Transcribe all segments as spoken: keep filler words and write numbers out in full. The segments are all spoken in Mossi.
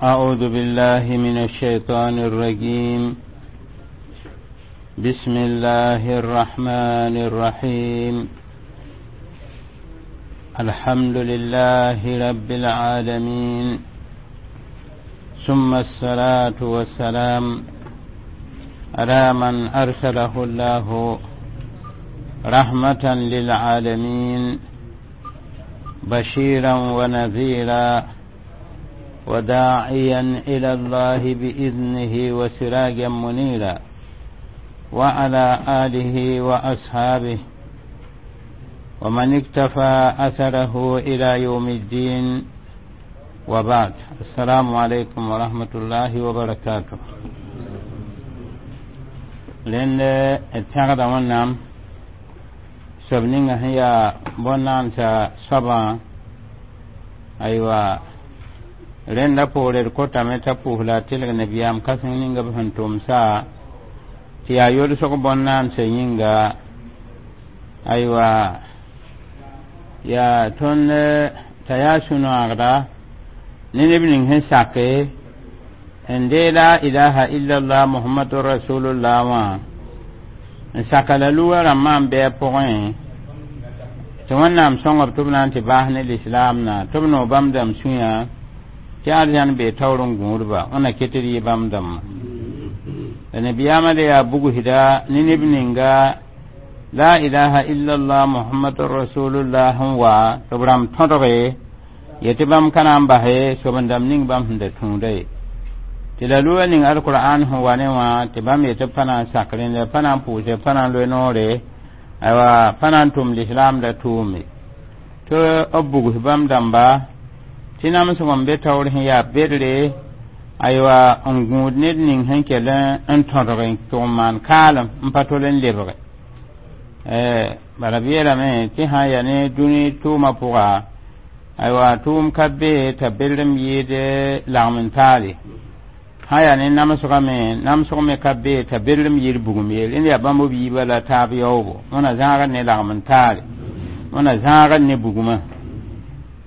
أعوذ بالله من الشيطان الرجيم بسم الله الرحمن الرحيم الحمد لله رب العالمين ثم الصلاة والسلام على من أرسله الله رحمة للعالمين بشيرا ونذيرا وداعيا إلى الله بإذنه وسراجا منيرا وعلى آله وأصحابه ومن اكتفى أثره إلى يوم الدين وبعد السلام عليكم ورحمة الله وبركاته لأن التغدى ونام sob ninga sẽn yaa bõn-naamsa soabã aywa rẽnda poore d kotame t'a pʋʋs la a tɩlg nabiyaam kãseng ninga b sẽn tʋmsa tɩ yaa yolsg bõn-naamsã yĩnga aywa yaa tõnd t'a yaa sũ-noagda ne neb ning sẽn sake n dee la ilaha illallah muhammadu rasulullah wã n saka la luga rãmbã n bɩ a pʋgẽ tɩ wẽnnaam sõngb tɩ b na n tɩ baas ne lislaam na tɩ b noog bãmb dãmb sũyã tɩ arzãn bee taoor n gũudba wẽnna ket d yɩ bãmb dãmbã la nabiyaamã le yaa bugsda ne neb ninga la ilaha illallah muhammadu rasulullah sẽn wa tɩ b rãmb tõdge ye tɩ bãmb ka na n base soben-dãmb ning bãmb sẽn da tũuda ye tɩ la luga ning alqur'an sẽn wa ne wã tɩ bãmb yetɩ b pa na n sak rẽnda pa na n pʋʋse pa na n loe noore aywa pa na n tʋm lislaam la tʋʋme tɩ b bugs bãmb dãmba tɩ namsg n be taoor sẽn yaa bedre aywa n gũud ned ning sẽn kell n tõdg n tʋg n maan kaalem n pa tol n lebge bala b yeelame tɩ sã n yaa ne dũni tʋʋmã pʋga aywa tʋʋm ka be t'a bedrem yɩɩd lagm n taale sã yaa ne namsgame namsg me ka be t'a bedrem yɩɩd bugum ye rẽnd yaa bãmb b yiibã la taab yaoogo wẽna zãagd ne lagm n taale wẽna zãagd ne bugmã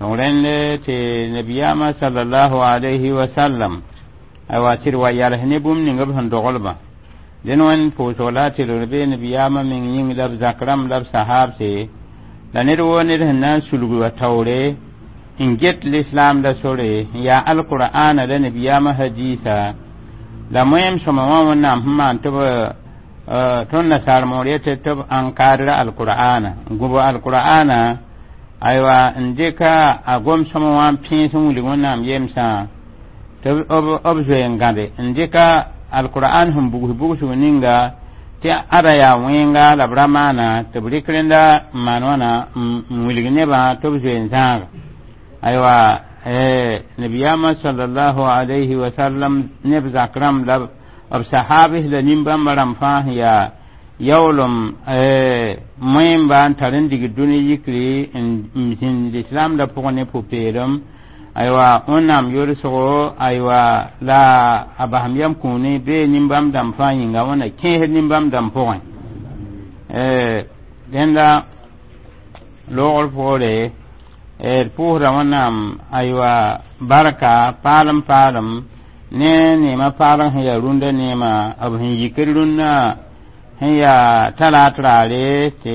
donc rẽnd tɩ nabiyaamã salallahu alayhi wa sallam aywa tɩ d wa yals ne bũmb ning b sẽn doglbã dẽn wẽnd pʋʋsg la a tɩlgr bee nabiyaamã meng yĩng la b zak rãmb la b sahaabse la ned woo ned sẽn na n sulg wa taoore n get lislaam la sore n yaa alqur'ana la nabiyaamã hadiisa la moẽem sõma wã wẽnnaam sẽn maan tɩ b tõnd nasaar moor yetɩ tɩ b encadre alqur'ana n gũb alqur'ana aywa n dɩka a gom-sõma wã n pẽes n wilg wẽnnaam yemsã tɩ b zoe n gãbe n dɩka alqur'an sẽn bugs bugsg ninga tɩ ada yaa wẽnga la b ra maana tɩ b rɩk rẽnda n maan wãna n wilg nebã tɩ b zoe n zãaga aywa nabiyaamã salallahu alayhi wa sallam neb zak rãmb la b sahabs la nin-bãmba rãmb fãa sẽn yaa yaoolem moẽmba n tar n dig dũni yikri n zĩnd lislaam la pʋgẽ ne pʋ-peelem aywa wẽnnaam yolsgo aywa la a basem yam kũuni bee nin-bãmb dãmb fãa yĩnga wẽnna kẽesd nin-bãmb dãmb pʋgẽ rẽnda loogr poore d pʋʋsda wẽnnaam aywa barka paalem paalem ne neemã paalg sẽn yaa rũndã neemã b sẽn yikd rũnnã sẽn yaa talaat raare tɩ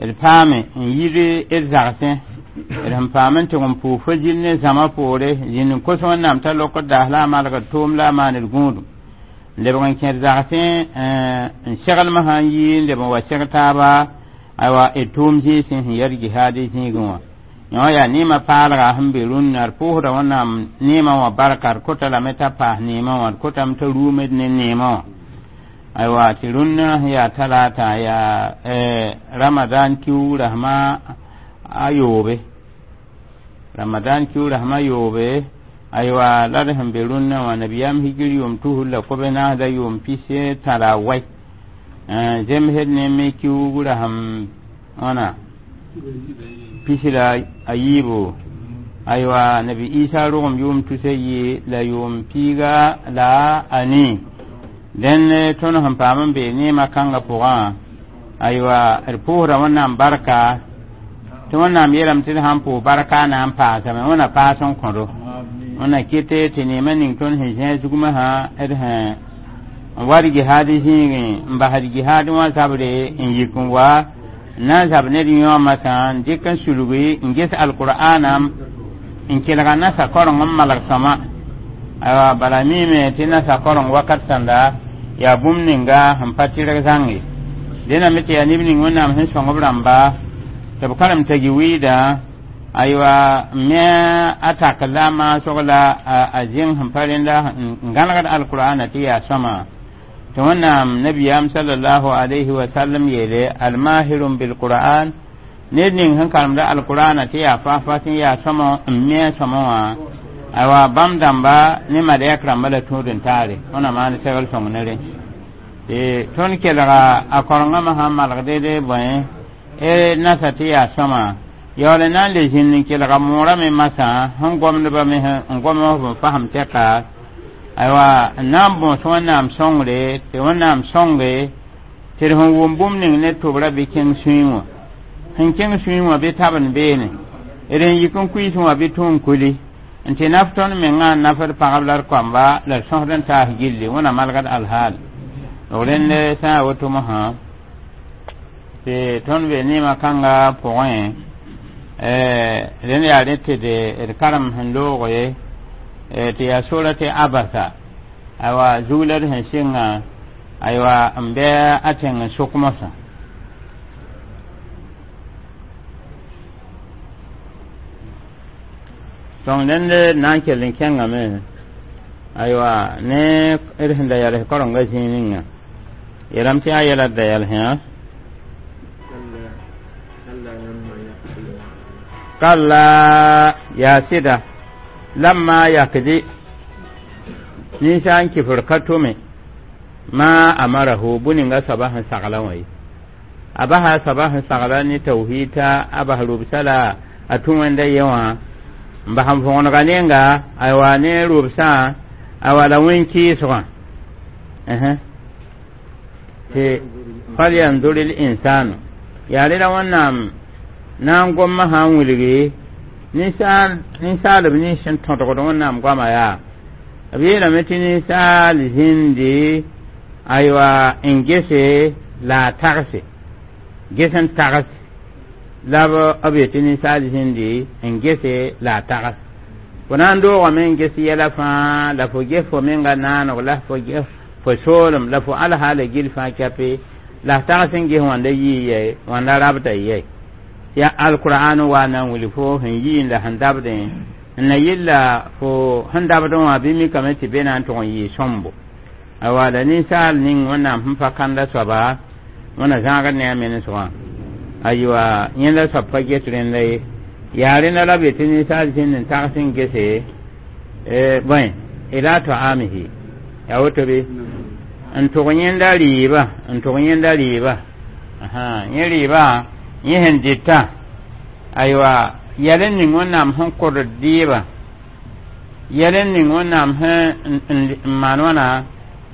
d paame n yid d zagsẽ d sẽn paam n tɩg n pʋʋs fo zĩl ne zãma poore zĩnd n kos wẽnnaam t'a lokd daas la a malgd tʋʋm la a maan d gũudum n lebg n kẽd zagsẽ n seglmã sã n yi n leb n wa seg taaba aywa d tʋʋm zĩisẽ sẽn yad jihaad zĩigẽ wã yõ yaa neemã paalga sẽn be rũnnã d pʋʋsda wẽnnaam neemã wã barka d kota lame t'a paas neemã wã d kotame t'a ruumed ne neemã wã aywa tɩ rũnnã sẽn yaa talata yaa ramadan kiu rasmã a yoobe ramadan kiu rasmã yoobe aywa la d sẽn be rũnnã wã nabiyaam hijir yʋʋm tusr la kobe naasda yʋʋm pis tã la a wai zemsd ne me kiuug rasem wãna pis la a yiibo aywa nabi isa rogem yʋʋm tusa yi la yʋʋm piiga la a nii dẽn tõnd sẽn paam n bee neemã kãngã pʋgã aywa d pʋʋsda wẽnnaam barka tɩ wẽnnaam yeelame tɩ d sãn pʋʋs barka na n paasame wẽna paas n kõdo Wẽnna kɩte tɩ neemã ning tõnd sẽn zẽeg zugmã sã d sẽn n wat gihaad zĩigẽ n basd gihaad wã zabre n yik n wa n na n zab ned yõomã sã n dɩk n sulgi n ges alqur'ana n kelga nasa koreng n malg sõma aywa bala miime tɩ nasa koreng wakat sãnda yaa bũmb ninga sẽn pa tɩrg zãng ye dẽname tɩ yaa neb ning Wẽnnaam sẽn sõng b rãmba tɩ b karem t'a gi-wiida aywa me a tak la maasg la a zẽng sẽn pa rẽnda n gãlgd alqur'ana tɩ yaa sõma tɩ Wẽnnaam nabiyaam sallallahu alayhi wa sallam yeele almahirun bilqur'an ned ning sẽn karemda alqur'ana tɩ yaa fas-fas n yaa sõma n me a sõma wã aywa bãmb dãmba ne malɛk rãmba la tũud n taare wẽna maan segl sõng ne rẽ tɩ tõnd kelga a korengãmã sãn malg dede bõe e nasa tɩ yaa sõma yaool n na n le zĩnd n kelga moorã me masã sẽn gomdba me n gom b n fasem tɛka aywa n na n bõos Wẽnnaam sõngre tɩ Wẽnnaam sõnge tɩ d sẽn wʋm bũmb ning ne tʋbrã bɩ kẽng sũyẽ wã sẽn kẽng sũyẽ wã bɩ tabend beene d n yik n kuiisẽ wã bɩ tũ n kuli n tɩ naf tõnd mengã n nafd pagb la d koamba la d sõsd n taas gilli wẽna malgd alhaal d rẽnd sã n woto mosã tɩ tõnd be neemã kãnga pʋgẽ rẽnd yaa rẽ tɩ d karem sẽn looge tɩ yaa sora tɩ abasa aywa zug la d sẽn sɩnga aywa n bɩ a tẽng n sʋk mosã tõng rẽnd na n kell n kẽngame aywa ne d sẽn da yals karenga zĩig ninga yeelame tɩ yaa yɛla d da yalsẽ kalla yaa sɩda lamma yakdi ninsaal n kifr ka tʋme ma amarahu bũ-ninga soaba sẽn sagla wã ye a basa soaba sẽn sagla ne tawhiida a bas rʋbsa la a tũ wẽnda ye wã n bas n võgenga nenga aywa ne rʋbsã aywa la wẽn-kɩɩsgã tɩ falyandur l insanu yaa rẽla Wẽnnaam na n gomma sã n wilgi ninsaalb nins sẽn tõdgd Wẽnnaam goama yaa b yeelame tɩ ninsaal zĩndi aywa n gese la a tagse ges n tags la b yetɩ ninsaal zĩndi n gese la a tags fo na n doogame n ges yɛla fãa la fo ges fo menga naaneg la fo fo soolem la fo alhaala gil fãa kɛpe la f tags n ges wãnda yii yɛ wãnda rabda yɛ ya alqur'an wa na n wilg fo sẽn yii la sẽn dabdẽ n na yilla fo sẽn dabdẽ wã bɩ mikame tɩ be na n tʋg n yɩɩ sõmbo awa la ninsaal ning Wẽnnaam sẽn pa kanda soaba wẽna zãagd ne a menesgã aywa yẽnda soab pa get rẽnda ye yaa rẽnda la b yetɩ ninsaal zĩnd n tags n gese bõe ila taamihi yaa woto bɩ n tʋg yẽnda rɩɩba n tʋg yẽnda rɩɩba yẽ rɩɩbã yẽ sẽn dɩtã aywa yɛl n ning Wẽnnaam sẽn kʋd dɩɩbã yɛl n ning Wẽnnaam sẽn n maan wãna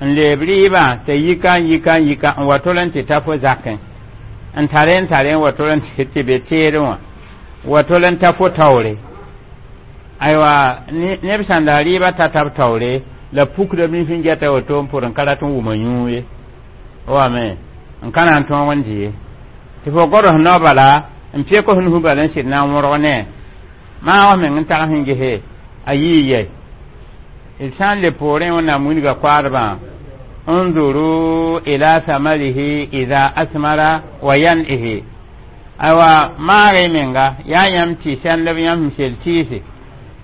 n leeb rɩɩbã t'a yika n yika n yika n wa tol n tɩ ta fo zakẽ n tare n tare n wa tol n tɩ be teedẽ wã wa tol n ta fo taoore aywa neb sãn da rɩɩbã ta tab taoore la pukda b nif n gɛta woto n pʋd n ka rat n wʋma yũu ye wame n ka na n tõog n dɩ ye tɩ fo gods nao bala n pek f nus bala n sɩd na n wõrg ne maa wa meng n tag sẽn gese a yii yɛ d sã n le poorẽ Wẽnnaam wilga koaadbã unzuru ila samarihi ida asmara wa yan'ihi aywa maag y menga yaa yãmb tɩ sɛndb yãmb sẽn sel tɩɩse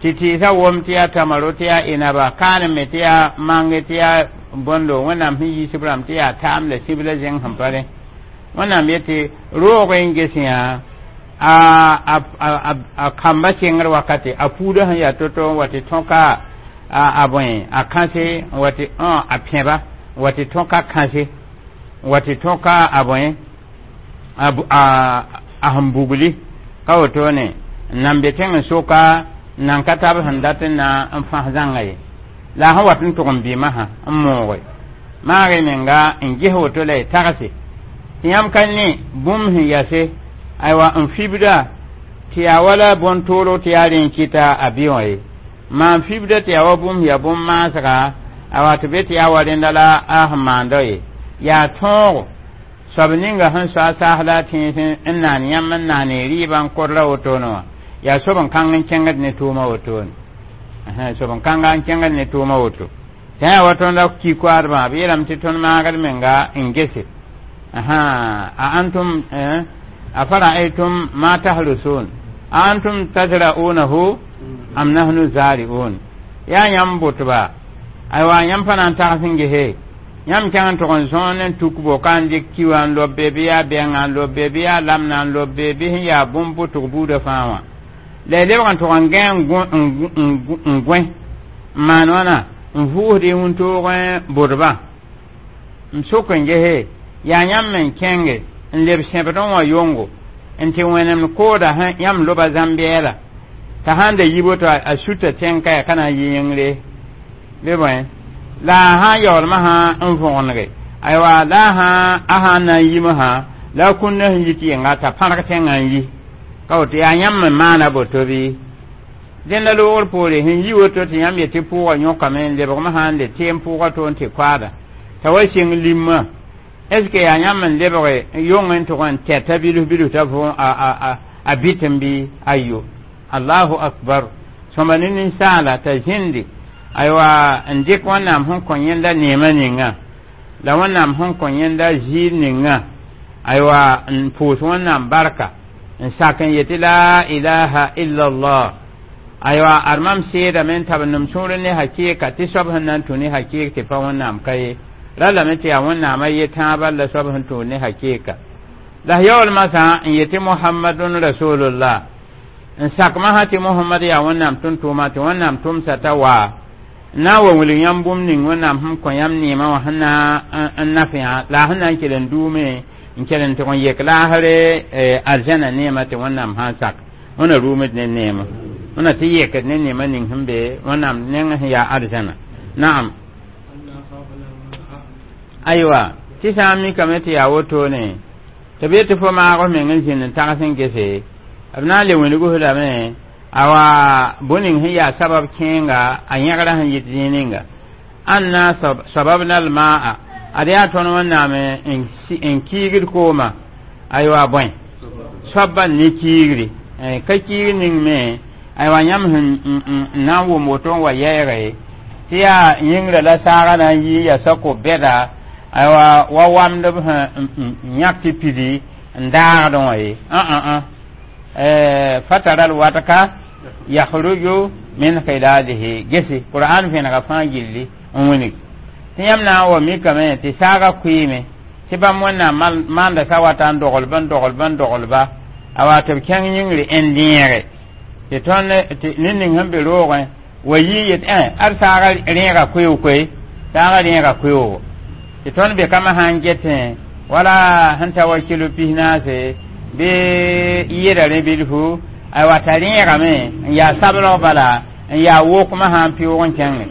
tɩ tɩɩsã wom tɩ yaa tamaro tɩ yaa inaba kaanem tɩ yaa mange tɩ yaa bõndo Wẽnnaam sẽn yiis b rãmb tɩ yaa taam la sib la zẽng sẽn pa rẽ Wẽnnaam yetɩ roog n ges yã a a a kamba kẽngr wakate a puudã sẽn yaa to-to n wa tɩ tõka a bõe a kãse n wa tɩ a pẽba n wa tɩ tõka kãse n wa tɩ tõka a bõe a a sẽn bugli ka wotone n nan be tẽng n soka n nan ka tab sẽn dat n na n fãs zãnga ye la a sẽn wat n tʋg n bɩmã n mooge maag y menga n ges woto la y tagse tɩ yãmb ka ne bũmb sẽn yase aywa n fibda tɩ yaa wala bõn-toolg tɩ yaa rẽ n kɩta a bɩ wã ye Maan fibda tɩ yaa wa bũmb yaa bũmb maasga awa tɩ be tɩ yaa wa rẽnda la a sẽn maanda ye yaa tõogo soab ninga sẽn soa saas la a tẽes n naan yãmb n naan rɩɩbã n kodra wotone wã yaa soab n kãng n kẽngd ne tʋʋma wotone soab n kãnga n kẽngd ne tʋʋma woto tɩ yaa wa tõnd la ki koaadbã b yeelame tɩ tõnd maagd menga n gese a antum afara'aytum ma tahrusun a antum tazra'unahu am nahnu zari'un yaa yãmb bʋtba aywa yãmb pa na n tags n gese yãmb kẽng n tʋg n zõon n tuk boka n dɩk ki wã n lobe bɩ yaa bɛngã n lobe bɩ yaa lamna n lobe bɩ sẽn yaa bũmb bʋtg buudã fãa wã la y lebg n tʋg n gã n gõe n maan wãna n vʋʋsd y wĩntoogẽ bʋdbã n sok n gese yaa yãmb n kẽnge n leb sẽbdẽ wã yongo n tɩ wẽnemd kooda yãmb loba zãm-bɛɛla t'a sãn da yi boto a suta tẽng-ka yaa ka na n yi yĩngre bɩ bõe la a sãn yaoolmã sã n võgenege aywa la a sã a sãn na n yimsã la a kũnna sẽn yi tɩ yenga t'a pãrg tẽngã n yi ka woto yaa yãmb n maana boto bɩ dẽnda loogr poore sẽn yi woto tɩ yãmb yetɩ pʋʋgã yõkame n lebgmã sã n le teem pʋʋgã toon tɩ koaada t'a wa sɩng limã est ce que yaa yãmb n lebge yong n tʋg n tɛta bilf bilf t'a võ a bɩt n bɩ ayo allahu akbar sõma ne ninsaala t'a zĩndi aywa n dɩk wẽnnaam sẽn kõ yẽnda neemã ninga la wẽnnaam sẽn kõ yẽnda ziir ninga aywa n pʋʋs wẽnnaam barka n sak n yetɩ la ilaha illallah aywa ad mam seedame n tab n sũur ne hakɩɩka tɩ soab sẽn na n tũ ne hakɩɩk tɩ pa wẽnnaam ka ye ra lame tɩ yaa wẽnnaamã ye tãabã la soab sẽn tũud ne hakɩɩka la yaool masã n yetɩ mohammadun rasulullah n sakmã sã tɩ mohamad yaa wẽnnaam tʋm-tʋʋma tɩ wẽnnaam tʋmsa t'a waa n na n wa wilg yãmb bũmb ning wẽnnaam sẽn kõ yãmb neemã wã sẽn na n naf yã la a sẽn na n kell n duume n kell n tʋg n yek laasre arzãna neemã tɩ wẽnnaam sã n sak wẽna rʋʋmd ne neemã wẽna tɩ yekd ne neemã ning sẽn be wẽnnaam neng sẽn yaa arzãna naam aywa tɩ sã n mikame tɩ yaa wotone tɩ b yetɩ fo maag f meng n zĩnd n tags n gese b na n le wilgs lame awa bõe-ning sẽn yaa sabab kẽenga a yẽgra sẽn yit zĩig ninga anna sababna almaa ad yaa tõnd wẽnnaam n kiigd kooma aywa bõe soabã ne kiigri ka kiig ning me aywa yãmb sẽn na n wʋm woto n wa yɛɛge tɩ yaa yĩngrã la saagã na n yi ya sako-bɛda aywa wa wamdb sẽn yãk tɩ pidi n daagdẽ wã ye fatara alwadka yakhruju min khilalihi gesi qur'an vẽnega fãa gilli n wilg tɩ yãmb na n wa mikame tɩ saagã kʋɩɩme tɩ bãmb wẽnnaam maanda sa wata n doglb n doglb n doglba a wa tɩ b kẽng yĩngre n dẽege tɩ tõnd ned ning sẽn be roogẽ wa yi yet ad saagã rẽega koeoog-koe saagã rẽega koeoogo tɩ tõnd be kama sã n getẽ wala sẽn ta wa kilo pis naase bɩ yeda rẽ bilfu aywa t'a rẽegame n yaa sablg bala n yaa wokmã sã n pɩʋʋg n kẽnge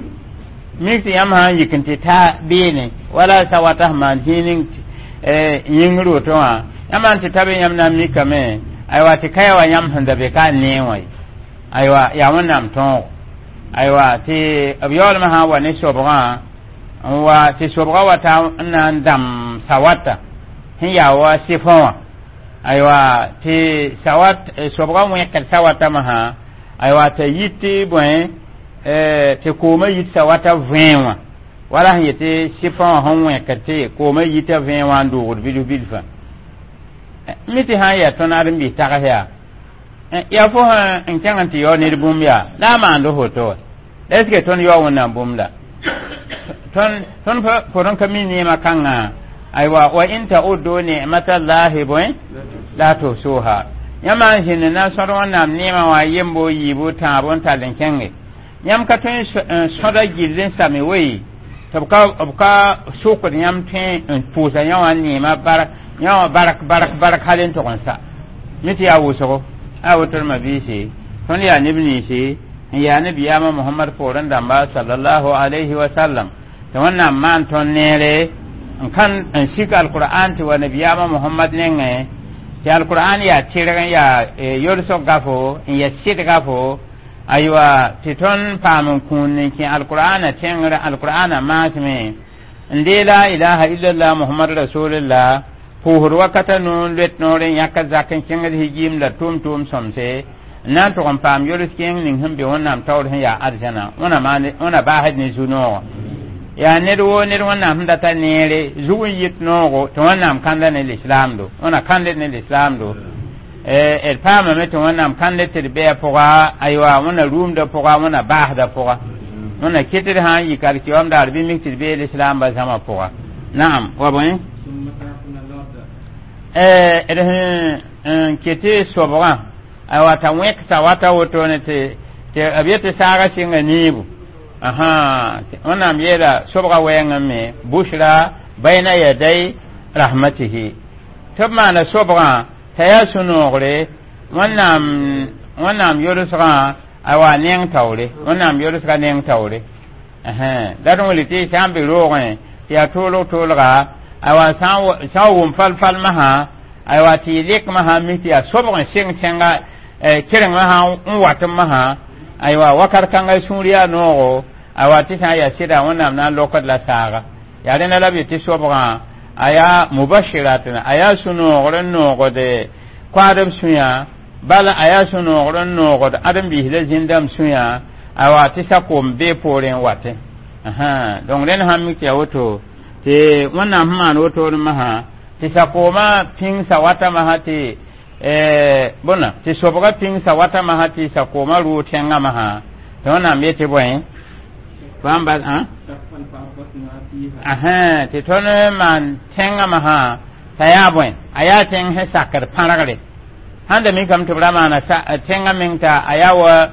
mik tɩ yãmb sã n yik n tɩ ta beene wala sa wata sẽn maan zĩig ning yĩngr woto wã yãmb sã n tɩ ta be yãmb na n mikame aywa tɩ ka ya wa yãmb sẽn da be ka n nee wã ye aywa yaa wẽnnaam tõogo aywa tɩ b yaoolmã sã n wa ne sobgã n wa tɩ sobgã wa ta n na n dãm sawata sẽn yaa wa sɩfõ wã aywa tɩ sawat sobgã wẽkd sawatame sã aywa t'a yit tɩ bõe tɩ koomã yit sawata vẽe wã wala sẽn yetɩ sɩfõ wã sẽn wẽkd tɩ koomã yita vẽe wã n doogd bilf bilfã mi tɩ sã n yaa tõnd ãdem-biis tags yaa yaa fo sẽn kẽng n tɩ yao ned bũmb yaa la a maand foto wa la est ce que tõnd yao wẽnnaam bũmb la tõnd tõnd pʋd n ka mi neemã kãngã aywa wa in ta'uddu ni'matallahi bõe la tuhsuha yãmb n zĩnd na n sõd wẽnnaam neemã wã yembo yiibu tãabo n tall n kẽnge yãmb ka tõe n sõda gill n same wei tɩ b ka b ka sʋkd yãmb tõe n pʋʋsa yã wã neemã bark yã wã bark bark bark hal n tʋg n sa mi tɩ yaa wʋsgo a woto ma biisi tõnd yaa neb ninsi n yaa nabiyaamã mohamad poorẽ dãmba sallallahu alayhi wa sallam tɩ wẽnnaam maan tõnd neere n kãn n sik alqur'an tɩ wa nabiyaamã mohamad nengẽ tɩ alqur'an yaa tɩrg n yaa yolsg gafo n yaa sɩdga fo Aywa, tɩ tõnd paam n kũun n kẽ alqur'ana tẽngr, alqur'ana maasme n dee la ilaha illallah Muhammad rasulillah, pʋʋsd wakata nu n loet noor n yãk zak n kẽngd hijiim la tʋʋm-tʋʋm sõmse n na n tʋg n paam yols kẽeng ning sẽn be Wẽnnaam taoor sẽn yaa arzãna. Wẽna baasd ne zu-noogo yaa ned woo ned Wẽnnaam sẽn data neere zug n yit noogo tɩ Wẽnnaam kãnda ne lislaamdo, Wẽna kãndd ne lislaamdo. D paamame tɩ Wẽnnaam kãnd tɩ d bɩa pʋga. Aywa, Wẽnna rũumda pʋga, Wẽnna baasda pʋga, Wẽnna kɩtd sã n yik alkiyom daar bɩ mik tɩ d bee lislaamba zãma pʋga. Naam, wa bõe d sẽn n kɩtɩ sobgã, aywa, t'a wẽksa wata wotone tɩ tɩ b yetɩ saaga sɩnga niibu. Aha, Wẽnnaam yeela sobga wɛɛngã me bushra bayna yaday rahmatihi, tɩ b maana sobgã t'a yaa sũ-noogre Wẽnnaam Wẽnnaam yolsgã, aywa, neng taoore, Wẽnnaam yolsga neng taoore. La d wilg tɩ sã n be roogẽ tɩ yaa toolg toolga, aywa, sã n wʋm fal-fal masã, aywa, tɩ y lek masã mik tɩ yaa sobg n sɩng tẽnga kerengmã sã n wat n masã, aywa, wakat kãnga sũur yaa noogo, aywa, tɩ sã n yaa sɩda Wẽnnaam na n lokd la saaga. Yaa rẽnda la b yetɩ sobgã a yaa mubashirat, a yaa sũ-noogr n noogde koaadb sũyã, bala a yaa sũ-noogr n noogd ãdem-biis la zĩndãmb sũyã, aywa, tɩ sa-koom bee poorẽ n watẽ. Donc rẽnd sã n mik tɩ yaa woto tɩ Wẽnnaam sẽn maan wotone masã tɩ sa-koomã pĩngsa wata masã tɩ bõna tɩ sobga pĩngsa wata masã tɩ sa-koomã rʋʋ tẽngã masã tɩ Wẽnnaam yetɩ bõe bãmba tɩ tõnd maan tẽngã masã t'a yaa bõe, a yaa tẽng sẽn sakd pãrgre sãn da mikame tɩ b ra maana tẽngã meng t'a a yaa wa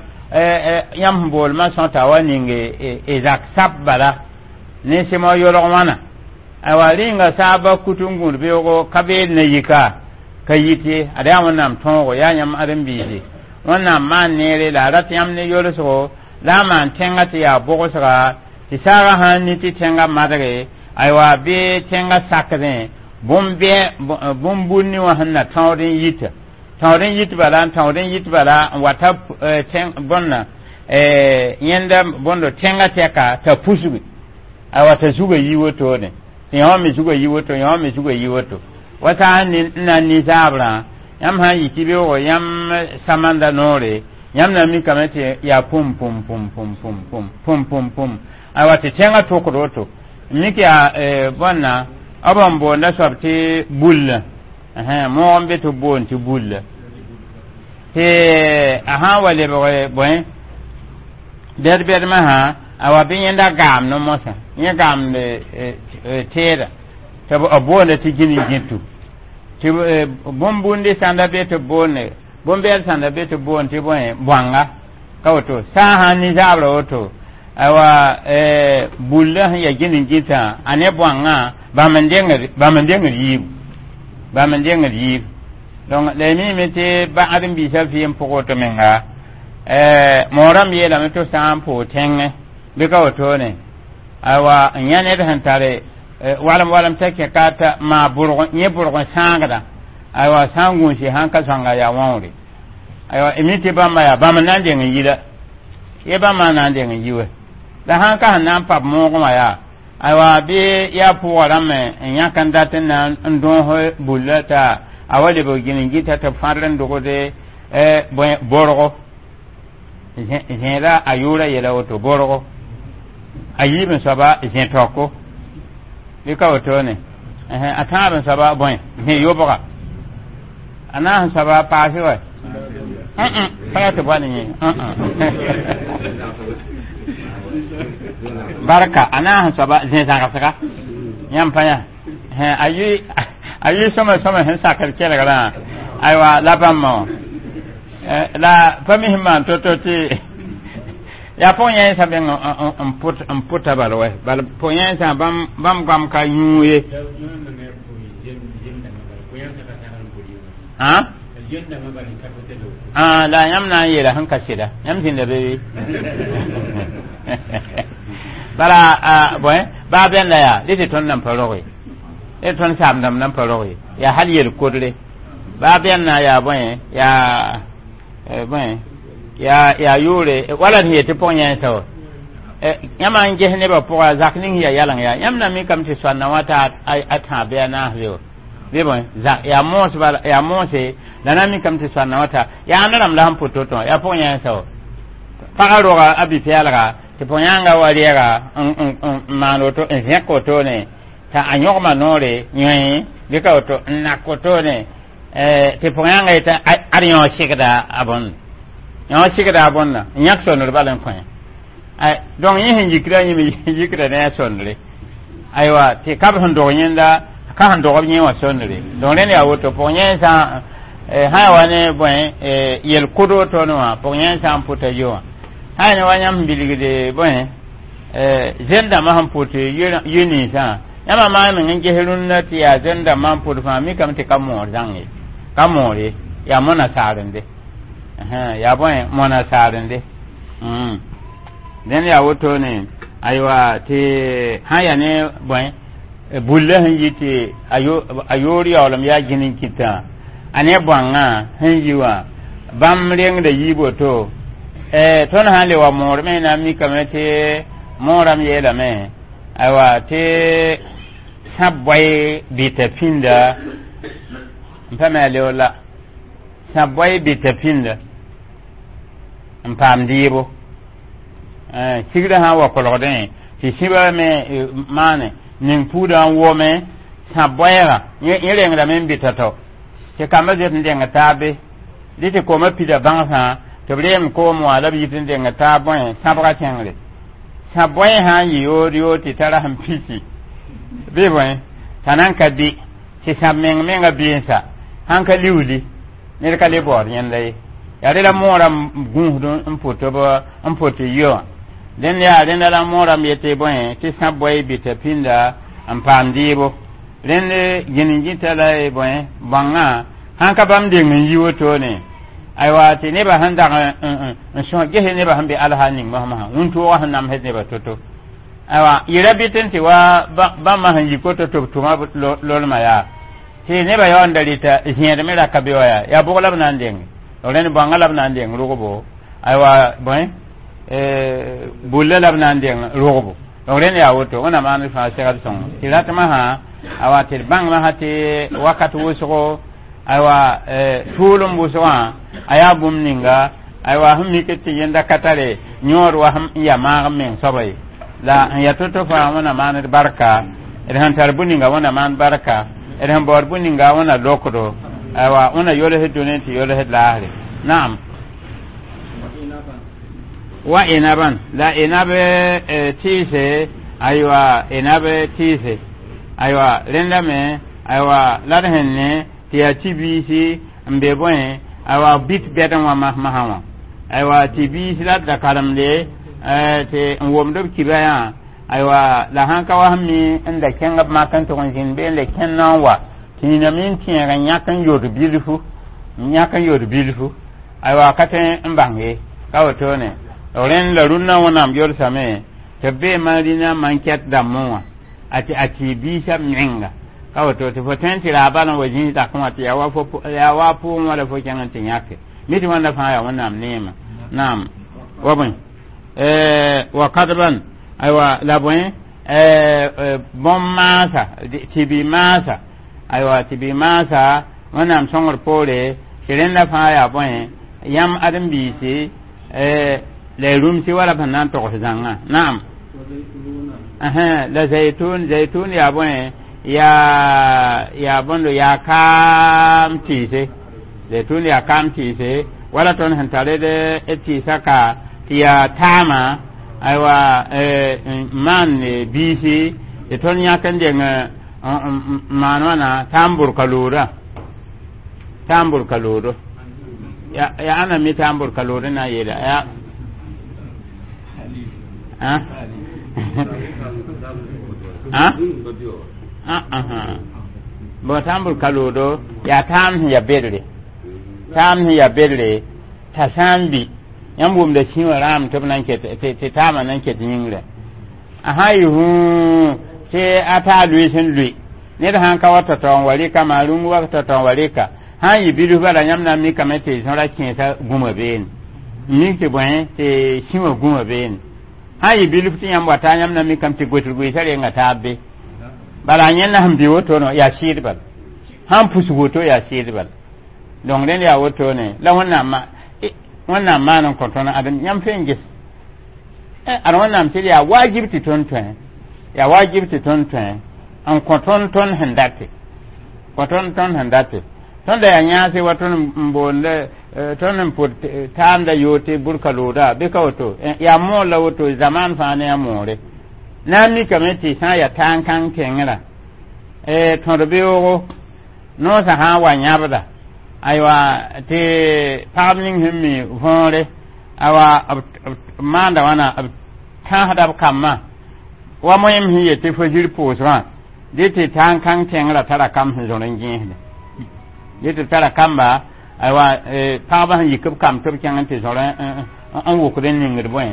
yãmb sẽn boolmã sõta wa ning y zak sab bala ne sɩmo yolg wãna. Aywa, rĩnga saaba kut n gũud beoogo ka beel na yika ka yit ye, ad yaa Wẽnnaam tõogo, yaa yãmb ãdem-biisi Wẽnnaam maan neere la a rat yãmb ne yolsgo la a maan tẽngã tɩ yaa bogsga tɩ saagã sã n ni tɩ tẽngã madge, aywa, bɩ tẽngã sakdẽ bũmb-bũni wã sẽn na tãood n yita, tãood n yit bala, n tãood n yit bala n wata bõnna yẽnda bõndo tẽngã tɛka t'a pusgi, aywa, t'a zuga yi wotone tɩ yã wã me zuga yi woto, yã wã me zuga yi woto wa sã n na n ninsaabrã. Yãmb sã n yi tɩ beoogo yãmb samanda noore, yãmb na mikame tɩ yaa pum pum pum pum pum pum pum pum pum, aywa, tɩ tẽngã tʋkd woto mik yaa bõnna b n boonda soab tɩ bulla moog n be tɩ b boond tɩ bulla tɩ a sã n wa lebg bõe bɛd-bɛd masã, awa, bɩ yẽnda gaam ne mosã yẽ gaamd teeda tɩ b boonda tɩ gini gĩtu tɩ bũmb-bũndi sãnda be tɩ b boonde bũmb-bɛd sãnda be tɩ b boond tɩ bõe bõanga ka woto sã n sãn ninsaabrã woto, aywa, bulla sẽn yaa gini gĩtã a ne bõangã bãmb n dengd bãmb n dengd yiibu, bãmb n dengd yiibu. Donc la y miime tɩ ba ãdem-biisã vɩɩm pʋg woto menga moorãmb yeelame tɩ sã n pʋʋg tẽngẽ bɩ ka wotone, aywa, n yã ned sẽn tare walem walem t'a kẽ ka t'a maa bʋrg yẽ bʋrg n sãagda, aywa, sã n gũusi sãn ka sõnga yaa wãoore, aywa, mi tɩ bãmba yaa bãmb n na n deng n yi la ye bãmba n na n deng n yi wɛ la sãn ka sẽn na n pab moogẽ wã yaa, aywa, bɩ yaa pʋʋga rãmb n yãk n dat n na n dõos bulla t'a a wa lebg gini gita tɩ b fãdr n dogde borgo zẽeda a yʋʋra yɛla woto borgo a yiib n soaba zẽ taoko bɩ ka wotone a tãab n soaba bõe zẽ yobga a naas n soaba paase wa pa yaa tɩ bõe yẽ barka a naas n soaba zẽ zãgsga yãmb pa yã a yʋ a yʋ sõma sõma sẽn sakd kelgrã, aywa, la bãmba wã la pa mis n maan to-to tɩ yaa pʋg yẽnsã beng n pʋta bal wɛ bal pʋg yẽnsã bãmb goam ka yũu ye. La yãmb na n yeela sẽn ka sɩda yãmb zĩnda be be bala bõe baa bẽnda yaa dɩ tɩ tõnd nan pa roge d tõnd saamdãmb nan pa roge yaa hal yel-kodre baa bẽnna yaa bõe yaa bõe Yaa yaa yʋʋre wala d sẽn yet tɩ pʋg-yẽensã wa yãmb n ges nebã pʋga zak ning yaa yaleng yaa yãmb na mikame tɩ soanna wã t'a a tãab bɩ a naas be wa bɩ bõe zak yaa moos bala yaa moose la na mikame tɩ soanna wã ta yaa ãnd rãmb la sẽn pʋt toto yaa pʋg-yẽensã wa pagã roga a bi-pɛɛlga tɩ pʋg-yãanga wa rɛɛga n maan woto n zẽk wotone t'a a yõgma noore yõe bɩ ka woto n nak wotone tɩ pʋg-yãanga yeta ad yõ segda a bõnd yõ segda a bõnda n yãk sondr bal n kõ donc yẽ sẽn yikra yẽ me yikra ne a sondre aywa tɩ ka b sẽn dog yẽnda ka sẽn dog b yẽ wã sondre donc rẽnd yaa woto pʋg-yẽensã sã ya wa ne bõe yel-kʋd wotone wã pʋg-yẽensã n pʋta yo wã sã ya ne wa yãmb sẽn bilgde bõe zẽn-dãmbã sẽn pʋt yö ninsã yãmba maan meng n ges rũnnã tɩ yaa zẽn-dãmbã n pʋt fãa mikame tɩ ka moor zãng ye ka moor ye yaa mona saarende yaa bõe mona saarende dẽnd yaa wotone aywa tɩ sã ya ne bõe bulla sẽn yi tɩ a yoor yaoolem yaa gĩn n kɩtã a ne bõangã sẽn yi wã bãmb rengda yiib woto tõnd sã n le wa moor me na n mikame tɩ moorame yeelame aywa tɩ sã boe bɩta pĩnda n pa me a leoor la sã boe bɩta pĩnda n paam dɩɩbo sigrã sã n wa kolgdẽ tɩ sĩba me maane ning puudã n wome sã boɛɛgã yẽ rengdame n bɩta tao tɩ kambã zoet n deng taabe dɩ tɩ koomã pida bãngsã tɩ b reem koom wã la b yit n deng taab bõe sãbga kẽngre sã boɛ sã n yɩ yood yood tɩ tara sẽn pisi bɩ bõe t'a nan ka bɩ tɩ sãb meng menga bɩensa sãn ka liuuli ned ka le baood yẽnda ye yaa rela moorã gũusd n pʋt b n pʋt yɔ wã dẽnd yaa rẽnda la moorame yetɩ bõe tɩ sã boe bɩta pĩnda n paam dɩɩbo rẽnd gĩn n gĩta la bõe bãngã sãn ka bãmb deng n yi wotone aywa tɩ nebã sẽn dag n sõs ges nebã sẽn be alsa ning mosmosã wũntoogã sẽn namsd nebã to-to aywa yɩra bɩt n tɩ wa bãmbã sẽn yik woto tɩ b tʋma lolmã yaa tɩ nebã yaoonda rɩta zẽed me ra ka be wa yaa yaa bʋg la b na n deng rẽnd bãngã la b na n deng rogbo aywa bõe bulla la b na n deng rogbo donc rẽnd yaa woto wẽnnaam maan fãa segd sõng tɩ ratmã sã awa tɩ d bãng masã tɩ wakat wʋsgo aywa tʋʋlem wʋsgã a yaa bũmb ninga aywa sẽn mik tɩ yẽnda ka tare yõod wa sẽn ya maag n meng soaba ye la n ya to-to fãa wẽnnaam maan d barka d sẽn tar bũn ninga wẽnnaam maan barka d sẽn baood bũn ninga wẽnna lokdo aywa wẽnna yols dũni tɩ yols laasre naam wa inaban la inab tɩɩse aywa inab tɩɩse aywa rẽnda me aywa la d sẽn ne tɩ yaa tɩ biisi n be bõe aywa bit bɛdẽ wã masmasã wã aywa tɩ biis la d da karemde tɩ n womd b kiba yã aywa la sãn ka wa sẽn mi n da kẽng b mak n tʋg n zĩnd bee n le kẽnd na n wa tɩ nina me n tẽeg n yãk n yod bilfu n yãk n yod bilfu aywa ka tõe n bãng ye ka wotone rẽnd la rũnnã wẽnnaam yolsame tɩ b bee maan-rĩnã man-kɛt dãmbẽ wã a tɩ a tɩ biisã menga ka woto tɩ fo tõe n tɩ raa bal n wa zĩis dakẽ wã tɩ yaa wa fo yaa wa pʋʋgẽ wã la fo kẽng n tɩ yãke mi tɩ wãnda fãa yaa wẽnnaam neema naam wa bõe wa kadban aywa la bõe bõn-maasa tɩ bɩ maasa aywa tɩ bɩ maasa wẽnnaam sõngr poore tɩ rẽnda fãa yaa bõe yãmb ãdem-biisi la y rũmsi wala b sẽn na n togs zãngã naam la zaitun zaitun yaa bõe yaa yaa bõndo yaa kaam tɩɩse zaitun yaa kaam tɩɩse wala tõnd sẽn tar d tɩɩsã ka tɩ yaa taama aywa maan biisi tɩ tõnd yãk n deng maan wãna taam bʋrka loodã taam bʋrka loodo ya ya ãna mi taam bʋrka lood na n yeela ya ah ah bon taam bʋrka loodo yaa taam sẽn ya bedre taam sẽn ya bedre t'a sã n bi yãmb wʋmda sĩ wã rãam tɩ b nan ket tɩ taamã nan ket yĩngrã a sã n yɩ hũu tɩ a taa lʋɩs n lʋɩ ned sãn ka wa tao-tao n wa rɩka maa rũng wa tao-tao n wa rɩka sã n yɩ bilf bala yãmb na n mikame tɩ sõra kẽesa gũma beene Mik tɩ bõe tɩ sĩ wã gũma beene sã n yɩ bilf tɩ yãmb wata yãmb na mikame tɩ goetr goeesa renga taab be bala yẽnda sẽn bɩ wotone yaa sɩɩd bal sãn pus woto yaa sɩɩd bal donc rẽnd yaa wotone la wẽnnaam wẽnnaam maan n kõ tõnd adem yãmb fe n ges ad wẽnnaam tɩ d yaa wajib tɩ tõnd tõe yaa wajib tɩ tõnd tõe n kõ tõnd tõnd sẽn date kõ tõnd tõnd sẽn date tõnd da yaa yãase wa tõnd n boonda tõnd n pʋd taamda yoo tɩ burka looda bɩ ka woto yaa moor la woto zaman fãa ne a moore na n mikame tɩ sã n yaa tãn-kãng tẽngrã tõd beoogo noosã sã n wa yãbda aywa tɩ pagb ning sẽn mi võore awa b maanda wãna b tãsda b kambã wa moẽm sẽn yet tɩ fo zir pʋʋsgã dɩ tɩ tãn-kãng tẽngrã tara kamb sẽn zõr n gẽesde dɩ tɩ tara kamba aywa pagba sẽn yik b kamb tɩ b kẽng n tɩ zõr n wʋkd n ningd bõe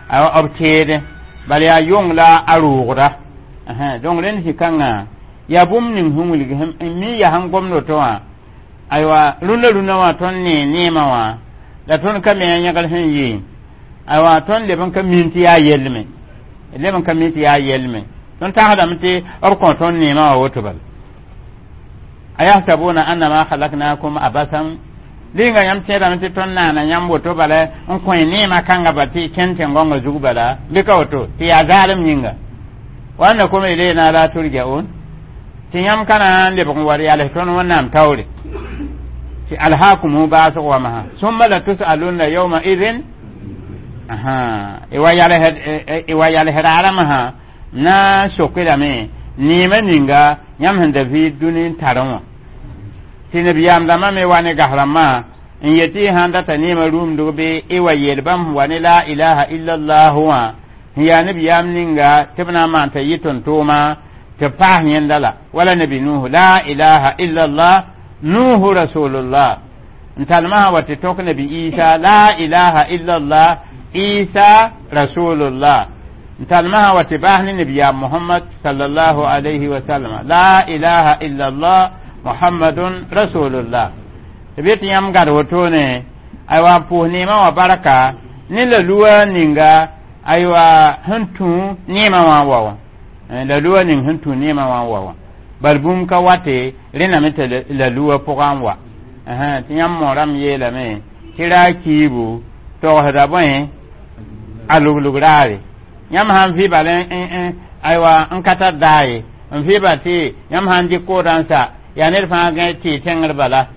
aywa b teede bala yaa yong la a roogda donc rẽnd zĩ-kãngã yaa bũmb ning sẽn wilg mi yaa sẽn gomd woto wã aywa rũndã rũndã wã tõnd ne neemã wã la tõnd ka me a yẽgr sẽn yɩ aywa tõnd leb n ka min tɩ yaa yellme leb n ka mi tɩ yaa yellme tõnd tagsdame tɩ b kõ tõnd neemã wã woto bala ayahsabuna annama khalaknakum abasan rɩnga yãmb tẽedame tɩ tõnd naana yãmb woto bala n kõ neemã kãnga ba tɩ kẽn tẽn-gõngã zug bala bɩ ka woto tɩ yaa zaalem yĩnga wa annakum ilayna la turja'un tɩ yãmb ka na n lebg n wa yals tõnd wẽnnaam taoore tɩ alhaakumu baasg wã summa la tusalunna yawma idin wa yals raarã na n sokdame neemã ninga yãmb sẽn da vɩɩd dũni n tarẽ wã tɩ nabiyaam dãmbã me wa ne gas rãmbã n yetɩ sãn data neemã rũmdg bɩ y wa yeel bãmb wa ne la ilaha illallahu wã sẽn yaa nabiyaam ninga tɩ b na n maan t'a yɩ tõn-tʋʋma tɩ paas yẽnda la wala nabi nuhu la ilaha illallah nuhu rasulullah n talmã wa tɩ tok nabi isa la ilaha illallah isa rasulullah n talmã wa tɩ baas ne nabiyaam muhammad sallallahu alayhi wa sallam la ilaha illallah muhammadun rasulullah tɩ bɩ tɩ yãmb gad wotone aywa n pʋʋs neemã wã barka ne la luwa ninga aywa sẽn tũ neemã wã n wa wã la luwa ning sẽn tũ neemã wã n wa wã bal bũmb ka wate rẽname tɩ la luwa pʋgã n wa tɩ yãmb moorame yeelame tɩ raa kiibu togsda bõe a luglug raare yãmb sãn vɩ bal aywa n ka tar daa ye n vɩ tɩ yãmb sãn dɩk koodã n sa yaa ned fãa gã tɩ tẽngr bala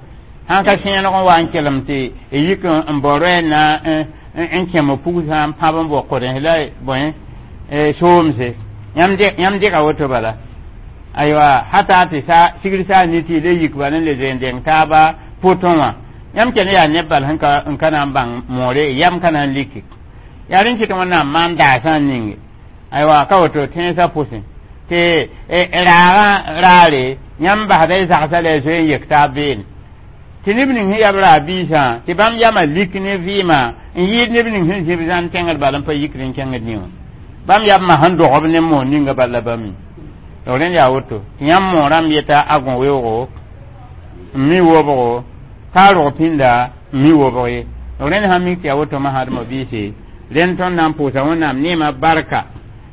sãn ka sẽeneg n wa n kelem tɩ yik n bao roɛɛ na n kẽm pug sã n pãb n bao kʋdens la bõe soomse yãmb dɩka woto bala aywa hata tɩ sa sigr saa ni tɩ le yik bal n le zoe n deng taaba pʋtõ wã yãmb ken yaa neb bal sẽn ka n ka na n bãng moore yam ka na n liki yaa rẽn kɩt wẽnnaam maan daasã n ninge aywa ka woto tẽnsã pʋsẽ tɩ raagã raare yãmb basda y zagsã la y zoe n yek taab beene tɩ neb ning sẽn yab raar biisã tɩ bãmb yama lik ne vɩɩmã n yɩɩd neb ning sẽn zĩb zãn tẽngr bal n pa yikd n kẽngd nĩ wã bãmb yab ma sẽn dogb ne moon ninga bal la bãmb mi rẽnd yaa woto tɩ yãmb moorãmb yeta a gõ weoogo n mi wobgo ka rog pĩnda n mi wobg ye rẽnd sã mik tɩ yaa woto masãdmã biise rẽnd tõnd na n pʋʋsa wẽnnaam neemã barka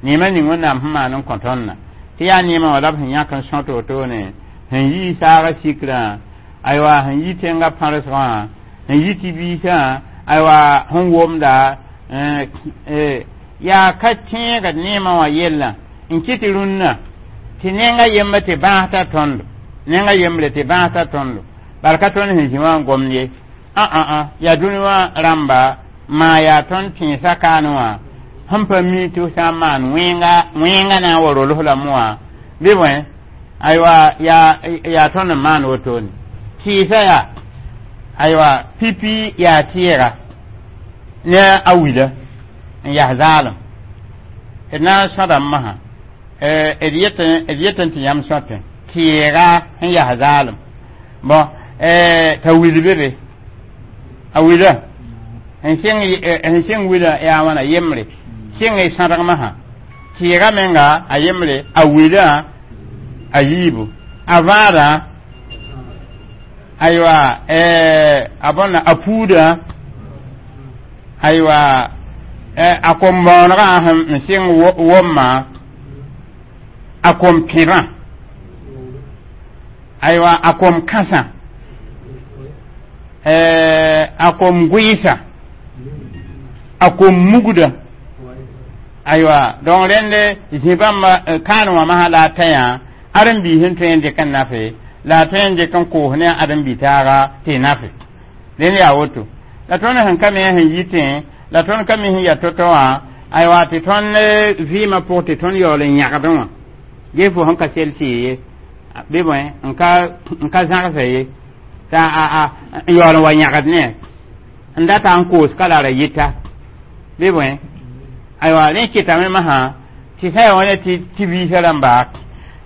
neemã ning wẽnnaam sẽn maan n kõ tõndã tɩ yaa neemã wã la b sẽn yãk n sõt wotone sẽn yi saagã sikrã aywa sẽn yi tẽngã pãresgã wã sẽn yi tɩ biisã aywa sẽn womda yaa ka tẽega neemã wã yellã n kɩ tɩ rũnnã tɩ nenga yemba tɩ bãas tõndo nenga yembre tɩ bãas tõndo bala ka tõnd sẽn zĩ wã n gomd ye a yaa dũni wã rãmba maa yaa tõnd tẽesã kaane wã sẽn pa mi tɩ sã n maan wẽnga wẽnga na n wa rols lame wã bɩ bõe aywa yaa yaa tõnd n maan wotone tɩɩsã yaa aywa pipi yaa tɩɩga ne a wila n yaa zaalem d na n sõdame masã d yetẽ tɩ yãmb sõtẽ tɩɩga sẽn yaa zaalem bõn t'a wil be be a wila sẽn sɩng wila yaa wãna yembre sɩng y sãdg masã tɩɩga menga a yembre a wila a yiibu a vãadã aywa a bõna a puudã Aywa, a kom-bõonegã sẽn sɩng womma, a kom-pẽbã, aywa, a kom-kãsã, a kom-gʋɩɩsa, a kom-mugda. Aywa, donc rẽnd zĩ bãmba kaan wã masã la a tã yã ãdem-biis n tõe n dɩk n nafe, la a tõe n dɩk n koos ne a ãdem-bi-taaga tɩ nafe. Rẽnd yaa woto la tõnd sẽn ka me sẽn yitẽ, la tõnd ka mi sẽn ya to-to wã. Aywa, tɩ tõnd vɩɩmã pʋg tɩ tõnd yaool n yãgdẽ wã ges fo sẽn ka sel tɩ ye bɩ bõe n ka n ka zãgsa ye t'a n yaool n wa yãgd ne n data n koos ka la ra yɩta bɩ bõe. Aywa, rẽ kɩtame masã tɩ sã ya wã ne tɩ tɩ biisã rãmba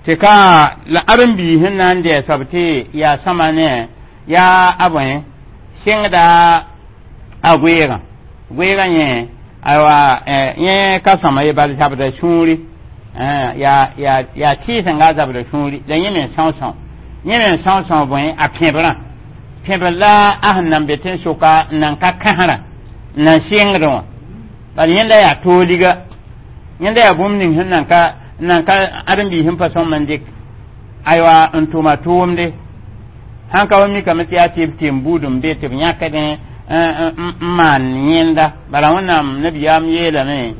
tɩ ka la ãdem-biis sẽn na n dɩ soab tɩ yaa sõma ne yaa a bõe sɩngda a goeegã goeegã yẽ. Aywa, yẽ ka sõma ye, bal zabda sũuri, yaa yaa yaa tɩɩsenga a zabda sũuri la yẽ me sõo-sõo, yẽ me sõo-sõo bõe a pẽbrã pẽbr la a sẽn nan be tẽn-sʋka n nan ka kãsrã n nan sɩngdẽ wã. Bal yẽnda yaa tooliga, yẽnda yaa bũmb ning sẽn nan ka nan ka ãdem-biis sẽn pa sõm n dɩk, aywa, n tʋma tʋʋmde sãn ka wa mikame tɩ yaa tɩ b tɩ n buud n be tɩ b yãkdẽ n maan yẽnda. Bala Wẽnnaam nabiyaam yeelame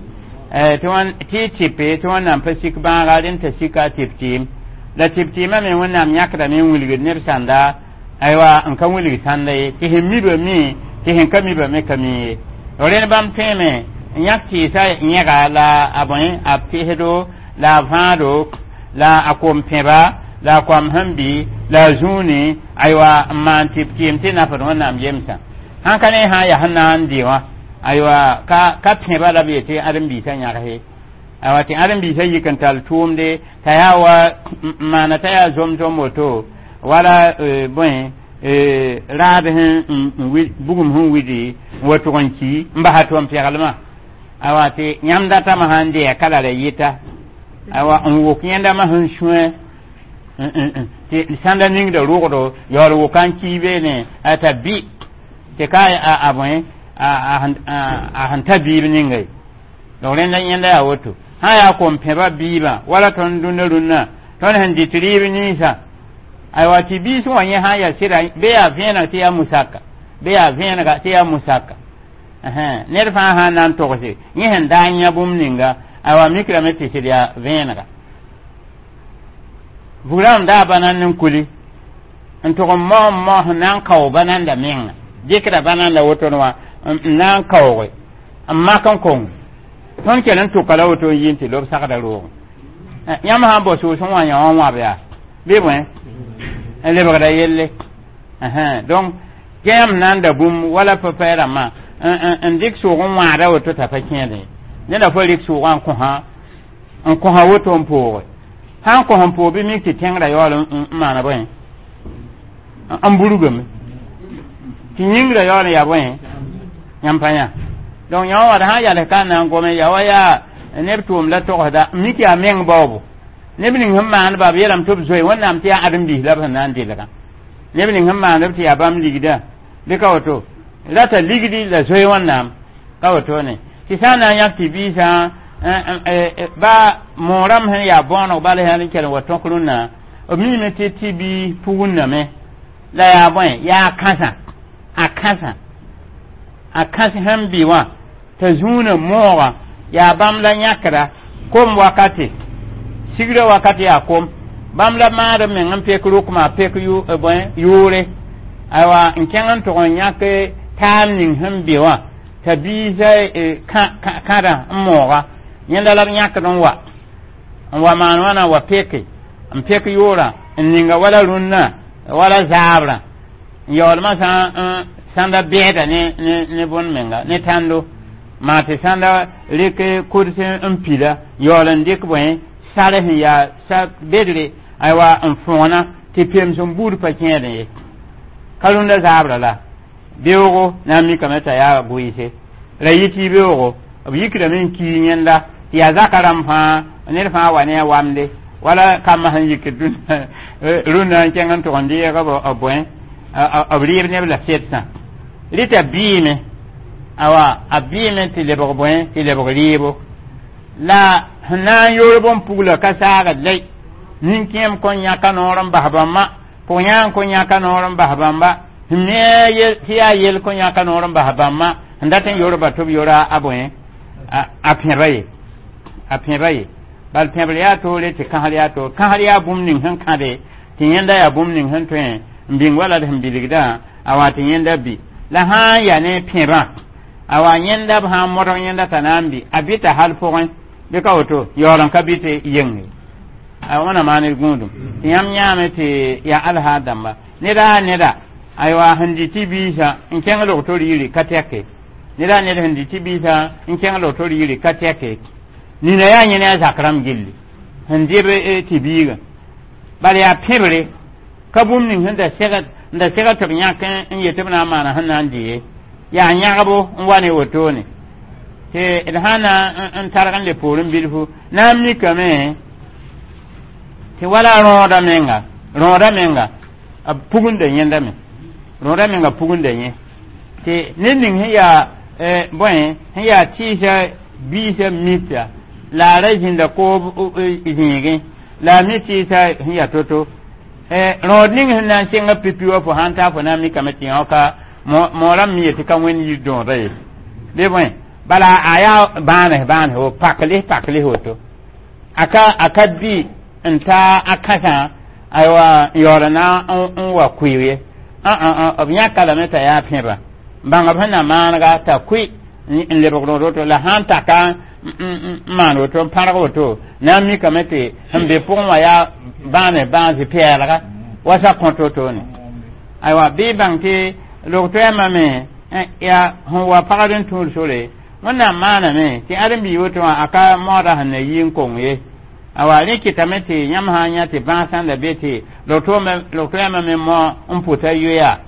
tɩ tɩ tɩpe tɩ Wẽnnaam pa sik bãaga rẽnd t'a sika a tɩp-tɩɩm la tɩp-tɩɩmã me Wẽnnaam yãkdame n wilgd neb sãnda, aywa, n ka wilg sãnda ye, tɩ sẽn miba mi, tɩ sẽn ka miba me ka mi ye. Rẽnd bãmb tõeme n yãk tɩɩsã yẽga la a bõe a pesdo la a vãado la a kom-pẽba la a koam sẽn bɩ la a zũuni, aywa, n maan tɩp-tɩɩm tɩ nafd Wẽnnaam yemsã sãn ka ne sã n yaa sẽn na n dɩ wã. Aywa, ka ka pẽba la b yetɩ ãdem-biisã yãgse, aywa, tɩ ãdem-biisã yik n tall tʋʋmde t'a yaa wa maana t'a yaa zom-zom woto wala bõe raad sẽn bugum sẽn widi n wa tʋg n ki n basa tʋm-pɛglmã. Aywa, tɩ yãmb datame sãn dɩya ka la ra yɩta, aywa, n wʋk yẽndamã sẽn sũe tɩ sãnda ningda rʋgdo yaool wʋka n kii beene t'a bɩ tɩ ka a bõe a sẽn ta biib ninga ye. Donc rẽnda yẽnda yaa woto sã yaa kom-pẽba biibã wala tõnd dũnna rũnnã tõnd sẽn dɩt rɩɩb ninsã. Aywa, tɩ biis wã yẽ sã n yaa sɩda bɩ yaa vẽeneg tɩ yaa musaka, bɩ yaa vẽenega tɩ yaa musaka, ned fãa sã n na n togse yẽ sẽn daa n yã bũmb ninga, aywa, mikrame tɩ sɩd yaa vẽenega. Bugrãmb daa bãnan n kuli n tʋg n mao n mao sẽn na n kao bananda menga dɩkda bananda woto wã n na n kaooge n mak n kong tõnd kell n tʋka la woto n yi n tɩ lob sagda roogẽ. Yãmb sã n bao sʋʋs n wã yã wã wãb yaa bɩ bõe n lebgda yelle. Donc yãmb na n da bũmb wala pa rãmbã n dɩk sʋʋg n wãada woto t'a pa kẽede neda fo rɩk sʋʋgã n kõsa n kõsa woto n pooge sã n kos n poog bɩ mik tɩ tẽngrã yaool n maana bõe n burgame tɩ yĩngrã yaool n yaa bõe yãmb pa yã. Donc yã wã wad sã n yals ka n na n gome yaa wa yaa neb tʋʋm la togsda n mik yaa meng baoobo neb ning sẽn maandba b yeelame tɩ b zoe Wẽnnaam tɩ yaa ãdem-biis la b sẽn na n dɩlgã neb ning sẽn maandb tɩ yaa bãmb ligda bɩ ka woto rata ligdi la zoe Wẽnnaam ka wotone tɩ sã n na n yãk tɩ biisã ba moorãmb sẽn yaa bõoneg bala sã n kell n wa tõk rũnnã b miime tɩ tɩ bi pugundame la yaa bõe yaa kãsã a kãsã a kãs sẽn bɩ wã t'a zũunã mooga yaa bãmb la yãkra kom wakate sigrã wakat yaa kom bãmb la maad b meng n pek rʋkma pek bõe yʋʋre, aywa, n kẽng n tʋg n yãk taam ning sẽn be wã t'a biisã kãdã n mooga yẽnda la b yãkd n wa n wa maan wãna wa peke n pek yʋʋrã n ninga wala rũnnã wala zaabrã n yaoolmã sã n sãnda bɛɛda ne ne bõn menga ne tãndo maa tɩ sãnda rɩk kuds n pila yaool n dɩk bõe sar sẽn yaa sa bedre, aywa, n fõona tɩ pems n buud pa kẽedẽ ye ka rũndã zaabrã la beoogo na n mikame t'a yaa gʋɩɩse ra yɩ tɩ beoogo b yikdame n kii yẽnda tɩ yaa zaka rãmb fãa ned fãa wa ne a wamde wala kambã sẽn yikd rũnnã n kẽng n tʋg n deeg b bõe b rɩɩb neb la setsã rɩta biime. Awa a bɩɩme tɩ lebg bõe tɩ lebg rɩɩbo la sẽn na n yoor bõn pugla ka saagd lay nin-kẽem kõn yãka noor n bas bãmba pʋg yã n kõn yãka noor n bas bãmba sẽn me tɩ yaa yel kõn yãka noor n bas bãmba sẽn dat n yorba tɩ b yora a bõe a pẽba ye a pẽba ye bal pẽbr yaa toore tɩ kãsr yaa toore kãsr yaa bũmb ning sẽn kãde tɩ yẽnda yaa bũmb ning sẽn tõe n bĩng wala d sẽn bilgdã a wa tɩ yẽnda bɩ la sã n yaa ne pẽbã a wa yẽnda b sã n modg yẽnda t'a na n bɩ a bɩta hal pʋgẽ bɩ ka woto yaool n ka bɩ tɩ yenge a wãna maan d gũudum tɩ yãmb yãame tɩ yaa alhaal dãmba neda a neda aywa sẽn dɩ tɩ biisã n kẽng log-tor yiri ka tɛke neda a ned sẽn dɩ tɩ biisã n kẽng log-tor yiri ka tɛke nina yaa yẽ ne a zak rãmb gilli sẽn dɩb tɩ biigã bala yaa pẽbre ka bũmb ning sẽn da segd n da segd tɩ b yãk n yet b na n maana sẽn na n dɩ ye yaa yãgbo n wa ne wotone tɩ d sã na n targ n le poorẽ bilfu na n mikame tɩ wala rõoda menga rõoda menga b pugunda yẽndame rõoda menga pugunda yẽ tɩ ned ning sẽn yaa bõe sẽn yaa tɩɩsa biisã mita la a ra zĩnda koob zĩigẽ la a mi tɩɩsa sẽn yaa to-to rõod ning sẽn na n sɩnga pipi wã fo sãn taa fo na n mikame tɩ yãoka moorã mi yetɩ ka wẽnd yir dõoda ye bɩ bõe bala a yaa bãanes bãanes wo pak lis pak lis woto a ka a ka bɩ n ta a kãsã aywa n yaool na n wa kʋɩ ye b yãka lame t'a yaa pẽba bãng b sẽn na maanega t'a kʋɩ n lebg rõod woto la sãn taka n maan woto n pãrg woto na n mikame tɩ sẽn be pʋgẽ wã yaa bãane bãase pɛɛlga wasa kõt wotone aywa bɩ bãng tɩ log-toɛɛmã me yaa sẽn wa pagd n tũud sore wẽnnaam maaname tɩ ãdem-biig woto wã a ka maooda sẽn na yi n kong ye awa rẽ kɩtame tɩ yãmb sã n yã tɩ bãasã la be tɩ log-toɛɛmã me mao n pʋta yoya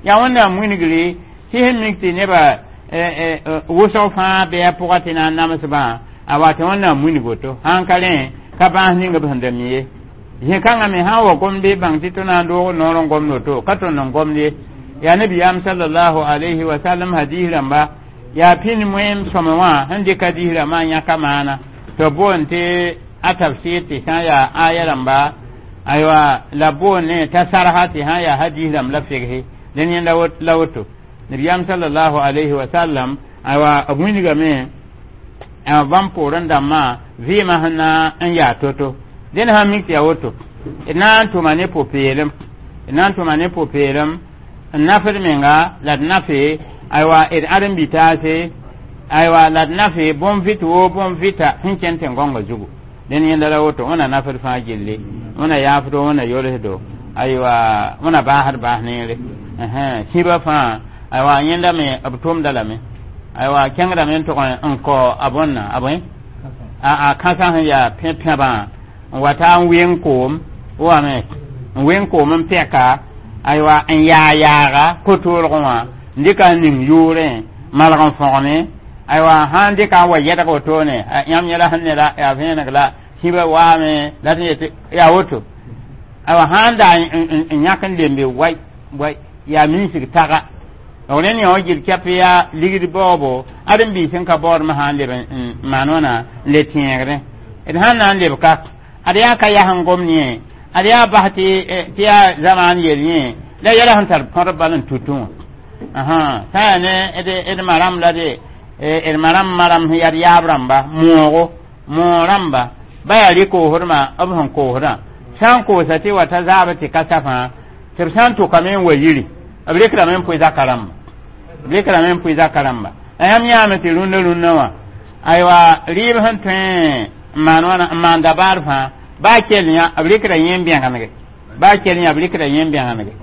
yaa wẽnnaam wilgre tɩ sẽn mik tɩ nebã wʋsg fãa bɩ a pʋga tɩ na n namsbã a wa tɩ wẽnnaam wilg woto sãn ka rẽ ka bãas ning b sẽn da mi ye zĩ-kãngã me sã n wa gomd bɩ bãng tɩ tɩ na n doog noor n gomd woto ka tõnd n gomd ye yaa nabiyaam sallallahu alayhi wa sallam hadis rãmba yaa pĩnd moeem sõme wã sẽn dɩk hadis rãmbã n yãka maana tɩ b boond tɩ a tafsir tɩ sã n yaa aya rãmba aywa la boond ne t'a sarsa tɩ sã n yaa hadis rãmb la fegse dẽn yẽnda la woto nabiyaam sallallahu alayhi wa sallam aywa b wilgame bãmb poorẽ dãmbã vɩɩmã sẽn na n yaa to-to dẽn sã n mik tɩ yaa woto d na n tʋma ne pʋ-peelem d na n tʋma ne pʋ-peelem n nafd menga la d nafe aywa d ãdem-bi-taase aywa la d nafe bõn-vɩt woo bõn-vɩta sẽn kẽn tẽn-gõngã zugu dẽn yẽnda la woto wẽna nafd fãa gilli wẽna yaafdo wẽna yolsdo aywa wẽna baasd baas neere sĩba fãa aywa yẽnda me b tʋmda lame aywa kẽngdame n tʋg n kao a bõnna a bõe a kãsã sẽn yaa pẽ-pẽbã n wa taa n weng koom wame n weng koom n pɛka aywa n yaa yaaga ko-toolgẽ wã n dɩka n ning yʋʋrẽ malg n fõgme aywa sã n dɩka n wa yɛdg wotone yãmb yẽla sẽn ne la yaa vẽeneg la sĩba waame la tɩ yetɩ yaa woto aywa sã n daa n yãk n lembe wai wai yaa minsg taga rẽnd yã wã gil kɛp yaa ligd baoobo ãdem-biis sẽn ka baoodmã sã n leb n maan wãna n le tẽegdẽ d sãn na n leb ka ad yaa ka yas n gom yẽ ad yaa bas tɩ tɩ yaa zamaan yel yẽ la yɛla sẽn tar põdb bal n tutẽ wã sã yaa ne d ma rãmb la de d ma rãmb ma rãmb sẽn yaa d yaab rãmba moogo moog rãmba ba yaa rɩ-koosdmã b sẽn koosdã sã n koosa tɩ wa ta zaab tɩ ka safã tɩ b sã n tʋkame n wa yiri b rɩkrame n pʋɩ zaka rãmba b rɩkrame n pʋɩ zaka rãmba la yãmb yãame tɩ rũndã rũndã wã aywa rɩɩb sẽn tõe n maan wãna n maan dabaar fãa baa kell yã b rɩkra yẽ n bẽgenege baa kell yã b rɩkra yẽ n bẽgenege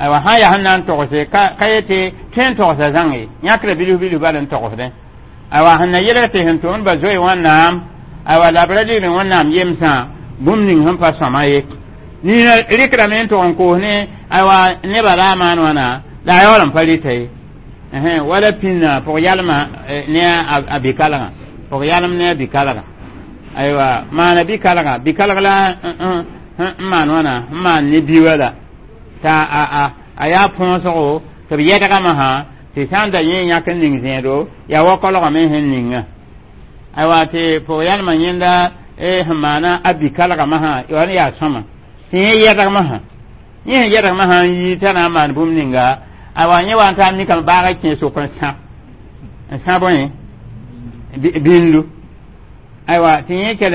aywa sã n yaa sẽn na n togse ka ka yetɩ tõe n togsa zãng ye yãkra bilf bilf bal n togsdẽ aywa sẽn na yelg tɩ sẽn tʋmd ba zoe wẽnnaam aywa la b ra ligd wẽnnaam yemsã bũmb ning sẽn pa sõma ye nina rɩkrame n tog n koos ne aywa nebã ra a maan wãna la a yaool n pa rɩta ye wala pĩnna pʋg-yalmã ne a bɩ-kalgã pʋg-yalem ne a bɩ-kalgã aywa maana bɩ-kalgã bɩ-kalg la n maan wãna n maan ne bi wala t'a a a yaa põosgo tɩ b yɛdgame sã Tɩ sã n da yẽ yãk n ning zẽedo yaa wa kolgame sẽn ninga aywa tɩ pʋg-yãlmã yẽnda sẽn maana a bi-kalgmã sã wa yaa sõma tɩ yẽ yɛdgmã sã yẽ sẽn yɛdgmã sã n yi t'a na n maan bũmb ninga aywa yẽ wa n taa mikame baagã kẽ sʋk n sã n sã bõe bĩndu aywa tɩ yẽ kell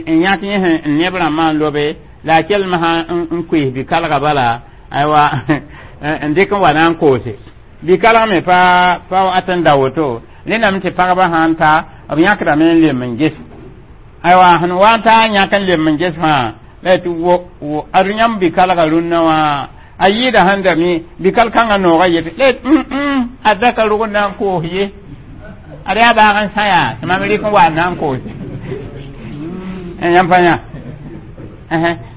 n yãk yẽ sẽn neb rãmbã n lobe la a kelmã sã n koees bi-kalga bala aywa n dɩk n wa na n koose bi-kalg me pa pa wat n da woto rẽndame tɩ pagba sã n ta b yãkdame n lem n ges aywa sẽn wa n taa yãk n lem n ges fãa la tɩ wo wo ad yãmb bi-kalga rũnnã wã a yɩɩda sẽn da mi bi-kal kãngã noogã yetɩ la a da ka rog n na n koos ye ad yaa baag n sã yaa tɩ mam rɩk n wa n na n koose yãmb pa yã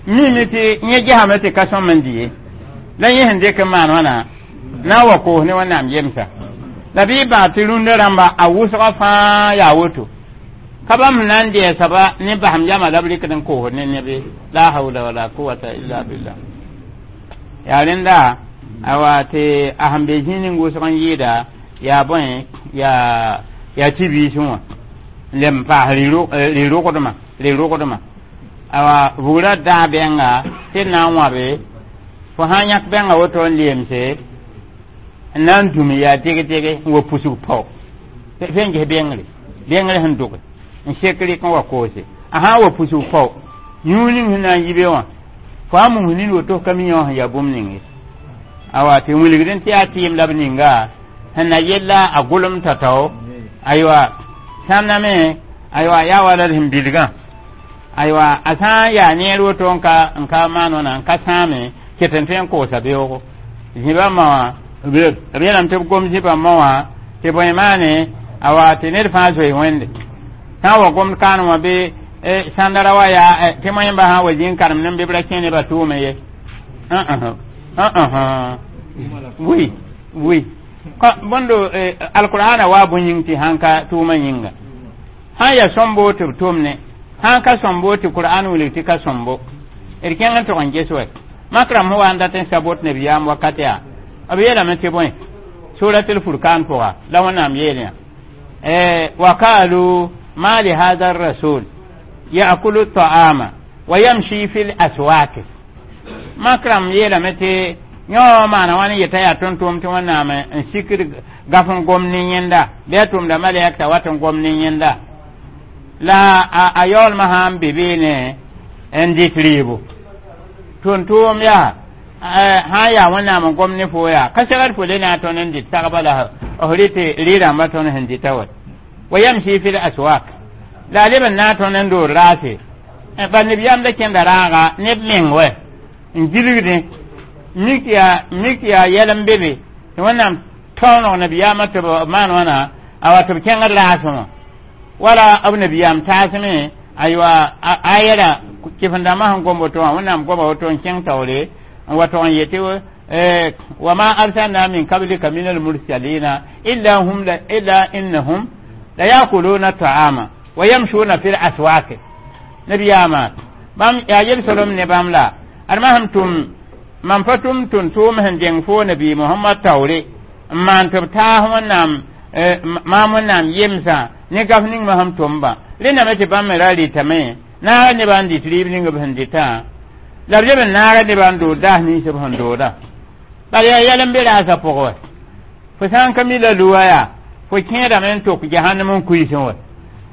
mime tɩ yẽ gesame tɩ ka sõm n dɩ ye la yẽ sẽn dɩk n maan wãna na n wa koos ne wẽnnaam yemsa la bɩ baa tɩ rũndã rãmba a wʋsgã fãa yaa woto ka bãmb na n dɛɛsaba ne basem yama la b rɩkd n koosd ne nebe la hawla wala quwata illa billah yaa rẽnda awa tɩ a sẽn be zĩig ning wʋsg n yɩɩda yaa bõe yaa yaa tɩ-biisẽ wã n lem n paas rɩ-rogdmã rɩ-rogdmã awa bugrã daa bɛnga tɩ d na n wãbe fo sã n yãk bɛnga woto n lemse n na n dũm yaa deg-dege n wa pusg pao fe n ges bengre bengre sẽn doge n sek rɩk n wa koose a sã n wa pusg pao yũu ning sẽn na n yi be wã fo a mums nin woto ka mi yã sẽn yaa bũmb ning ye awa tɩ wilgd n tɩ yaa tɩɩm la b ninga sẽn na yella a gʋlem tatao aywa sãnna me aywa yaa wala d sẽn bilgã aywa a sã n yaa neer woto n ka n ka maan wãna n ka sãame ket n tõe n koosa beoogo zĩbã ma wã b yeelame tɩ b gom zĩbã ma wã tɩ bõe maane awa tɩ ned fãa zoe wẽnde sã n wa gomd kaan wã bɩ sãnda ra wa yaa tɩ moẽmba sã n wa zĩ n karem ne bɩ b ra kẽ nebã tʋʋme ye oui oui bõndo alqur'ana wa bõe yĩng tɩ sãn ka tʋʋmã yĩnga sã n yaa sõmbo tɩ b tʋm ne sãn ka sõmbo tɩ qur'an wilg tɩ ka sõmbo d kẽng n tog n ges wɛ makram sẽn wa n dat n sabot nabiyaam wakat yaa b yeelame tɩ bõe suratul furkan pʋga la wẽnnaam yeel yã wa kalu ma li hada rasul ya'kulu ta'ama wa yamshi fil aswaq makram yeelame tɩ yõ maana wãn yeta yaa tõnd-tʋʋm tɩ wẽnnaam n sikd gaf n gom ne yẽnda bɩ a tʋmda malɛk t'a wat n gom ne yẽnda la a yaoolmã sã n be beene n dɩt rɩɩbo tʋm-tʋʋm yaa sã n yaa wẽnnaam n gom ne fo yaa ka segd fo le na a tõnd n dɩt sagba la f rɩ tɩ rɩ-rãmbã tõnd sẽn dɩta wa wa yamsi fil aswaq la a leb n na a tõnd n dood raase bal nabiyaam da kẽnda raaga neb meng wɛ n gilgdẽ mik yaa mik yaa yɛl n be be tɩ wẽnnaam tõoneg nabiyaamã tɩ b maan wãna a wa tɩ b kẽngd raasẽ wã wala b nabiyaam taasme aywa a yɛla kɩf-n-dãmbã sẽn gom woto wã wẽnnaam goma woto n kẽng taoore n wa tog n yetɩ wa ma arsalna min qablika min almursalina illa hum illa innahum la yakuluna ta'ama wa yamshuna fil aswaq nabiyaama bãmb yaa yel-solem ne bãmb la ad ma sẽn tʋm mam pa tʋm tʋm-tʋʋm sẽn dẽng fo nabi mohamad taoore n maan tɩ b taas wẽnnaam maam wẽnnaam yemsã ne gaf ning ma sẽn tʋmba rẽndame tɩ bãmb me ra rɩtame naaga nebã n dɩt rɩɩb ning b sẽn dɩtã la b leb n naaga nebã n dood daas nins b sẽn dooda bala yaa yɛl n be raasã pʋgẽ wɛ fo sã n ka mi la luwa yaa fo kẽedame n tok jahannam n kuisẽ wɛ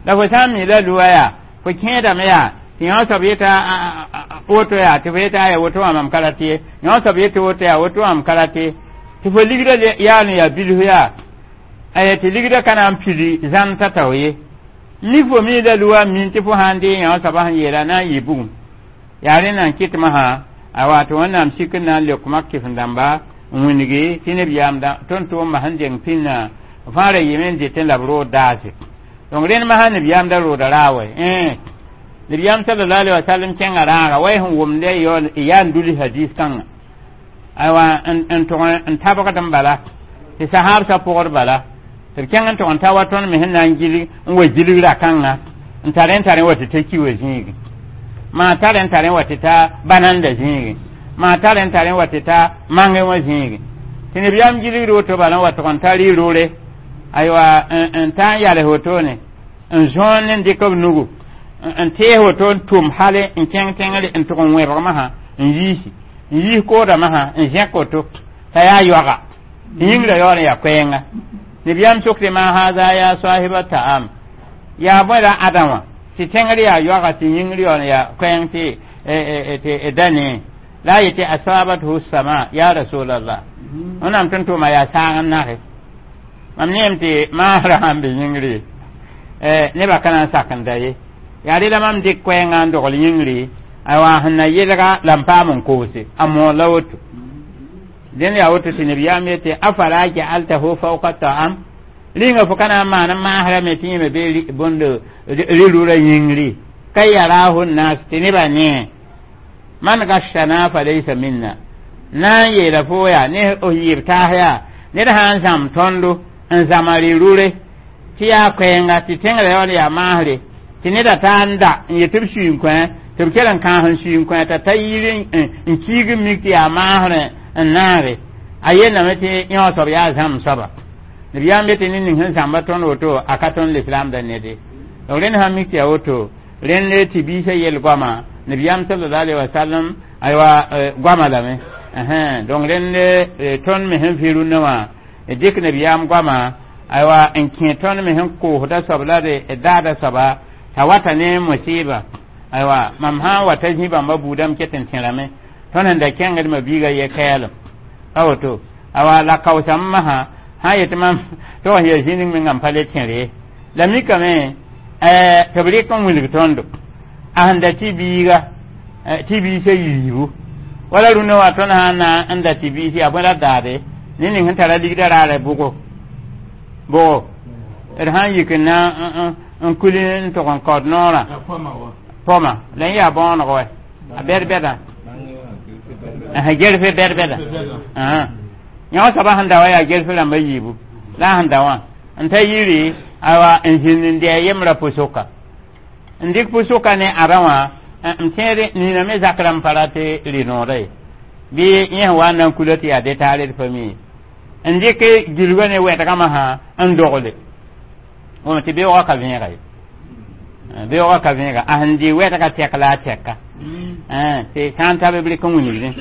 la fo sã n mi la luwa yaa fo kẽedame yaa tɩ yõ soab yeta woto yaa tɩ fo yeta aya woto wã mam ka rat ye yõ soab yetɩ woto yaa woto wã m ka rat ye tɩ fo ligdã yaa n yaa bilf yaa aya tɩ ligdã ka na n pili zãn t'a tao ye mik fo mi la luwa min tɩ fo sã n dee yõ soabã sẽn yeela na n yɩ bugum yaa rẽnda n kɩtmã sã a wato wẽnnaam sik n na n leok mak kɩf-n-dãmba n wĩngi tɩ nebiyaam tõnd-tʋʋmã sẽn deng pĩnnã fãa ra yɩme n dɩtẽ la b rood daase donc rẽnd masã nebiyaam da rooda raa wɛ nebiyaam sallallahu alaihi wasallam kẽnga raaga wa sẽn wʋmd yaa n duli hadis kãngã aywa n tʋg n tabgd n bala tɩ sahaabsã pʋgd bala tɩ b kẽng n tʋg n ta wa tõnd me sẽn na n gilg n wa gilg ra-kãngã n tar n tar wa tɩ ta ki wa zĩigi maa tar n tar wa tɩ ta bananda zĩigi maa tar n tar wa tɩ ta mangẽ wã zĩigi Tɩ nabiyaam gilgd woto bala n wa tʋg n ta rɩ-rʋre aywa n ta n yals wotone n zõon ne n dɩk b nugu n tees woto n tʋm hale n kẽng tẽngre n tʋg n wẽbg masã n yiisi n yiis kooda masã n zẽk woto t'a yaa yoaga tɩ yĩngrã yaool n yaa koɛɛnga nabiyaam sokde ma haza ya sahiba ta'am yaa bõe la ãdã wã tɩ tẽngr yaa yoaga tɩ yĩngr yaool n yaa koɛɛng tɩ tɩ da ne la a yetɩ asabathu sama ya rasulallah wẽnnaam tõnd tʋʋma yaa saag n nage mam neem tɩ maasrã sãn be yĩngre nebã ka na n sak n da ye yaa rela mam dɩk koɛɛngã n dogl yĩngre aywa sẽn na yelga la n paam n koose a moor la woto dẽnd yaa woto tɩ nabiyaam yetɩ afala jaaltahu fawka ta'am rĩnga fo ka na n maan n maasrame tɩ yẽ me be bõnd rɩ-rʋra yĩngri ka yarahu nas tɩ nebã nee man gashana falaysa minna na n yeela fo yaa ne f yɩɩb taas yaa ned sã n zãmb tõndo n zãma rɩ-rʋre tɩ yaa koɛɛnga tɩ tẽngrã yaool yaa maasre tɩ neda taa n da n yetɩ b sui n kõ tɩ b kell n kãas n sui n kõ t'a ta yir n kiig n mik tɩ yaa maasrẽ n naare a yeelame tɩ yõ soab yaa zãmb soaba nabiyaam be tɩ ned ning sẽn zãmba tõnd woto a ka tõnd lislaamda nede donc rẽnd sã mik tɩ yaa woto rẽnd tɩ biisã yel goama nabiyaam sallallahu alaihi wasallam aywa goama lame donc rẽnd tõnd me sẽn vɩ rũnnã wã dɩk nabiyaam goama aywa n kẽ tõnd me sẽn koosda soab la d daada soaba t'a wata ne musiba aywa mam sã n wa ta zĩ bãmba buudame ket n tẽrame tõnd sẽn da kẽngd ma biiga ye kɛɛlem a woto awa la kaoosame masã sã n yetɩ mam tɩ wa ya zĩ ning mengã n pa le tẽr ye la mikame tɩ b rɩk n wilg tõndo a sẽn da tɩ biiga tɩ biisã yiibu wala rũnnã wã tõnd sã n na n da tɩ biis yaa bõe la daade ne ning sẽn tara ligdã raarã bʋgo bʋgo d sã n yik n na n kuli n tʋg n kaood noorã pɔma la yẽ yaa bõoneg wɛ a bɛd-bɛdã gerfe bɛd-bɛda yõ soaba sẽn da wa yaa gerfe rãmba yiibu la a sẽn da wã n ta yiri awa n zĩnd n dɩ a yembrã pʋsʋka n dɩk pʋsʋka ne ãdã wã n tẽed nina me zak rãmb pa rat rɩ-noodã ye bɩ yẽ sẽn wa n na n kula tɩ yaa detaare d pa mi n dɩk gilgã ne wɛdgã masã n dogle tɩ beoogã ka vẽega ye beoogã ka vẽega a sẽn dɩ wɛdgã tɛk la a tɛka tɩ sã n ta b rɩk n wilgdẽ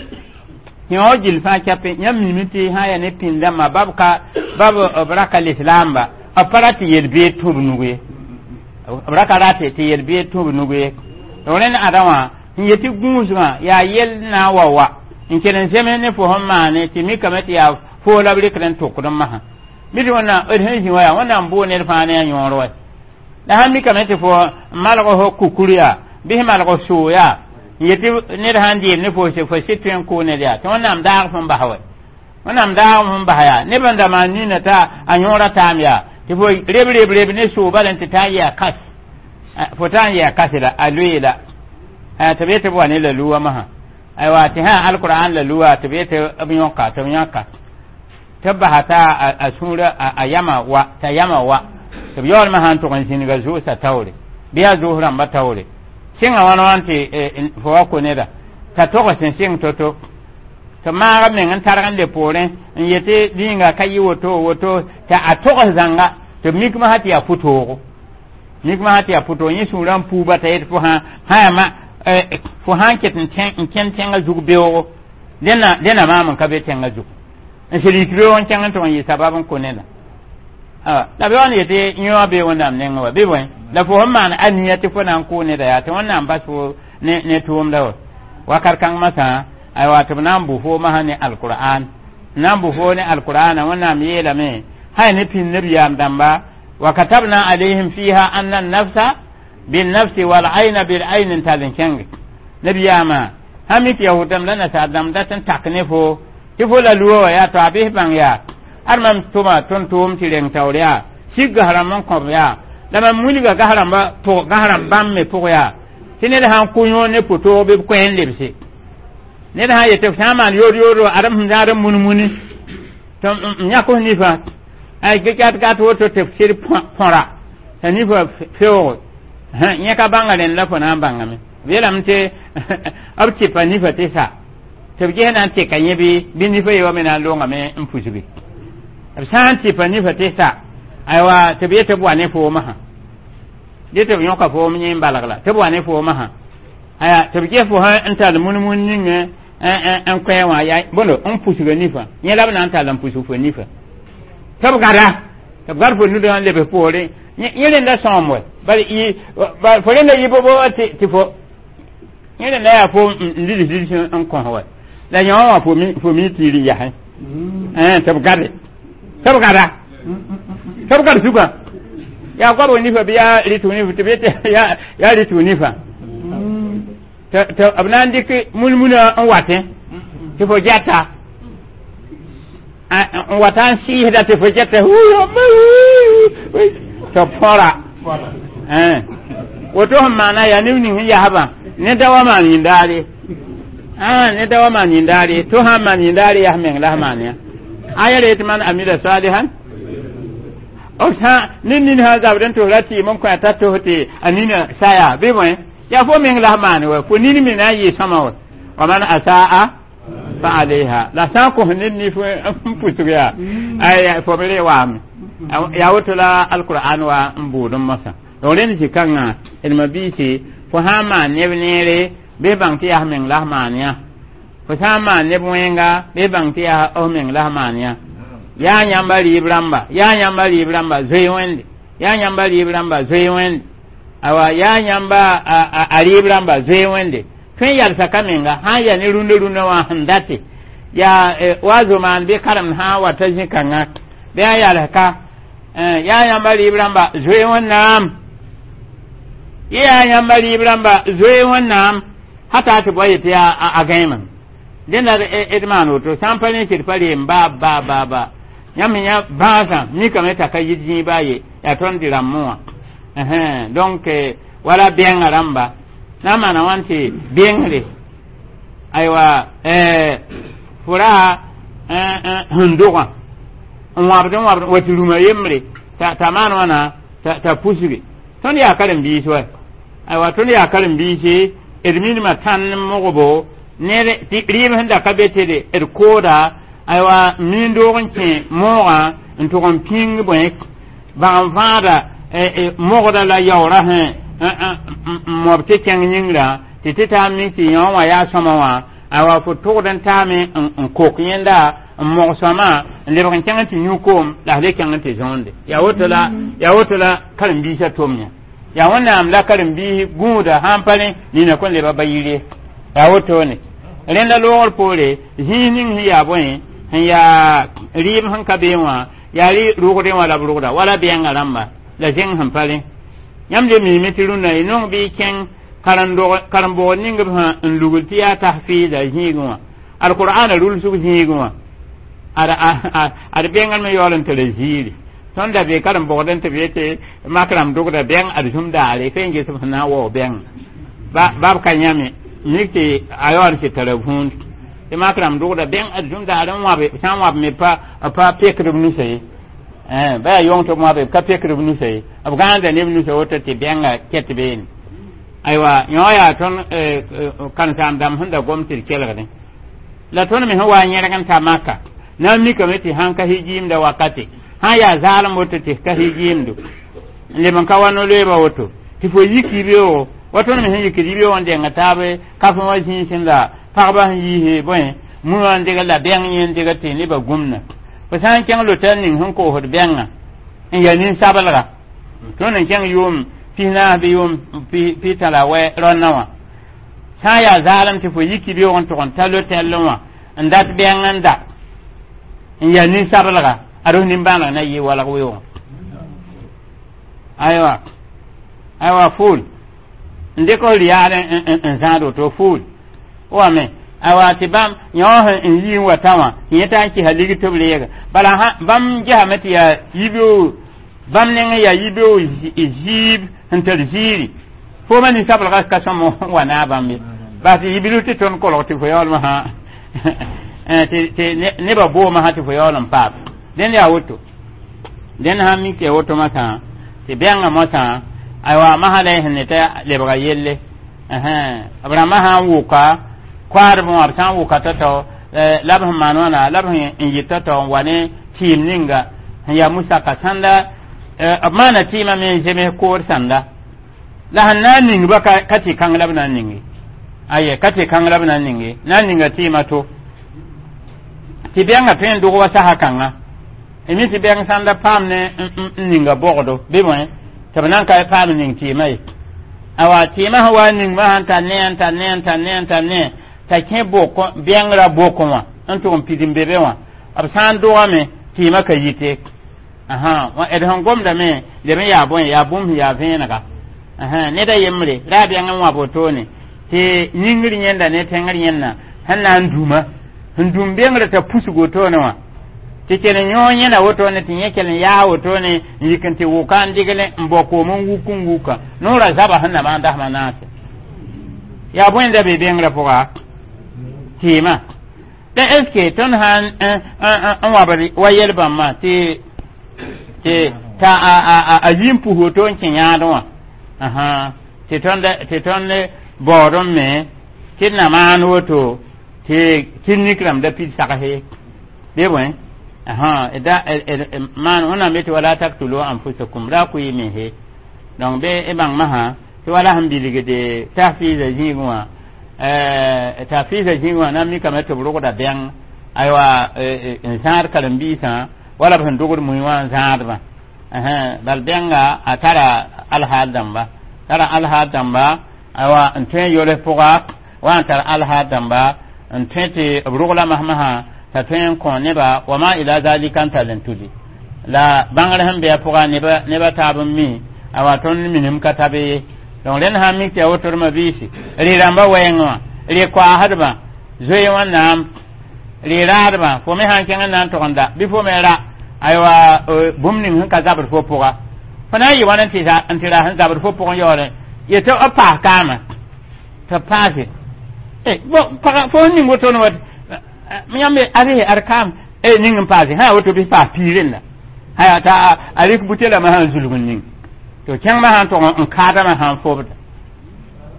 yõ gil fãa kɛpẽ yãmb mime tɩ sã n yaa ne pĩnd dãmbã bab ka bab b raka lislaamba b pa rat tɩ yel-beed tũ b nug ye b ra ka rat tɩ yel-beed tũ b nug ye donc rẽnd ãdã wã n yetɩ gũusgã yaa yell na n wa wa n kell n zems ne fo sẽn maane tɩ mikame tɩ yaa foo la b rɩkd n tʋkd n masã bɩ tɩ wẽnnaam d sẽn zĩ wa yaa wẽnnaam bʋʋ ned fãa ne a yõor wa la sãn mikame tɩ fo n malg fo kukur yaa bɩ sẽn malg soo yaa n yetɩ ned sãn dɩɩm ne fo fo sɩd tõe n kʋʋ ned yaa tɩ wẽnnaam daag fõn bas wɛ wẽnnaam daag fõn bas yaa neb n da maan nina t'a a yõora taam yaa tɩ fo reb reb reb ne soo bala n tɩ taa n yɩ a kas fo taa n yɩ a kasla a loeela tɩ b yetɩ b wa ne la luwa masã aywa tɩ sã alquran la luwa tɩ b yetɩ b yõka tɩ b yãka tɩ b basa t'a a sũurã a yama wa t'a yama wa tɩ b yaool masã n tʋg n zĩnga zʋʋsã taoore bɩ yaa zʋʋs rãmbã taoore sɩngã wãn wãn tɩ fo wa ko neda t'a togs n sɩng to-to tɩ maaga meng n targ n le poorẽ n yetɩ rĩnga ka yɩ woto woto t'a a togs zãnga tɩ b mik masã tɩ yaa pʋtoogo mik masã tɩ yaa pʋtoog yẽ sũurã n puuba t'a yet fo sã sã yaa ma fo sã n ket n kẽnd tẽngã zug beoogo dẽna dẽna maam n ka be tẽngã zug n sel yik beoog n kẽng n tʋg n yɩ sabab n kõ neda la b yaool n yetɩ yẽ wã bee wẽnnaam nengẽ wa bɩ bõe la fo sẽn maan aniya tɩ fo na n kʋʋ neda yaa tɩ wẽnnaam bas fo ne ne tʋʋmda wa wakat kãng masã aywa tɩ b na n bʋ fo masã ne alqur'an na n bʋ fo ne alqur'ana wẽnnaam yeelame sã ne pĩnd nabiyaam dãmba wa katabna alayhim fiha anna an-nafsa bin-nafsi wal-ayna bil-ayni n tall n kẽnge nabiyaamã sã mik yahud dãmb la nasaar dãmb dat n tak ne fo tɩ fo la luwa wa yaa to a bɩs bãng yaa ad mam tʋma tõnd tʋʋm tɩ reng taoor yaa sig gas rãmb n kõb yaa la mam wilga gas rãmba pʋg gas rãmb bãmb me pʋg yaa tɩ ned sã n kʋ yõor ne pʋtoog bɩ b koɛ n lebse ned sã n yetɩ f sã n maan yood yoodo ad m sẽn zãad n mun-muni tɩ m yãk f nifã ay gat gat woto tɩ f sɩd põra t'a nifã feoogo yẽ ka bãnga rẽnd la fo na n bãngame b yeelame tɩ b tɩpa nifã tɩ sa Tɩ b ges na n tɩka yẽ bɩ bɩ nifa ye wa me na n loongame n pusgi. B sã n tɩpa nifa tɩ sa, aywa, tɩ b yet tɩ b wa ne foomã sã dẽ tɩ b yõka foom yẽ n balg la tɩ b wa ne foomã sã, aya, tɩ b ges fo sã n tall mun-mun ning n koɛɛ wã yaa bõndo n pusga nifa yẽ la b na n tall n pusg fo nifa, tɩ b gada, tɩ b gad fo nudã n lebs poorẽ. Yẽ rẽnda sõom wɛ, bal fo rẽnda yɩ bo tɩ fo yẽ rẽnda yaa fo n lids lids n kõs wɛ la yõ wã fo mi tiir n yasẽ, tɩ b gade, tɩ b gada, tɩ b gad sugã yaa goabg nifa bɩ yaa rɩtg nifa, tɩ b yetɩ yaa rɩtg nifa, tɩ b na n dɩk mulmuna n watẽ tɩ fo gɛta n wata n sɩɩsda tɩ fo gɛta tɩ b põra. Woto sẽn maana yaa neb ning sẽn yasbã ne da wa maan yĩndaare, ne da wa maan yĩndaare, to sã n maan yĩndaare yaa meng la s maan yã aya re tɩ man amila salihan b sã ne nin sã zabd n tos ra tɩɩm n kõ t'a tos tɩ a nina saya bɩ bõe yaa fo meng la s maan wa fo nin me na n yɩ sõma wa wa man asaa fa alayha la sã n kos ned nif n pusg yaa ay fo b re waame yaa woto la alqur'an wa n buud n mosã. Donc rẽnd zĩ-kãngã d ma-biisi, fo sã n maan neb neere bɩ bãng tɩ yaa f meng la f maan yã, fo sã n maan neb wẽnga bɩ bãng tɩ yaa f meng la f maan yã. Yaa yãmba rɩɩb rãmba, yaa yãmba rɩɩb rãmba, zoe wẽnde, yaa yãmba rɩɩb rãmba, zoe wẽnde, awa, yaa yãmba a rɩɩb rãmba, zoe wẽnde. Tõe n yalsa ka menga sã n yaa ne rũndã rũndã wã sẽn date yaa wa zomaan bɩ karemd sã n wa ta zĩ-kãngã bɩ a yals ka yaa yãmba rɩɩb rãmba, zoe wẽnnaam, yaa yãmba rɩɩb rãmba, zoe wẽnnaam hata tɩ boa yetɩ yaa a gãeemame dẽnda d maan woto sã n pa rẽ sɩd pa reem ba ba ba ba yãmb yã bãasã mikame t'a ka yit zĩig baa ye yaa tõnd dɩ rãmbẽ wã. Donc wala bẽngã rãmba na n maana wãn tɩ bengre, aywa, fo ra sẽn dogã n wãbd n wãbd wa tɩ rũmã yembre t'a maan wãna t'a pusge. Tõnd yaa karen-biis wa, aywa, tõnd yaa karen-biise, d minimã tãn n mogbo ned tɩ rɩɩb sẽn da ka be tɩ d kooda, aywa, miin doog n kẽ moogã n tʋg n pĩng bõe bãg n fãada mogda la yaoora sẽ n mob tɩ kẽng yĩngrã tɩ tɩ taa mik tɩ yõ wã yaa sõma wã, aywa, fo tʋgd n taame n kok yẽnda n mog sõma n lebg n kẽng tɩ yũ koom la f le kẽng tɩ zõonde. Yaa woto la yaa woto la karen-biisã tom yã yaa wẽnnaam la karen-biis gũuda sã n pa rẽ nina kõn leba ba yire yaa wotone. Rẽnda loogr poore zĩis ning sẽn yaa bõe sẽn yaa rɩɩb sẽn ka bee wã yaa rʋgdẽ wã la b rʋgda wala bɛɛngã rãmba la zẽng sẽn pa rẽ. Yãmb le miime tɩ rũnnã y nong bɩ y kẽng karen-bʋgd ning b sã n lugl tɩ yaa tahfiida zĩigẽ wã alqur'ana rulsg zĩigẽ wã ad bẽngr me yaool n tara ziiri. Tõnd da be karen-bʋgd n tɩ b yetɩ mak rãmb dogda bɛng ad zũm daare fe n ges b sẽn na n waoog bɛng bab ka yãme mik tɩ a yaool n tɩ tara vũund tɩ mak rãmb dogda bɛng ad zũm daare n wãbe sã n wãb me pa pa pekd b nusa ye, ba yaa yong tɩ b wãbe b ka pekd b nusa ye, b gãanda neb nusa woto tɩ bɛnga kɛt beene. Aywa, yõ yaa tõnd karen-saam dãmb sẽn da gom tɩ d kelgdẽ la tõnd me sẽn wa n yẽrg n ta maka na n mikame tɩ sãn ka hijiimda wakate sã n yaa zaalem woto tɩ ka hijiimdo n leb n ka wa no-loeeba woto tɩ fo yik yibeoogo wa tõnd me sẽn yikd yibeoog n denga taab kafẽ wã zĩisẽ la pagba sẽn yiise bõe mũ wã n degl la bɛng yẽ n degl tɩ nebã gũmna. Fo sã n kẽng lotal ning sẽn koosd bɛngã n yaa nin-sablga tõnd n kẽng yʋʋm pis naas bɩ yʋʋm pita la wɛ rõnnã wã sã n yaa zaalem tɩ fo yik yibeoog n tʋg n ta lotɛllẽ wã n dat bɛng n da n yaa nin-sablga ad f nin-bãaneg na yɩ walg weoogẽ. Aywa, aywa, fuul n dɩk f rɩyaal n zãad woto fuul wame, aywa, tɩ bãmb yõ n yi n wa tã wã tɩ yẽ t'a n kɩsa ligd tɩ b reega bala bãmb gesame tɩ yaa yibeoog bãmb neng yaa yibeoog ziib sẽn tar ziiri fooma nin-sablga ka sõm wa naag bãmb ye bas tɩ yibil tɩ tõnd kolg tɩ fo yaoolmã sã tɩ nebã boomã sã tɩ fo yaool n paam dẽnd yaa woto dẽnd sã n mik tɩ ya woto masã tɩ bɛngã mosã, aywa, masã la y sẽn ne t'a lebga yelle b rãmbã sã n wʋka. Koadb wã b sã n wʋka tao-tao la b sẽn maan wãna la b sẽn yɩ tao-tao n wa ne tɩɩm ninga sẽn yaa musaka sãnda b maana tɩɩmã me n zems kood sãnda la sẽn na n ningba ka tɩ kãng la b na n ninge aye ka tɩ kãng la b na n ninge na n ninga tɩɩmã to tɩ bɛngã tõe n dog wa sasa kãnga mi tɩ bɛng sãnda paam ne n ninga bogdo bɩ bõe tɩ b nan ka paam n ning tɩɩmã ye awa tɩɩmã sẽn wa n ningmã sãn tar ne n tar ne n tar ne n tar ne t'a kẽ bok bɛngrã bokẽ wã n tʋg n pid n be be wã b sã n dogame tɩɩmã ka yite d sẽn gomdame leb n yaa bõe yaa bũmb sẽn yaa vẽenega ned a yembre ra a bɛng n wãb wotone tɩ yĩngr yẽnda ne tẽngr yẽnna sẽn na n dũma sẽn dũm bengrã t'a pusg wotone wã tɩ kell n yõ yẽna wotone tɩ yẽ kell n yaa wotone n yik n tɩ wʋka n dɩgl n bao koom n wuk n wuka noorã zaba sẽn na maan dasmã naase yaa bõe da be bengrã pʋga tɩɩmã la est ce que tõnd sã n wabd wa yel bãmbã tɩ tɩ t'a a yi n pus woto n kẽ yãadẽ wã tɩ tõnd tɩ tõnd baood n me tɩ d na maan woto tɩ clinique rãmb da pid sagse bɩ bõe da maan wẽnnaam yetɩ ولا تقتلوا أنفسكم ra kʋ y mense donc bɩ y bãng masã tɩ wala sẽn bilgde tahfiiza zĩigẽ wã tahfiiza zĩigẽ wã na n mikame tɩ b rogda bɛng aywa n zãad karen-biisã wala b sẽn dogd mui wã n zãadbã bal bɛnga a tara alhaal dãmba tara alhaal dãmba aywa n tõe n yols pʋga wa n tar alhaal dãmba n tõe tɩ b rogla masmasã t'a tõe n kõ neba وما إلى ذلك n tall n tudi la bãngr sẽn be a pʋga neba taab n mi awa tõnd minim ka tabe ye donc rẽnd sã n mik tɩ yaa woto d biisi rɩ-rãmbã wɛɛngẽ wã rɩ koaasdbã zoe wẽnnaam rɩ raadbã fo me sã n kẽng n na n tog n da bɩ fo me ra aywa bũmb ning sẽn ka zabd fo pʋga fo na n yɩ wãn n tɩ ra sẽn zabd fo pʋgẽ yaoolẽ yetɩ b paas kaamã tɩ b paase fo sẽn ning wotone wa yãmb ad ad kaam ning n paase sã woto bɩ paas piirẽ la t'a a rɩk butelame sã n zulg n ning to kẽngmã sã n tog n kaadame sã n fobda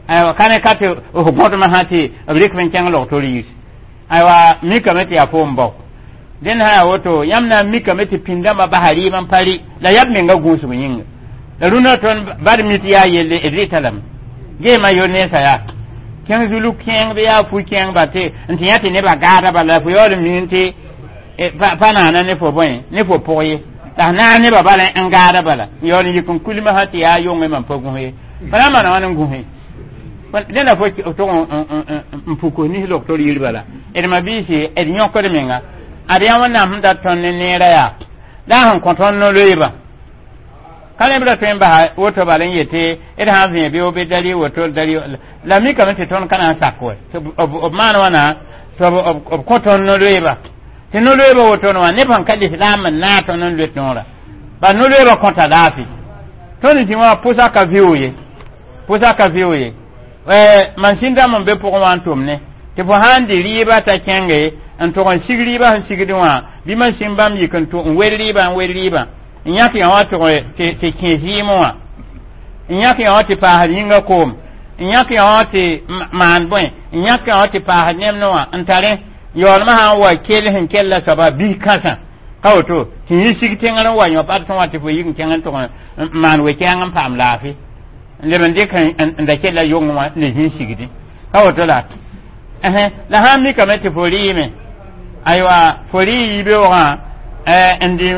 aywa ka ne ka tɩ f gõdmã sã tɩ b rɩk n kẽng log-tor yis aywa mikame tɩ yaa foom bao dẽnd sã yaa woto yãmb na n mikame tɩ pĩndãmbã basa rɩɩm n pa rɩ la yaa b menga gũusg yĩnga la rũnã tõnd bad mit yaa yelle d rɩta lame geema yo nensã yaa kẽng zulug kẽeng bɩ yaa fu kẽeng ba tɩ n tɩ yã tɩ nebã gaada bala fo yaool n miin tɩ pa naana ne fo bõe ne fo pʋg ye la naag nebã bala n gaada bala n yaool n yik n kulmã sã tɩ yaa yongẽ mam pa gũs ye pa na n maana wãn n gũse dẽnda fo tog n puk nis log-tor yir bala d ma-biisi d yõkd menga ad yaa wẽnnaam sẽn dat tõnd ne neerã yaa la a sẽn kõ tõnd no-loeebã ka neb ra tõe n basa woto bal n yetɩ d sã n vẽ bɩ bɩ dali woto dali la mikame tɩ tõnd ka na n sak wɛ tɩ b maan wãna tɩ b kõ tõnd no-loeebã tɩ no-loeebã wotone wã neb sẽn ka lislaam n naag tõnd n loet noorã bal no-loeebã kõta laafɩ tõnd zĩ wã pʋsa ka vɩʋ ye pʋsa ka vɩʋ ye mansin dãmb n be pʋgẽ wã n tʋm ne tɩ fo sã n dɩ rɩɩbã t'a kẽnge n tʋg n sig rɩɩbã sẽn sigdẽ wã bɩ mansin bãmb yik n tʋ n wel rɩɩbã n wel rɩɩbã n yãk yã wã tʋg tɩ kẽ zɩɩmẽ wã n yãk yã wã tɩ paasd yĩnga koom n yãk yã wã tɩ maan bõe n yãk yã wã tɩ paasd nemdẽ wã n tarẽ yaoolmã sã n wa kell sẽn kella soaba bis kãsã ka woto tɩ yẽ sig tẽngr n wa yõ bad tõe wã tɩ fo yik n kẽng n tʋg n maan we-kɛɛng n paam laafɩ n leb n dɩk n da kella yong wã ne zĩ sigdẽ ka woto la la sã n mikame tɩ fo rɩɩme aywa fo rɩ yibeoogã n dɩ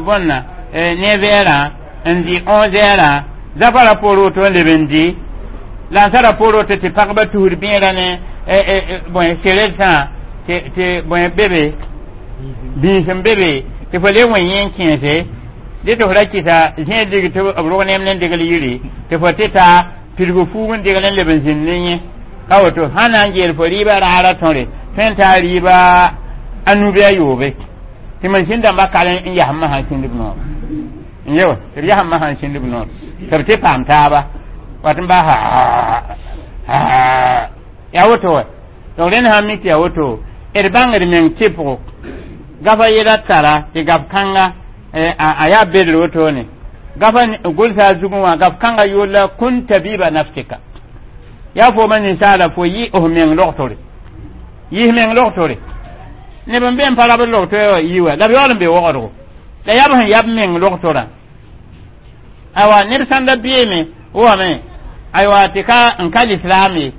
bõnna neuf heures n dɩ onze heures zafara poor woto n leb n dɩ la n sara poor woto tɩ pagba tusd bẽerã ne bõe seredsã tɩ bõe be be bĩis n be be tɩ fo le wẽ yẽ n kẽese dɩ tɩ fo ra kɩsa zẽed lig tɩ b rog neem ne degl yiri tɩ fo tɩ ta pidg fuug n degl n leb n zĩnd ne yẽ ka woto sã na n geel fo rɩɩbã raara tõre tõe n taa rɩɩba a nu bɩ a yoobe tɩ mansin dãmbã kal n yasm masã sĩndb noor n ye tɩ b yasm masã n sĩndb noor tɩ b tɩ paam taaba wat n bas yaa woto wa donc rẽnd sã n mik tɩ yaa woto d bãngd meng tɩpgo gafa yɛla tara tɩ gaf kãnga a yaa bedr wotone gafa gʋlsa a zugẽ wã gaf kãnga yʋʋr la كن طبيب نفسك yaa fooma ninsaala fo yɩ f meng logtore Yis meng logtore neb n be n pa rabd logto yi wa la b yaool n be wogdgo la yaa b sẽn yab meng logtorã aywa ned sãn da beeme wame aywa tɩ ka n ka lislaam ye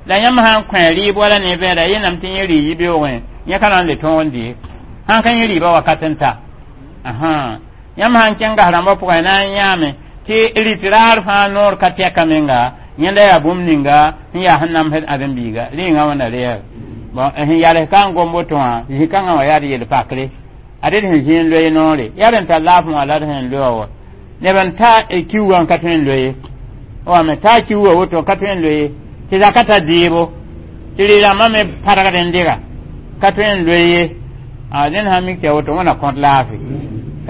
la yãmb sã n kõ rɩɩb wala ne bɛɛda yẽnam tɩ yẽ rɩ yibeoogẽ yẽ ka na n le tõog n dee sãn ka yẽ rɩɩbã wakat n ta yãmb sã n kẽng gas rãmbã pʋgẽ na n yãame tɩ rɩt raar fãa noor ka tɛka menga yẽnda yaa bũmb ninga sẽn yaa sẽn namsd ãdem-biiga rɩɩngã wãnda reɛɛb bon sẽn yals ka n gom woto wã zĩ-kãngã wã yaa d yel-pakre ad d sẽn zĩ n loe noore yaa d n tar laafẽ wã la d sẽn loa wa neb n ta kiuugã n ka tõe n loe wame taa kiuugã woto ka tõe n loe tɩ zaka ta deebo tɩ rɩ-rãmbã me pargd n dega ka tõe n loe ye dẽnd sã n mik tɩ ya woto wẽna kõt laafɩ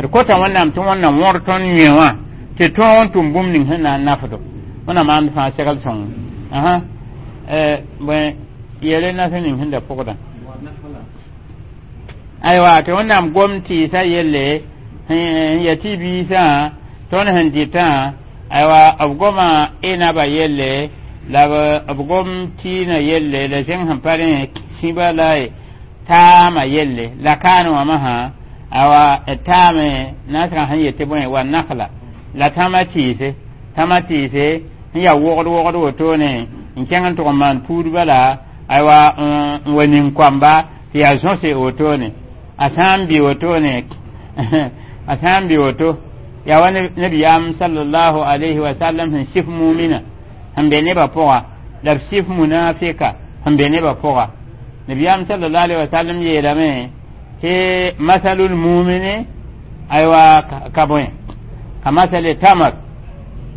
d kota wẽnnaam tɩ wẽnna wõr tõnd yẽ wã tɩ tõog n tʋm bũmb ning sẽn na n nafdo wẽnna maand fãa segl sõng asa bõe yele nas ning sẽn da pʋgdã aywa tɩ wẽnnaam gom tɩɩsã yelle n ya tɩ biisã tõnd sẽn dɩtã aywa b goma enaba yelle la b gom tɩɩnã yelle la zẽng sẽn pa rẽ sĩba la taamã yelle la kaan wã masã aywa taame nasgã sẽn yetɩ bõe wa nakla la tãmã tɩɩse tãmã tɩɩse sẽn yaa wogd wogd wotone n kẽng n tʋg n maan puud bala aywa n wa ning koamba tɩ yaa zõse wotone a sã n bɩ wotone a sã n bɩ woto yaa wa nabiyaam sallallahu alayhi wa sallam sẽn sif mumina sẽn be nebã pʋga la b sif munafika sẽn be nebã pʋga nabiyaam sallallahu alayhi wa sallam yeelame tɩ masalul mumini aywa ka bõe ka masale tamar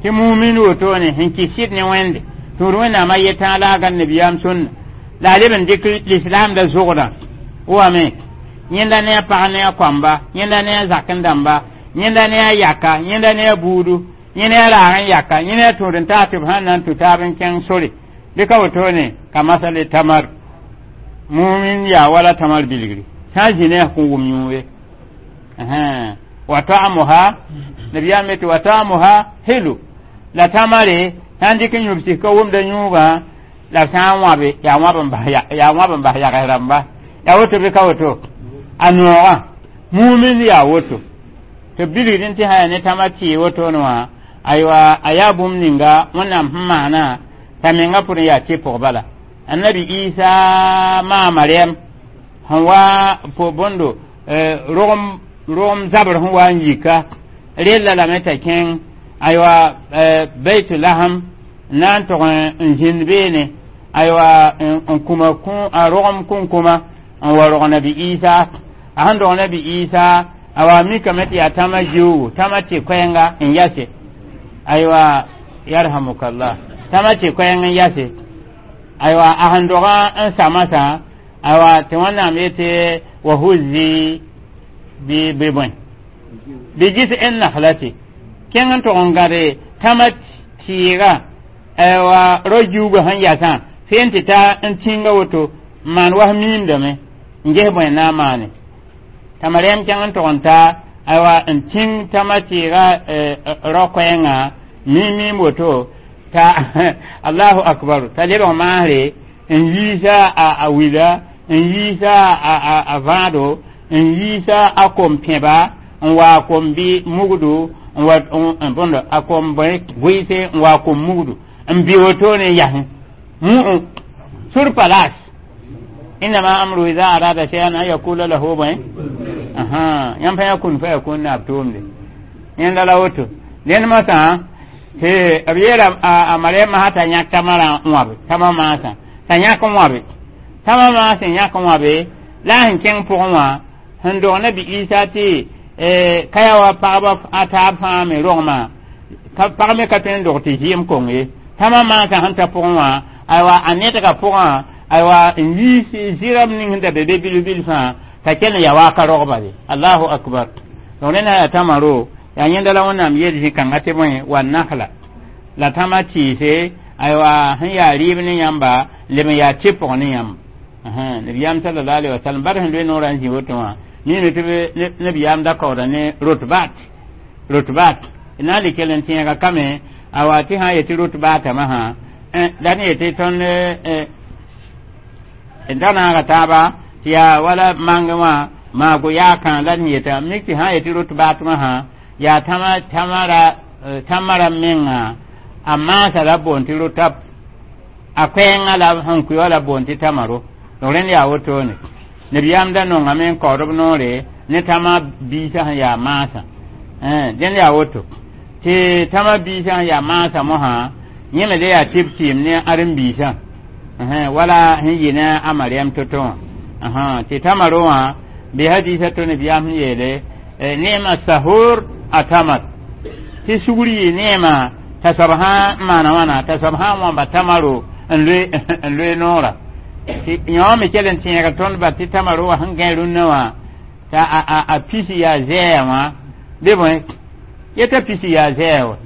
tɩ mumin wotone sẽn kɩs sɩd ne wẽnde tũud wẽnnaamã yetã la a gãn nabiyaam sũnna la a leb n dɩk lislaamda zʋgdã wame yẽnda ne a pag ne a koamba yẽnda ne a zakẽ dãmba yẽnda ne a yaka yẽnda ne a buudu yẽ ne a raag n yaka yẽ ne a tũud n taas tɩ b sãn na n tũ taab n kẽng sore bɩ ka wotone ka masale tamar mumin yaa wala tamar bilgri sã n zĩ ne a kõn wʋm yũu ye wa ta'amuha nabiyaam yetɩ wa ta'amuha hilu la tamare sã n dɩk n yũb sik ka wʋmda yũugã la b sã n wãbe yaa wãb n bas yaa wãb n bas yags rãmba yaa woto bɩ ka woto a noogã mumin yaa woto tɩ bilgd n tɩ sã yaa ne tãmã tɩɩ wotone wã aywa a yaa bũmb ninga wẽnnaam sẽn maana t'a menga pʋd n yaa tɩpg bala annabi isa maa mariam sẽn wa po bõndo rogem rogem zabr sẽn wa n yika rella lame t'a kẽng aywa beitulaham na n tog n zĩnd beene aywa n kuma a rogem kũnkũma n wa rog nabi isa a sẽn dog nabi isa a wa mikame tɩ yaa tãmã jiuugu tãmã tɩ koɛɛnga n yase aywa yarhamukallah tãmã tɩ koɛɛng n yase aywa a sẽn dogã n samasã aywa tɩ wẽnnaam yetɩ wa huzi bɩ bɩ bõe bɩ gis n naslati kẽng n tog n gãde tãmã tɩɩga aywa ro jiuugã sẽn yasã feen tɩ ta n tĩnga woto n maan was miimdame n ges bõe na n maane t'a mariam kẽng n tog n ta aywa n tĩng tãmã tɩɩga rao koɛɛngã miim miim woto ta allahu akbar t'a lebg maasre n yiisa a wila n yiisa a vãado n yiisa a kom pẽba n wa kom bɩ mugdu n wa bõndo a kom vɩɩse n wa kom mugdu n bɩ wotone n yasẽ mu sur place innama amru ida arada shay'an an yakula lahu bõe yãmb fãa kun fa yakun na b tʋʋmde yẽnda la woto dẽnd masã tɩ b yeela a mariam masã t'a yãk tãmã rã n wãbe tãmã maasã t'a yãk n wãbe tãmã maas n yãk n wãbe la a sẽn kẽng pʋgẽ wã sẽn dog nabi isa tɩ ka yaa wa pagba a taab fãa me rogmã pag me ka tõe n dog tɩ zɩɩm kong ye tãmã maasã sẽn ta pʋgẽ wã aywa a nedgã pʋgã aywa n yiis zɩram ning sẽn da be be bilf bilfã t'a kell n yaa wa ka rogba ye allahu akbar donc rẽnd sã yaa tãmã ro yaa yẽnda la wẽnnaam yeel zĩ-kãngã tɩ bõe wa nakla la tãmã tɩɩse aywa sẽn yaa rɩɩb ne yãmba leb n yaa tɩpg ne yãmb nabiyaam sallallahu alaihi wasallam bar sẽn loe noorã n zĩ woto wã mime tɩ nabiyaam da kaooda ne rotbat rotbat na n le kell n tẽega kame awa tɩ sã n yetɩ rotbaatame sã la ne yetɩ tõnd D naaga taaba tɩ yaa wala mangẽ wã maago yaakã la d yeta mik tɩ sã n yetɩ rot baatmã sã yaa tãma tãmara tãmã rãmb menga a maasa la boond tɩ rotap a koɛɛngã la sẽn kʋɩ wã la boond tɩ tamaro. Donc rẽnd yaa wotone nabiyaam da nongame n kaood b noore ne tãmã biisã sẽn yaa maasã. Dẽnd yaa woto tɩ tãmã biisã sẽn yaa maasã mosã yẽ me le yaa tɩ b tɩɩm ne ãren-biisã wala sẽn yɩ ne a Mariam to-to wã tɩ tamaro wã bɩ hadiisã to nabiyaam sẽn yeele neema sahur a tamar tɩ sugr yɩ neema t'a soab sã n maana wãna t'a soab sã n wãmba tamaro n loe n loe noora tɩ yõ me kell n tẽegr tõnd ba tɩ tamaro wã sẽn gãe rũnnã wã t'a a pisi yaa zɛɛya wã bɩ bõe yeta pisi yaa zɛɛya wa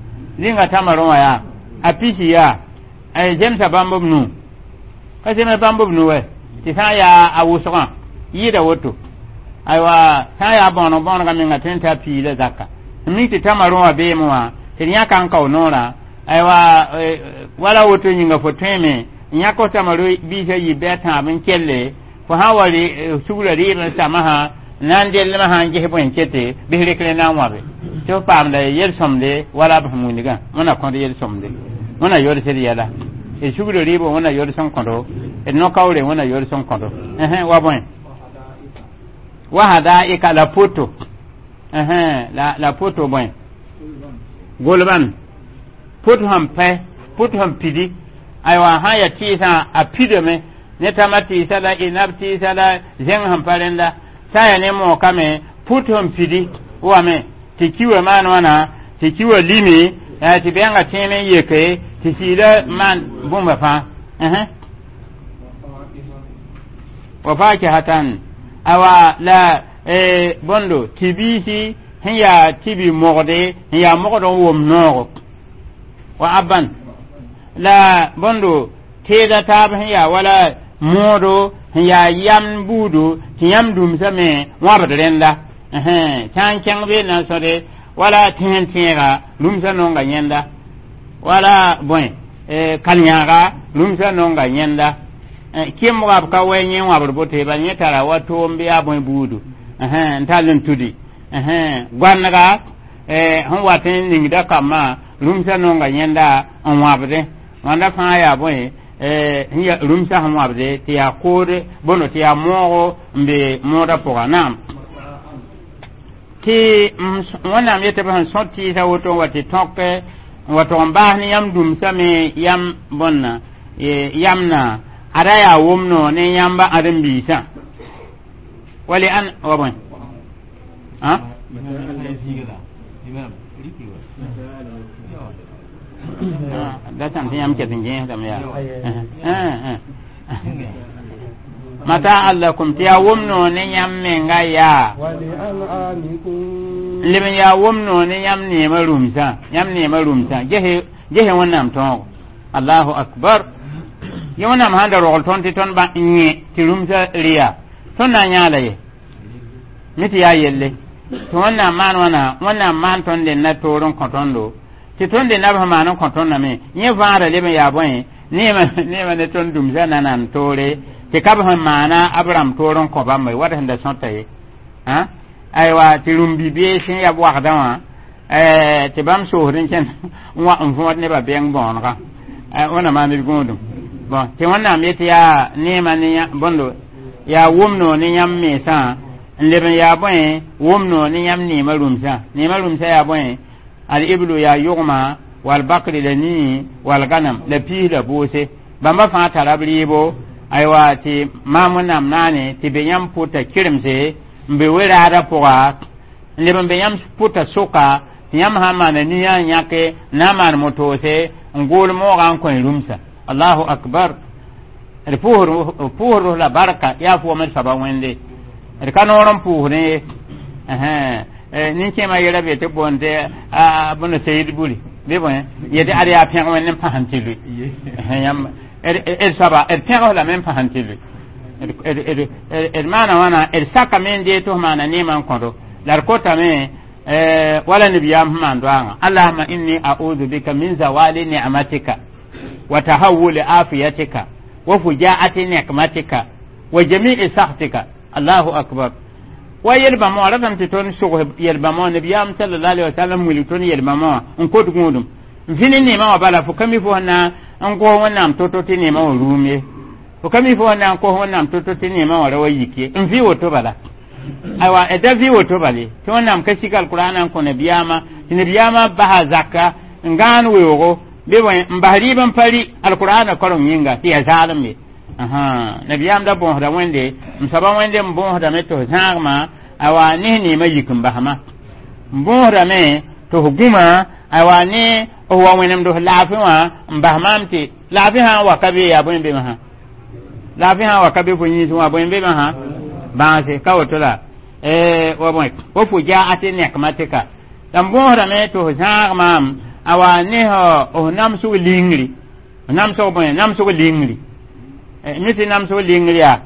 zĩnga tamaro wã yaa a pisi yaa zemsa bãmb b nu ka zems bãmb b nu wɛ tɩ sã n yaa a wʋsgã yɩɩda woto aywa sã n yaa bõoneg bõonegã menga tõe n t'a piila zaka n mik tɩ tamarõ wã beeme wã tɩ d yãka n kao noorã aywa wala woto yĩnga fo tõeme n yãk f tamaro biisã yib bɩ a tãab n kelle fo sã n wa sugrã rɩɩb n samã sã na n dellmã sã n ges bõe n kete bɩs rekre na n wãbe tɩ f paamda yel-sõmde wala b sẽn wilgã wẽna kõd yel-sõmde wẽna yodsd yɛla d sugrã rɩɩbã wẽna yods n kõdo d no-kaoore wẽna yods n kõdo wa bõe wa hadaika la poto la la poto bõe golban pot sẽn pɛ pot sẽn pidi aywa sã n yaa tɩɩsã a pidame ne tãmã tɩɩsa la inab tɩɩsa la zẽng sẽn pa rẽnda sã n yaa ne mookame put sẽn pidi wame tɩ kiwã maan wãna tɩ kiwã limi tɩ bɛngã tẽem n yeke tɩ siida maan bũmba fãa wa fakihatan awa la bõndo tɩ biisi sẽn yaa tɩ bi mogde sẽn yaa mogd n wom noogo wa aban la bõndo teeda taab sẽn yaa wala moodo sẽn yaa yam buudo tɩ yãmb dũmsã me wãbd rẽnda sã n kẽng bee na n sõde wala tẽen tẽega rũmsã nonga yẽnda wala bõe kal-yãaga rũmsã nonga yẽnda kẽmbga b ka wɛ yẽ wãbd boto ye bal yẽ tara wa toom bɩ yaa bõe buudu n tall n tudi goanega sẽn wat n ningda kambã rũmsã nonga yẽnda n wãbdẽ wãnda fãa yaa bõe rũmsã sẽn wãbde tɩ yaa kood bõndo tɩ yaa moogo n be moodã pʋga naam tɩ wẽnnaam yetɩ b sẽn sõt tɩɩsã woto n wa tɩ tõk n wa tog n baas ne yãmb dũmsã me yam bõnna yamna ada yaa wʋmno ne yãmba ãdem-biisã wali an wa bõe da sãn tɩ yãmb ket n gẽesdame yaa mataa lakum tɩ yaa wʋmno ne yãmb menga yaa n leb n yaa wʋmno ne yãmb neemã rũmsã yãmb neemã rũmsã gese wẽnnaam tõogo allahu akbar yẽ wẽnnaam sãn da rogl tõnd tɩ tõnd ba n yẽ tɩ rũmsã rɩya tõnd na n yãala ye mi tɩ yaa yelle tɩ wẽnnaam maan wãna wẽnnaam maan tõnd dẽnna toor n kõ tõndo tɩ tõnd dẽnna b sẽn maan n kõ tõndame yẽ vãada leb n yaa bõe neema neema ne tõnd dũmsã nanan toore tɩ ka b sẽn maana abraham toor n kõ bãmba ye wat sẽn da sõta ye aywa tɩ rũm-bi-bees sẽn ya b wagdã wã tɩ bãmb soosd n kẽnd n wa n võod nebã bɛng bõonegã wẽnna maan d gũudum bon tɩ wẽnnaam yetɩ yaa neema ne bõndo yaa wʋmno ne yãmb mensã n leb n yaa bõe wʋmno ne yãmb neemã rũmsã neemã rũmsã yaa bõe al-iblu yaa yʋgma wal-bakri la nii wal-ganam la piis la boose bãmba fãa tara b rɩɩbo aywa tɩ maam wẽnnaam naane tɩ be yãmb pʋta kɩremse n be we-raadã pʋga n leb n be yãmb pʋta sʋka tɩ yãmb sã n maana nia n yãke n na n maan motoose n gool moogã n kõ rũmsã allahu akbar d pʋʋsd la barka yaa fo wame d soaba wẽnde d ka noor n pʋʋsdẽ ye nin-kẽemã yɛla be tɩ boond tɩ bõnd sayid buri bɩ bõe yetɩ ad yaa pẽg wẽnd n pãs n tɩ lʋɩ yãmb d soaba d pẽgs lame n pãs n tɩ lʋɩ d maana wãna d sakame n dee tɩ f maana neemã n kõdo la d kotame wala nabiyaam sẽn maan doaagã allahuma inni a'udhu bika min zawali ni'matika wa tahawuli afiyatika wa fujaati nikmatika Wa jami'i sakhtika. Allahu akbar. Wa yel-bãmb wã ratame tɩ tõnd sʋgs yel-bãmb wã nabiyaam sallallahu alaihi wasallam wilg tõnd yel-bãmb wã n kot gũudum n vĩ ne neemã wã bala fo ka mi fo sẽn na n gos Wẽnnaam to-to tɩ neemã wã rũum ye, fo ka mi fo sẽn na n kos Wẽnnaam to-to tɩ neemã wã ra wa yik ye. N vɩ woto bala, aywa, da vɩ woto bale tɩ Wẽnnaam ka sik alkurana n kõ nabiyaamã tɩ nabiyaamã basa zaka n gãan weoogo bɩ bõe n bas rɩɩb n pa rɩ alkurana koreng yĩnga tɩ yaa zaalem ye. Nabiyaam da bõosda Wẽnde m soaba Wẽnde n bõosdame tɩ f zãagmã aywa ne neemã yik n basma n bõosdame tɩ f gũma aywa ne f wa wẽnemd f laafɩ wã n bas maam tɩ laafɩ sã n wa ka be yaa bõe be sã laafɩ sã n wa ka be fo yĩns wã bõe be sã bãase ka woto la wa bõe wa fo jaate nekmatika la n bõosdame tɩ f zãag maam awa ne f namsg lingri namsg bõe namsg lingri mi tɩ namsg lingri yaa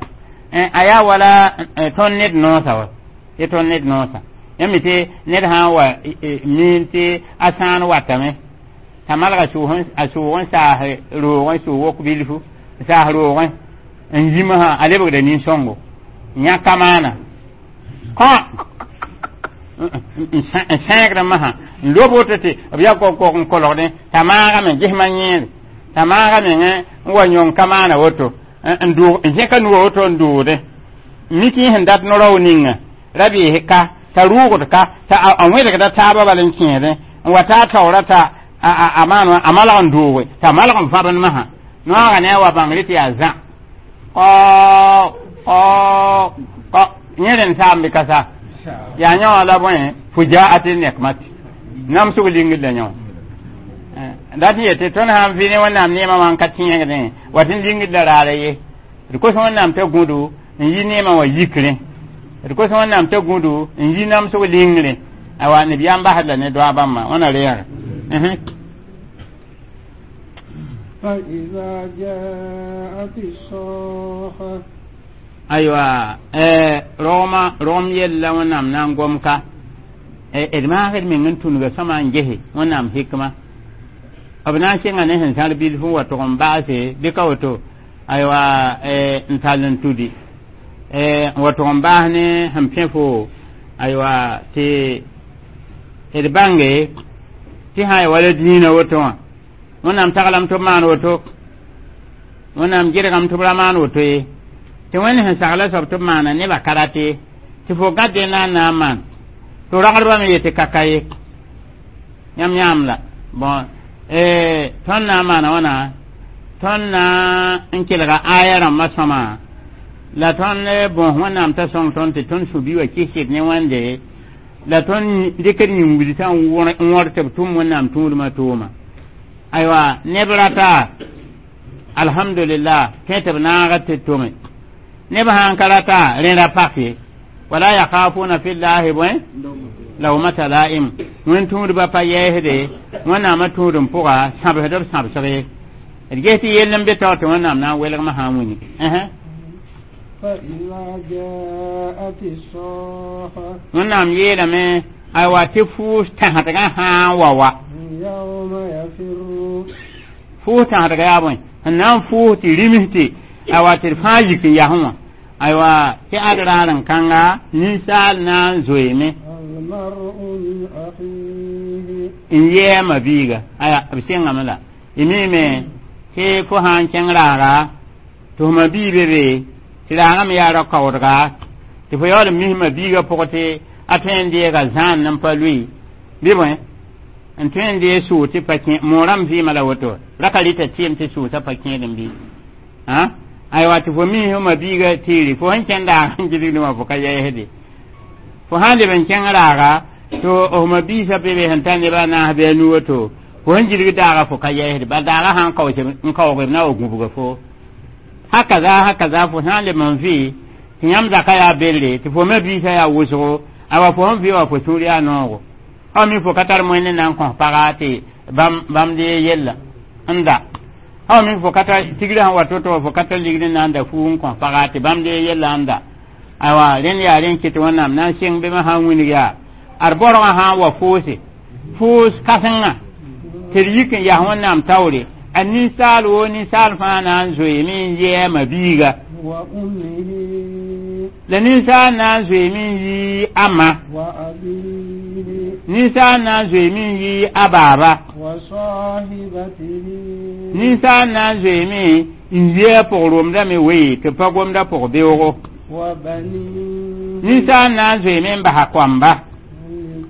a yaa wala tõnd ned noosa wa tɩ tõnd ned noosa yãmb mi tɩ ned sã n wa miin tɩ a sãan watame t'a malga a sʋʋg n saas roogẽ sʋʋg wok bilfu n saas roogẽ n yimsã a lebgda nin-sõngo yã ka maana kõ n sẽegdã masã n lob woto tɩ b yaa kok n kolgdẽ t'a maagame gesmã yẽede t'a maaga mengẽ n wa yõng ka maana woto n zẽka nuga woto n dʋʋdẽ mik sẽn dat no-rao ninga ra bees ka t'a rʋʋgd ka t'a a wẽdgda taabã bal n kẽedẽ n wa taa taoora t'a a maan wã a malg n dʋʋge t'a malg n vãbd masã noaga ne a wa bãngre tɩ yaa zã ɔ ɔ ɔ yẽ rẽnd saam bɩ ka sa yaa yã wã la bõe fujaati nekmati namsg lingr la yã wã dat n yetɩ tõnd sã n vɩ ne Wẽnnaam neemã wã n ka tẽegdẽ wat n lingr la raara ye d kos Wẽnnaam t'a gũdu n yi neemã wã yikrẽ d kos Wẽnnaam t'a gũdu n yi namsg lingrẽ awa nabiyaam basd la ne doa bãmba wãna reega. فإذا جاءت الصاخة. Aywa, rogmã rogem yella Wẽnnaam na n gom ka d maasd meng n tũnuga sõma n gese Wẽnnaam hikma b na n sɩnga ne sẽn zãr bilf n wa tʋg n baase bɩ ka woto aywa n tall n tudi n wa tʋg n baas ne sẽn pẽ fo aywa tɩ d bãnge tɩ sã ya wala dĩinã woto wã Wẽnnaam taglame tɩ b maan woto Wẽnnaam gɩdgame tɩ b ra maan woto ye tɩ Wẽnd sẽn sagla soab tɩ b maana nebã ka rate tɩ fo gãd na n na n maan tɩ ragdbã me yetɩ ka ka ye yãmb yãam la bon tõnd na n maana wãna tõnd na n kelga aya rãmbã sõma la tõnd bõs Wẽnnaam t'a sõng tõnd tɩ tõnd sũ-bi wã kɩsd ne Wẽnde la tõnd dɩkd yĩn-wilsã n wõr tɩ b tʋm Wẽnnaam tũudmã tʋʋma aywa neb rata alhamdulillah kẽ tɩ b naaga tɩ tome neb sãn ka rata rẽ ra pak ye wala yakhafuna fillahi bõe lawmata la'im wẽn tũudbã pa yɛɛsde Wẽnnaamã tũudem pʋga sãbsd b sãbsg ye d ges tɩ yell n be taoor tɩ Wẽnnaam na n welgmã sã n wini. فإذا جاءت الصاخة. Wẽnnaam yeelame aywa tɩ fuus tãsdgã sã n wa wa يوم يفر fuus tãsdga yaa bõe sẽn na n fuus tɩ rims tɩ aywa tɩ d fãa yik n yasẽ wã aywa tɩ ad raar n kãnga ninsaal na n zoeeme المرء من أخيه n yɛɛma biiga aya b sɩngame la y miime tɩ fo sã n kẽng raaga tɩ f ma bii be be tɩ raagame yaa ra-kaoodga tɩ fo yaool n misma biiga pʋg tɩ a tõe n deega zãan n pa lʋɩ bɩ bõe n tõe n dee sʋʋg tɩ pa kẽ moorãmb vɩɩmã la woto ra ka rɩta tɩɩm tɩ sʋʋsã pa kẽed n bɩ aywa tɩ fo mis ma biiga tɩɩre fo sẽn kẽn daag n gilgdẽ wã fo ka yɛɛsde fo sã n leb n kẽng raaga tɩ f ma biisã be be sẽn tar nebã a naas bɩ a nu woto fo sẽn gilg daaga fo ka yɛɛsde bal daaga sã n kaoos n kaoog b na wa gũbga fo hakaza hakaza fo sã n leb n vɩ tɩ yãmb zaka yaa belle tɩ fo me biisã yaa wʋsgo awa fo sẽn vɩ wã fo sũur yaa noogo a mi fo ka tar moẽnd na n kõs paga tɩ bãmb dee yella n da a mi fo ka tar tigrã sẽn wa to-to fo ka tar ligd n na n da fuu n kõs paga tɩ bãmb dee yella n da aywa rẽnd yaa rẽn kɩt Wẽnnaam na n sɩng bɩ sã n wilg yaa ad borgã sã n wa foose foos kãsenga tɩ d yik n yas Wẽnnaam taoore a ninsaal woo ninsaal fãa na n zoeeme n yɛɛma biiga. وأمه la ninsaal na n zoeeme n yi a ma وأبيه ninsaal na n zoeeme n yi a baaba وصاحبته ninsaal na n zoeeme n yi a pʋg-romdame wee tɩ pa gomda pʋg-beoogo وبنيه ninsaal na n zoeeme n basa koamba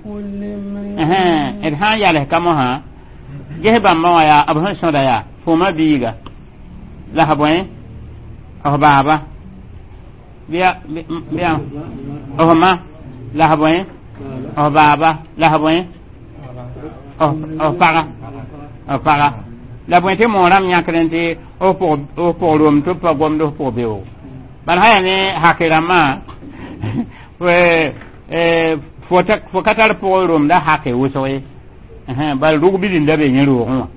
لكل امرئ d sã n yals ka mosã ges bãmba wã yaa b sẽn sõda yaa foma biiga la f bõe f baaba bɩa bɩa f ma la f bõe f baaba la f bõe f paga f paga la bõe tɩ moorãmb yãkd tɩ f pʋg rom tɩ b pa gomd f pʋg beoogo bala sã yaa ne hake rãmbã fo ka tar pʋg romda hake wʋsg ye bal rug bilinda be yẽ roogẽ wã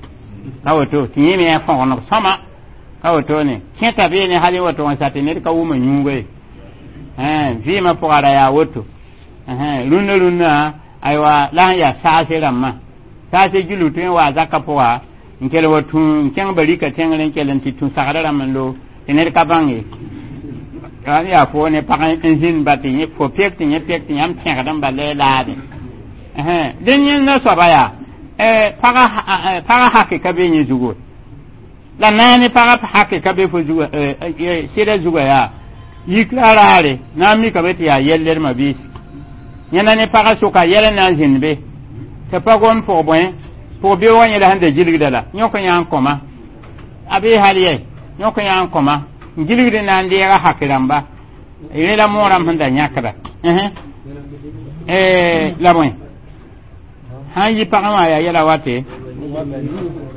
ka woto tɩ yẽ me a fõgeneg sõma ka woto ne kẽta beene hal woto n sa tɩ ned ka wʋma yũuga ye vɩɩmã pʋga ra yaa woto rũnnã rũnnã aywa la sẽn yaa saase rãmbã saase gilg tõe n waa zakã pʋga n kell wa tũ n kẽng barika tẽngr n kell n tɩ tũ sagrã rãmb n loog tɩ ned ka bãng ye n yaa fo ne pag n zĩnd ba tɩ fo pek tɩ yẽ pek tɩ yãmb tẽgd n bala laade dẽn yẽnda soaba yaa paga hake ka be yẽ zugu la naane paga hake ka be fo zuga sɩda zuga yaa yikra raare na n mikame tɩ yaa yɛlledmã biis yẽnda ne paga sʋka yɛl n na n zĩnd be tɩ pa gom pʋg bõe pʋg beoogã yẽla sẽn da gilgda la yõk yã n kõma a bee hal yɛ yõk yã n kõma n gilgd na n deega hake rãmba rẽ la moorãmb sẽn da yãkda la bõe sãn yi pagã wã yaa yɛla wate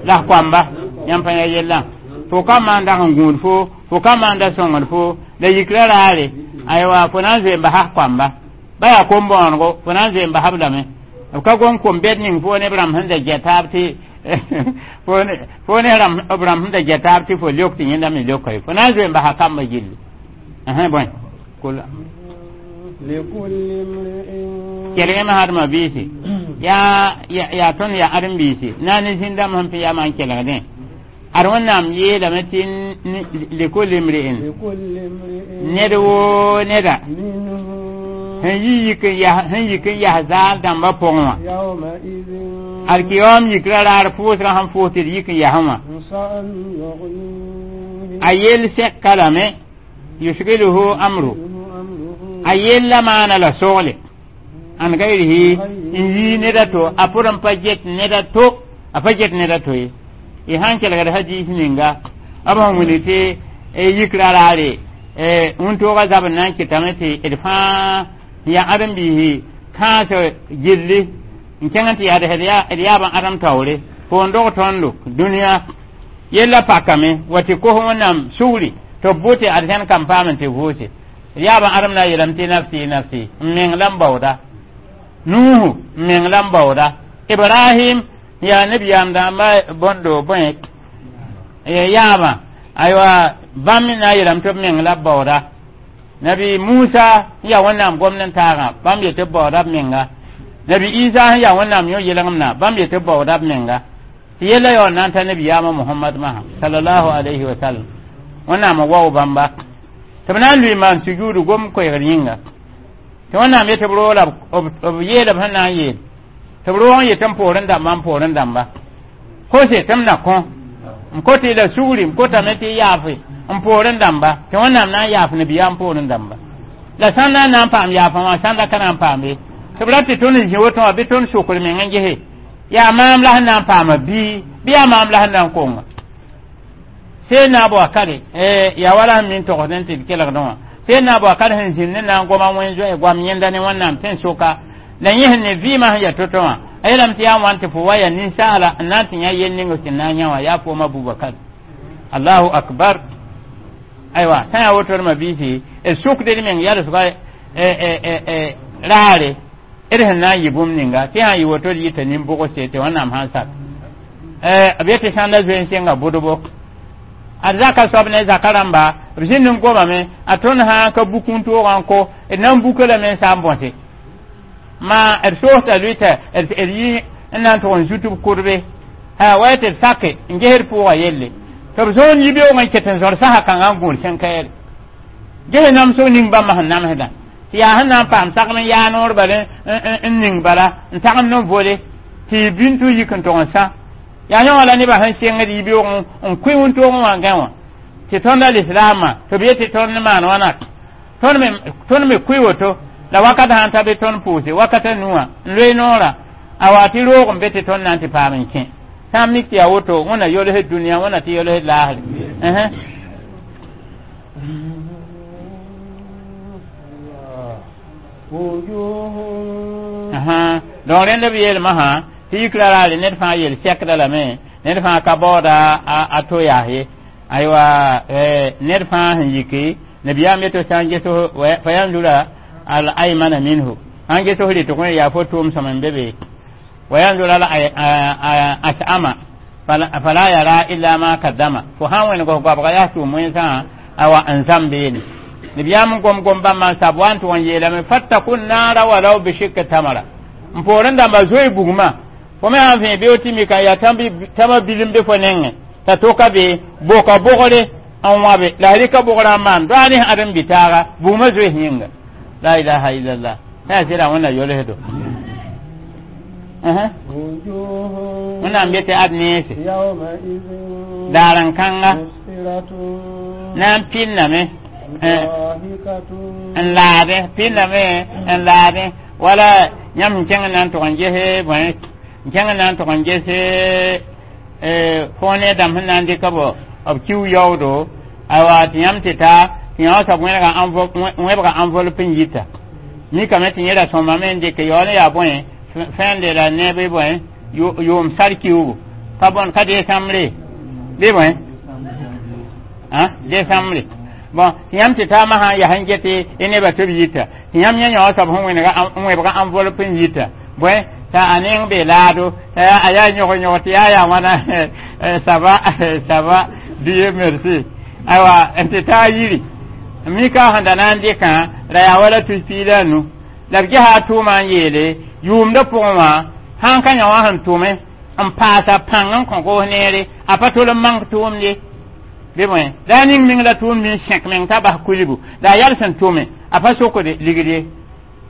la f koamba yãmb pa yaa yellã fo ka maan dag n gũud fo fo ka maanda sõngd fo la yikra raare aywa fo na n zoe n basa f koamba ba yaa kom-bõonego fo na n zoe n basb lame b ka gom kom-bɛd ning fo ne b rãmb sẽn da gɛ taab tɩ fo ne b rãmb sẽn da gɛ taab tɩ fo leok tɩ yẽnda me leoka ye fo na n zoe n basa kambã gilli bõe kelgame hadmã biisi yaa yaa tõnd yaa ãdem-biisi na ne zĩn-dãmb sẽn pẽ yaa n kelgdẽ ad wẽnnaam yeelame tɩ likul imri'in ned woo neda sẽn yi yik n yas sẽn yik n yas zaal dãmbã pʋgẽ wã alkiyoom yikra raar pʋʋsgã sẽn fʋʋs tɩ d yik n yasẽ wã a yell sɛka lame yusgiluhu amru a yella maana la sogle an gairihi n yii neda to a pʋd n pa get neda to a pa get neda to ye y sãn kelgd hadiis ninga b sẽn wilg tɩ yikra raare wĩntoogã zabr na n kɩtame tɩ d fãa n yaa ãdem-biisi kãas gilli n kẽng tɩ yaa d yaab n ãdem taoore foon dog tõndo dũniyã yella pakame wa tɩ kos wẽnnaam sugri tɩ b bʋ tɩ ad sẽn kam paam n tɩ vʋʋse d yaab n ãdem na n yeelame tɩ nafsi nafsi n meng la n baooda nuuhu n meng la n baooda ibrahim yaa nabiyaam dãmba bõndo bõe yaabã aywa bãmb na n yeelame tɩ b meng la b baooda nabi musa n yaa wẽnnaam gomd n taagã bãmb yetɩ b baooda b menga nabi isa sẽn yaa wẽnnaam yõ yelgemna bãmb yetɩ b baooda b menga tɩ yella yaool na n ta nabiyaamã mohamad masã salallahu alayhi wa sallam wẽnnaam n wao bãmba tɩ b na n lʋɩ maan sujuudu gom koɛɛgd yĩnga tɩ wẽnnaam yetɩ b roola b yeela b sẽn na n yeel tɩ b roog n yetɩ n poorẽ dãmba n poorẽ dãmba kose tɩ m na kõ n kot-y la sugri m kotame tɩ y yaafe n poorẽ dãmba tɩ wẽnnaam na n yaaf nabiyaam poorẽ dãmba la sãn na n na n paam yaafã wã sãnda ka na n paam ye tɩ b ra tɩ tõnd n zĩ woto wã bɩ tõnd sokr meng n gese yaa maam la sẽn na n paama bii bɩ yaa maam la sẽn na n konga seen na a kare yaa wala sẽn min togsd n tɩ d kelgdẽ wã seen na a kare sẽn zĩnd ne na n goma wẽn zoe goam yẽnda ne wẽnnaam tɩ n soka la yẽ sẽn ne vɩɩmã sẽn yaa to-to wã a yeelame tɩ yaa n wãn tɩ fo wa yaa ninsaala n na n tɩ yã yel ning tɩ na n yã wã yaa foom abubakar allahu akbar aywa sã yaa woto d biisi d sukd d meng yalsga raare d sẽn na n yɩ bũmb ninga tɩ sã n yɩ woto d yɩta nin-bʋgse tɩ wẽnnaam sãn sak b yetɩ sãnda zoe n sɩnga bʋdbo ad zaka soab ne zaka rãmba b zĩnd n gomame a tõnd sã ka buk n toogã n ko d na n buka lame n saa n bõse ma d soosda lʋɩta d yi n na n tʋg n zut b kʋdbe wa tɩ d sake n ges d pʋʋga yelle tɩ b zõon yibeoog n ket n zõr sasa kãngã n gũud sẽn kaɛɛre Ges namsg ning bãmba sẽn namsdã tɩ yaa sẽn na n paam sagem n yaa noor bala n ning bala n tagem ne vole tɩ y bĩn tɩ yik n tog n sã yaa yõ wã la nebã sẽn sengd yibeoog n kʋɩ wĩntoogẽ wã gã wã tɩ tõnd alislaamã tɩ b yetɩ tõnd maan wãna tõnd me kʋɩ woto la wakat sãn ta be tõnd pʋʋse wakat a nu wã n loe noorã a wa tɩ roog n be tɩ tõnd na n tɩ paam n kẽ sã n mik tɩ yaa woto wẽna yolsd dũniyã wẽna tɩ yolsd laasre. Donc rẽnd b yeelmã sã tɩ yikra raare ned fãa yel sɛkda lame ned fãa ka baooda a to yaas ye aywa ned fãa sẽn yiki nabiyaam yeto sã n ges fa yanzura al aymana minhu sãn ges f rɩtg yaa fo tʋʋm sõm n be be wa yanzura al as'ama fala yara illa ma kaddama fo sãn wẽneg f goabga yaa tʋʋm wẽnsã awa n zãm beene nabiyaam n gom gom bãmba n sab wa n tʋg n yeelame fattaku naara walau bishikki tamara n poorẽ dãmba zoe bugmã fo me sãn vẽ beo tɩ mika yaa tãmba bilim be fo nengẽ t'a toka be boka bogre n wãbe la a rɩka bogrã n maan doa ne ãdem bitaaga bugmã zoes yĩnga la ilaha illallah yaa sɩda wẽnna yolsdo wẽnnaam be tɩ ad neese daar n kãnga na n pɩnname n laade pɩnname n laade wala yãmb sẽn kẽng na n tʋg n ges bõe n kẽng na n tʋg n ges fo ne dãmb sẽn na n dɩka b b kiu yaoodo awa tɩ yãmb tɩ ta tɩ yã wã soab wẽbga enveloppe n yita mikame tɩ yẽ ra sõmame n dɩk yaool n yaa bõe fẽende la ne bɩ bõe yʋʋm sar kiugu ka bõn ka desambre bɩ bõe desambre bon tɩ yãmb tɩ taamã sã n yaa sẽn get y nebã tɩ b yita tɩ yãmb yẽ yã wã soab sẽn wẽbga enveloppe n yita bõe t'a a neng be laado t'a a yaa yõg yõg tɩ yaa yaa wãna ça va ça va Dieu merci aywa n tɩ taa yiri mika sẽn da na n dɩkã la yaa wala tus piig la a nu la b gesa a tʋʋmã n yeele yʋʋmdã pʋgẽ wã sãn ka yã wã sẽn tʋme n paasa pãng n kõ goos neere a pa tol n mank tʋʋmd ye bɩ bõe la a ning meng la tʋʋmd n sẽk meng t'a bas kulbu la a yal sẽn tʋme a pa sokde ligd ye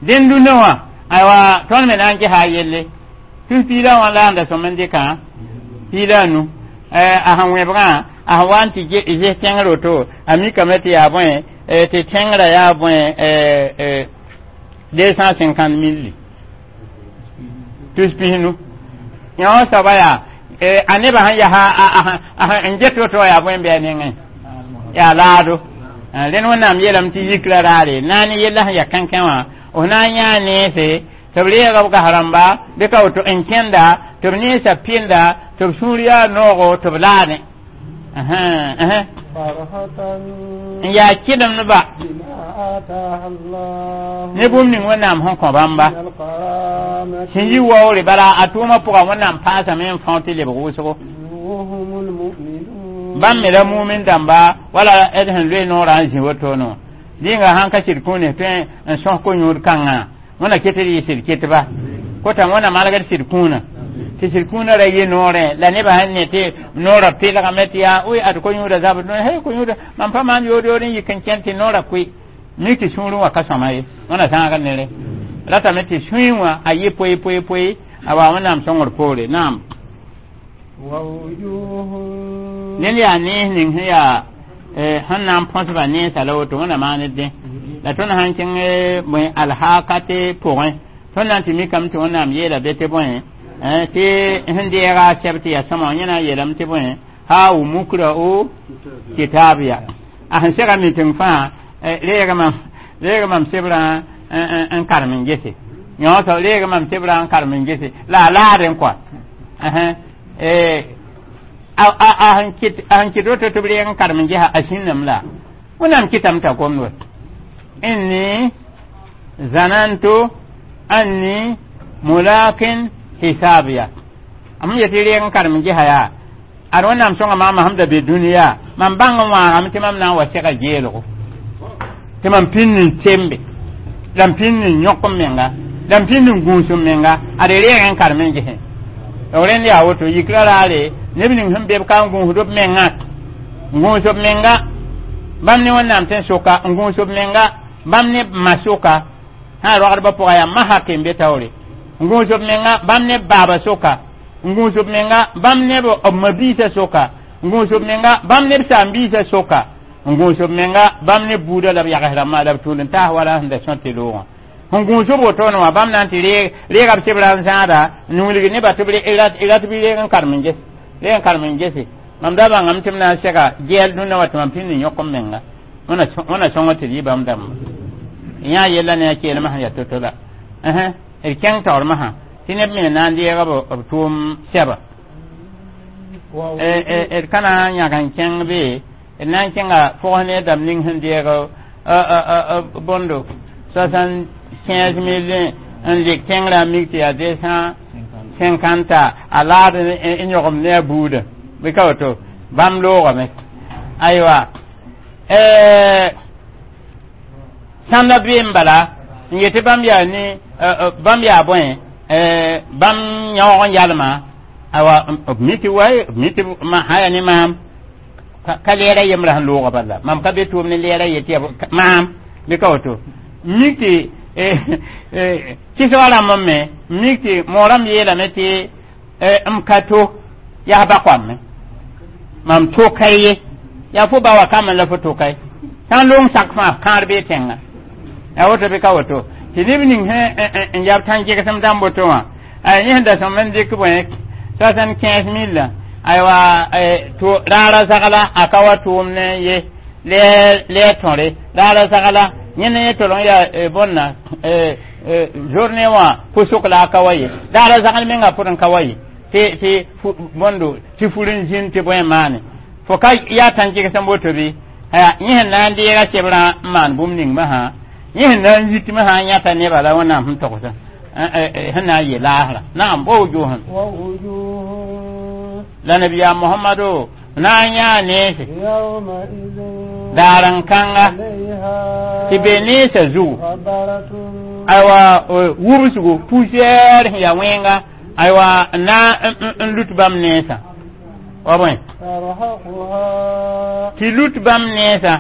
dẽn dũnã wã aywa tõnd me na n gesa a yelle tus piig la wã la n da sõm n dɩkã piig la a nu a sẽn wẽbgã a sẽn wa n tɩ ges tẽngr woto a mikame tɩ yaa bõe tɩ tẽngrã yaa bõe deux cent cinquante mille tus pisnu yã wã soaba yaa a nebã sẽn yaa n get woto yaa bõe n bɩ a nengẽ yaa laado rẽnd wẽnnaam yeelame tɩ yikra raare na ne yella sẽn ya kãnkã wã f na n yãa neese tɩ b reega b gas rãmba bɩ ka woto n kẽnda tɩ b neesa pɩnda tɩ b sũur yaa noogo tɩ b laadẽ n yaa kɩdemdba ne bũmb ning wẽnnaam sẽn kõ bãmba sẽn yi waoore bala a tʋʋmã pʋga wẽnnaam paasame n fão tɩ lebg wʋsgo bãmb me la mumin dãmba wala d sẽn loe noorã n zĩ wotone wã dĩnga sãn ka sɩd kũune tõe n sõs ko-yũud kãngã wẽna ket d yɩ sɩd ketba kota wẽna malgd sɩd kũunã tɩ sɩd kũunã ra yɩ noorẽ la nebã sẽn ne tɩ noorã pɩlgame tɩ yaa ʋy ad ko-yũudã zabd he ko-yũudã mam pa maan yood yood n yik n kẽn tɩ noorã kʋɩ mik tɩ sũurẽ wã ka sõma ye wẽna zãagd nere ratame tɩ sũy wã a yɩ poe poe poe a wa wẽnnaam sõngr poore naam ned yaa nees ning sẽn yaa sẽn na n põsba neensã la woto wẽna maan dẽ la tõnd sãn kẽng bõe alhaakate pʋgẽ tõnd na n tɩ mikame tɩ wẽnnaam yeela be tɩ bõe tɩ sẽn deega a sɛb tɩ yaa sõma yẽ na n yeelame tɩ bõe ha wu mukra o kitaabiya a sẽn sega miteng fãa reega mam reega mam sebrã n karem n gese yõ soab reega mam sebrã n karem n gese la a laadẽ kɔa a sẽn kɩt woto tɩ b reeg n karem n gesa a sĩnname la wẽnnaam kɩtame t'a gomd wa inni zanantu anni mulakin hisabiya am yetɩ reeg n karem n gesa yaa ad wẽnnaam sõnga maama sẽm da be dũniyã mam bãng n wãagame tɩ mam na n wa sega geelgo tɩ mam pĩnd n tembe la m pĩnd n yõk n menga la m pĩnd n gũus n menga ad reeg n karem n gesẽ b rẽnd yaa woto yikra raare neb ning sẽn be b ka n gũusd b mengã n gũus b menga Bãmb ne Wẽnnaam tẽn soka n gũus b menga bãmb ne ma soka sã rogdbã pʋga yaa ma hake n be taoore n gũus b menga bãmb ne baaba soka n gũus b menga bãmb ne b ma-biisã soka n gũus b menga bãmb ne b saam-biisã soka n gũus b menga bãmb ne buudã la b yags rãmbã la b tũud n taas wala sẽn da sõt tɩ loogã sẽn gũus b wotone wã bãmb na n tɩ reega b sebra n zãada n wilg nebã tɩ b rat bɩ reeg n karem n ges reeg n karem n gese mam da bãngame tɩ m na n sega gɛɛl dũnna wa tɩ mam pĩnd n yõk m menga wẽna sõng tɩ d yɩ bãmb dãmba yã yella ne a keelmã sẽn yaa to-to la d kẽng taoor masã tɩ neb me na n deega b tʋʋm sɛba d ka na n yãg n kẽng be d na n kẽnga fʋgs ne dãmb ning sẽn deeg bõndo soixante quinze mille n lik tẽngrã mik tɩ yaa deux cent cinquante a laad n yõgem ne a buudã bɩ ka woto bãmb loogame aywa sãnda bee n bala n yetɩ bãmb yaa ne bãmb yaa bõe bãmb yãoog n yalma awa b mi tɩ wa b mi tɩ sã yaa ne maam ka lɛɛra yembrã sẽn looga bala mam ka be tʋʋm ne lɛɛra yetɩ ya maam bɩ ka woto mik tɩ kɩsga rãmb me mik tɩ moorãmb yeelame tɩ m ka to yaa ba koame mam to ka ye yaa fo ba wa kame la fo to ka ye sã n loong sak fãa kãar bee tẽnga yaa woto bɩ ka woto tɩ neb ning sẽn n yab tãn-gegsem dãmb woto wã yẽ sẽn da sõm n dɩk bõe soixante quinze mille aywa to raara zagla a ka wa tʋʋm ne ye lɛɛ tõre raara zagla yẽ ne yẽ tol n yaa bõnna journée wã pʋsʋk la a ka wa ye raara zagl menga pʋd n ka wa ye tɩ tɩ bõndo tɩ fur n zĩnd tɩ bõe maane fo ka yaa tãn-gegsem woto bɩ yẽ sẽn na n deega sebrã n maan bũmb ning masã yẽ sẽn na n yitmã sã n yãta nebã la Wẽnnaam sẽn togsã sẽn na n yɩ laasrã naam wa wujuhun la nabiyaam Mohamado na n yãa neese daar n kãnga tɩ be neesã zugu aywa wubsgo poussière sẽn yaa wẽnga aywa na n lut bãmb neesã wa bõe tɩ lut bãmb neesã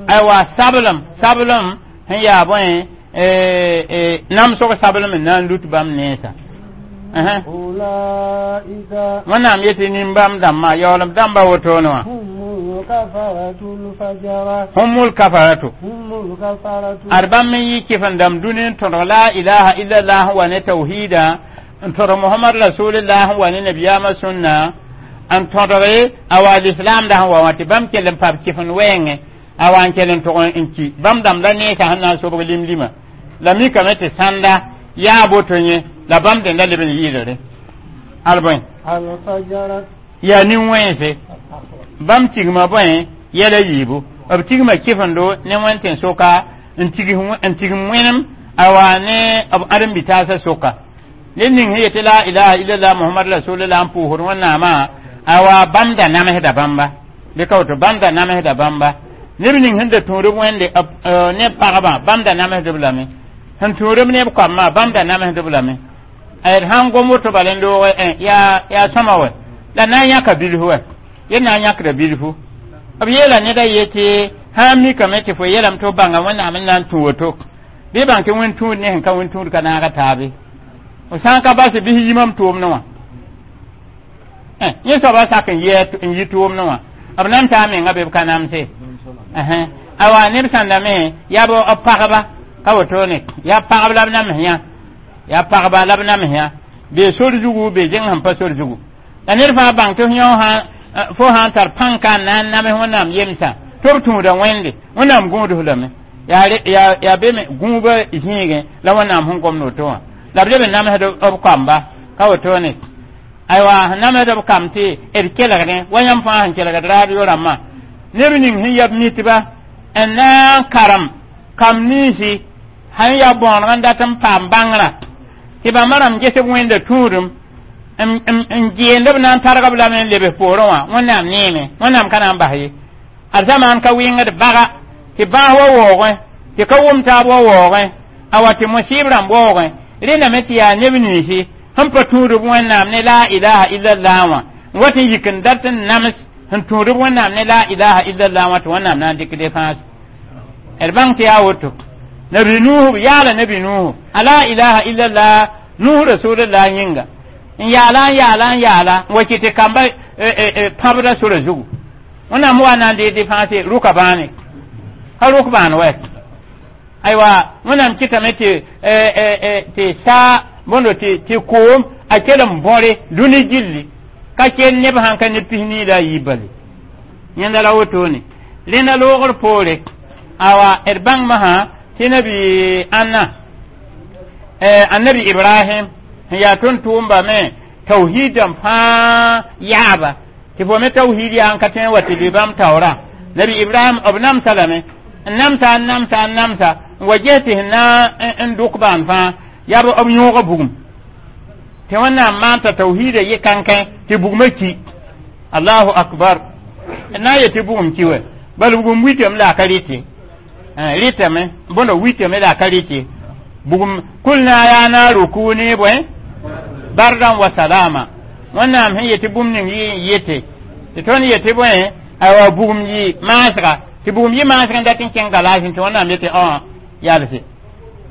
aywa sablem sablem sẽn yaa bõe namsg sablem n na n lut bãmb neesã Wẽnnaam yetɩ nin-bãmb dãmbã yaoolem dãmba wotone wã humul kafaratu ad bãmb n yɩ kɩf n dãmb dũni n tõdg la ilaha illallah wa ne tawhida n tõdg Mohamad rasulillah wa ne nabiyaamã sũnna n tõdge a wa lislaamda sẽn wa wã tɩ bãmb kell n pab kɩf n wɛɛngẽ a wa n kell n tʋg n ki bãmb dãmb la neesã sẽn na n sobg lim-lima la mikame tɩ sãnda yaa boto yẽ la bãmb dẽnda leb n yɩɩdre al bõe yaa nin-wẽnse bãmb tigma bõe yɛla yiibu b tigma kɩfendo ne wẽn tẽn soka n tigm wẽnem a wa ne b ãdem-bi-taasã soka ned ning sẽn yetɩ la ilaha illallah Mohamad rasulillah n pʋʋsd Wẽnnaamã a wa bãmb da namsda bãmba bɩ ka woto bãmb da namsda bãmba neb ning sẽn da tũudb wẽnde neb pagba bãmb da namsdb lame sẽn tũudb neb koamã bãmb da namsdb lame d sãn gom woto bala n loog yaa yaa sõma wɛ la na n yãka bilfu wɛ yẽ na n yãkda bilfu b yeela neda yetɩ sã n mikame tɩ fo yeelame tɩ f bãnga Wẽnnaam n na n tũ woto bɩ bãng tɩ wẽn tũud ne sẽn ka wẽn tũud ka naaga taabe f sã n ka bas bɩs yimam tʋʋmdẽ wã yẽ soaba sak n n yi tʋʋmdẽ wã b nan taa menga be b ka namse awa neb sãndame yaa b pagba ka wotone yaa pagb la b nams yã yaa pagba la b nams yã bee sor zugu bee zẽng sẽn pa sor zugu la ned fãa bãng tɩ f yõ fo sã n tar pãnka n na n nams Wẽnnaam yemsã tɩ b tũuda wẽnde Wẽnnaam gũudf lame yaa be me gũubã zĩigẽ la Wẽnnaam sẽn gomd woto wã la b leb n namsd b koamba ka wotone aywa namsd b kam tɩ d kelgdẽ wa yãmb fãa sẽn kelgd radio rãmbã neb ning sẽn yab mitba n na n karem kam ninsi sãn yaa bõoneg n dat n paam bãngrã tɩ bãmba rãmb ges b wẽnda tũudum n geend b na n targ b lame n lebs poorẽ wã Wẽnnaam neeme Wẽnnaam ka na n bas ye ad zamaan ka wɩngd baga tɩ bãas wa waoogẽ tɩ ka wʋm taab wa waoogẽ a wa tɩ musib rãmb waoogẽ rẽndame tɩ yaa neb ninsi sẽn pa tũudb Wẽnnaam ne la ilaha illallah wã n wat n yik n dat n nams Sẽn tũud b Wẽnnaam ne la ilaha illallah wã tɩ Wẽnnaam na n dɩk defãas d bãng tɩ yaa woto. Nabi Nuhu yaala, nabi Nuhu a la ilaha illallah Nuhu rasulullah yĩnga n yaala n yaala n yaala n wa kɩ tɩ kamba pãbda sora zugu. Wẽnnaam wa na n dee defãase rʋka bãane ka rʋk bãan wɛ. Aywa, Wẽnnaam kɩtame tɩ tɩ saa bõndo tɩ koom a kell n bõre dũni gilli ka kel neb sãn ka ne pis nii la a yiib bale yẽnda la wotone. Rẽnda loogr poore, awa, d bãng masã tɩ nabi ãnna, annabi Ibrahim sẽn yaa tʋm-tʋʋmba me tawhiidã fãa yaaba tɩ fo me tawhiid yaa n ka tõe n wa tɩ lʋɩ bãmb taoorã. Nabi Ibrahim b namsa lame n namsa n namsa n namsa n wa ges tɩ sẽn na n dʋk baan fãa yaa b yõoga bugum tɩ Wẽnnaam maan t'a tawhiidã yɩ kãnkẽ tɩ bugmã ki. Allahu akbar! Na n yetɩ bugum ki wɛ bal bugum witame la a ka rɩte, rɩtame bõndo witame la a ka rɩte bugum. Kulna yaa naaru kuni bõe bardan wa salama. Wẽnnaam sẽn yetɩ bũmb ning yɩ n yete tɩ tõnd yetɩ bõe, aywa, bugum yɩ maasga tɩ bugum yɩ maasg n dat n kẽng galaasẽ tɩ Wẽnnaam yetɩ õ yalse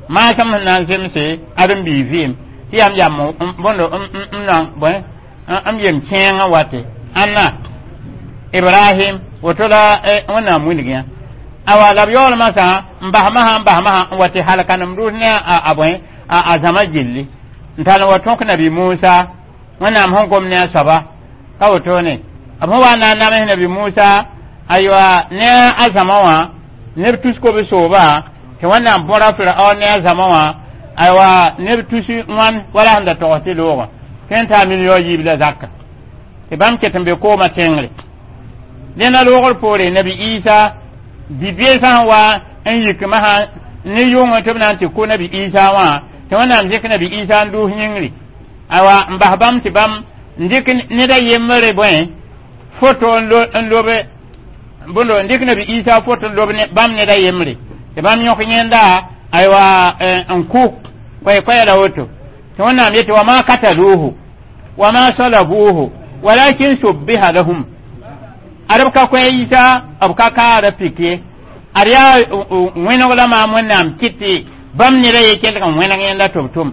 maasem sẽn na n zemse ãdem-biig vɩɩm tɩ yam yam bõndo n nan bõe n yem kẽengã wate ãnna Ibrahim woto la Wẽnnaam wilg yã. Awa, la b yaool masã n bas masã n bas masã n wa tɩ halka nem rʋs ne a bõe a zãma gilli n tall n wa tõk nabi Musa. Wẽnnaam sẽn gom ne a soaba ka wotone b sẽn wa na n names nabi Musa, aywa, ne a zãma wã neb tus kob sooba tɩ Wẽnnaam bõra Firaon ne a zãma wã, aywa, neb tus wãn wala sẽn da togs tɩ loogã tõe n taa million yiib la zaka tɩ bãmb ket n be koomã tẽngre. Dẽnda loogr poore, nabi Isa bi-beesã sẽn wa n yik masã ne yʋngẽ tɩ b na n tɩ kʋ nabi Isa wã tɩ Wẽnnaam dɩk nabi Isa n duus yĩngri, aywa, n bas bãmb tɩ bãmb n dɩk ned a yembre bõe foto n lobe bõndo n dɩk nabi Isa foto n lob bãmb ned a yembre tɩ bãmb yõk yẽnda, aywa, n kʋ koɛ-koɛɛ la woto tɩ Wẽnnaam yetɩ wa ma kataluhu wa ma salabuhu walakin subbiha lahum. Ad b ka koɛ Isa, b ka kaara pik ye, ad yaa wẽneg la maam Wẽnnaam kɩt tɩ bãmb neda ye kelg n wẽneg yẽnda tɩ b tʋm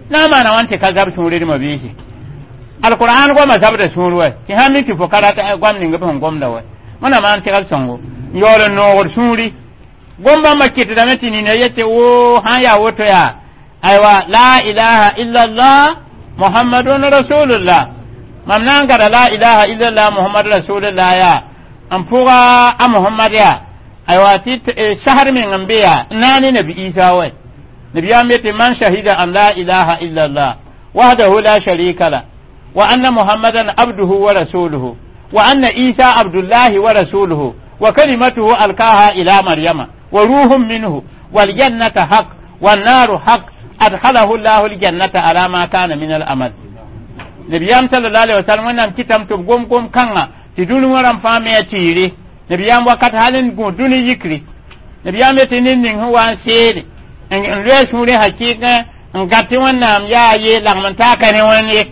na n maana wãn tɩ ka zab sũur dma biisi. Alqur'an goama zabda sũur wɛ tɩ sãn mi tɩ fo ka rat goam ning b sẽn gomda wɛ. Wẽnnaam maan tɩgl sõngo n yaool n noogd sũuri gom bãmba kɩtdame tɩ nina yetɩ wo sãn yaa woto yaa, aywa, la ilaha illallah Muhammadun rasulullah. Mam na n gada la ilaha illallah Muhammad rasulullah yaa n pʋga a Muhammad yaa, aywa, tɩ sasr meng n be yaa n na ne nabi Isa wɛ. Nabiyaam yetɩ man shahida an la ilaha illallah wahdahu la sharika la wa anna Muhammadan abduhu wa rasuluhu wa anna Isa abdullahi wa rasuluhu wa kalimatuhu alkaha ila Maryama wa ruhun minhu wal jannata haq wan naru haq adkhalahu llahu aljannata ala ma kana min al amal. Nabiyam sallallahu alaihi wasallam Wẽnnaam kɩtame tɩ b gom gom kãnga tɩ dũni wã rãmb fãa me a tiire. Nabiyaam wakat hal n gũ dũni yikri, nabiyaam yetɩ ned ning sẽn wa n seede n loe sũurẽ hakɩɩkẽ n gãt tɩ Wẽnnaam yaa ye lagm n taa ka ne Wẽnd ye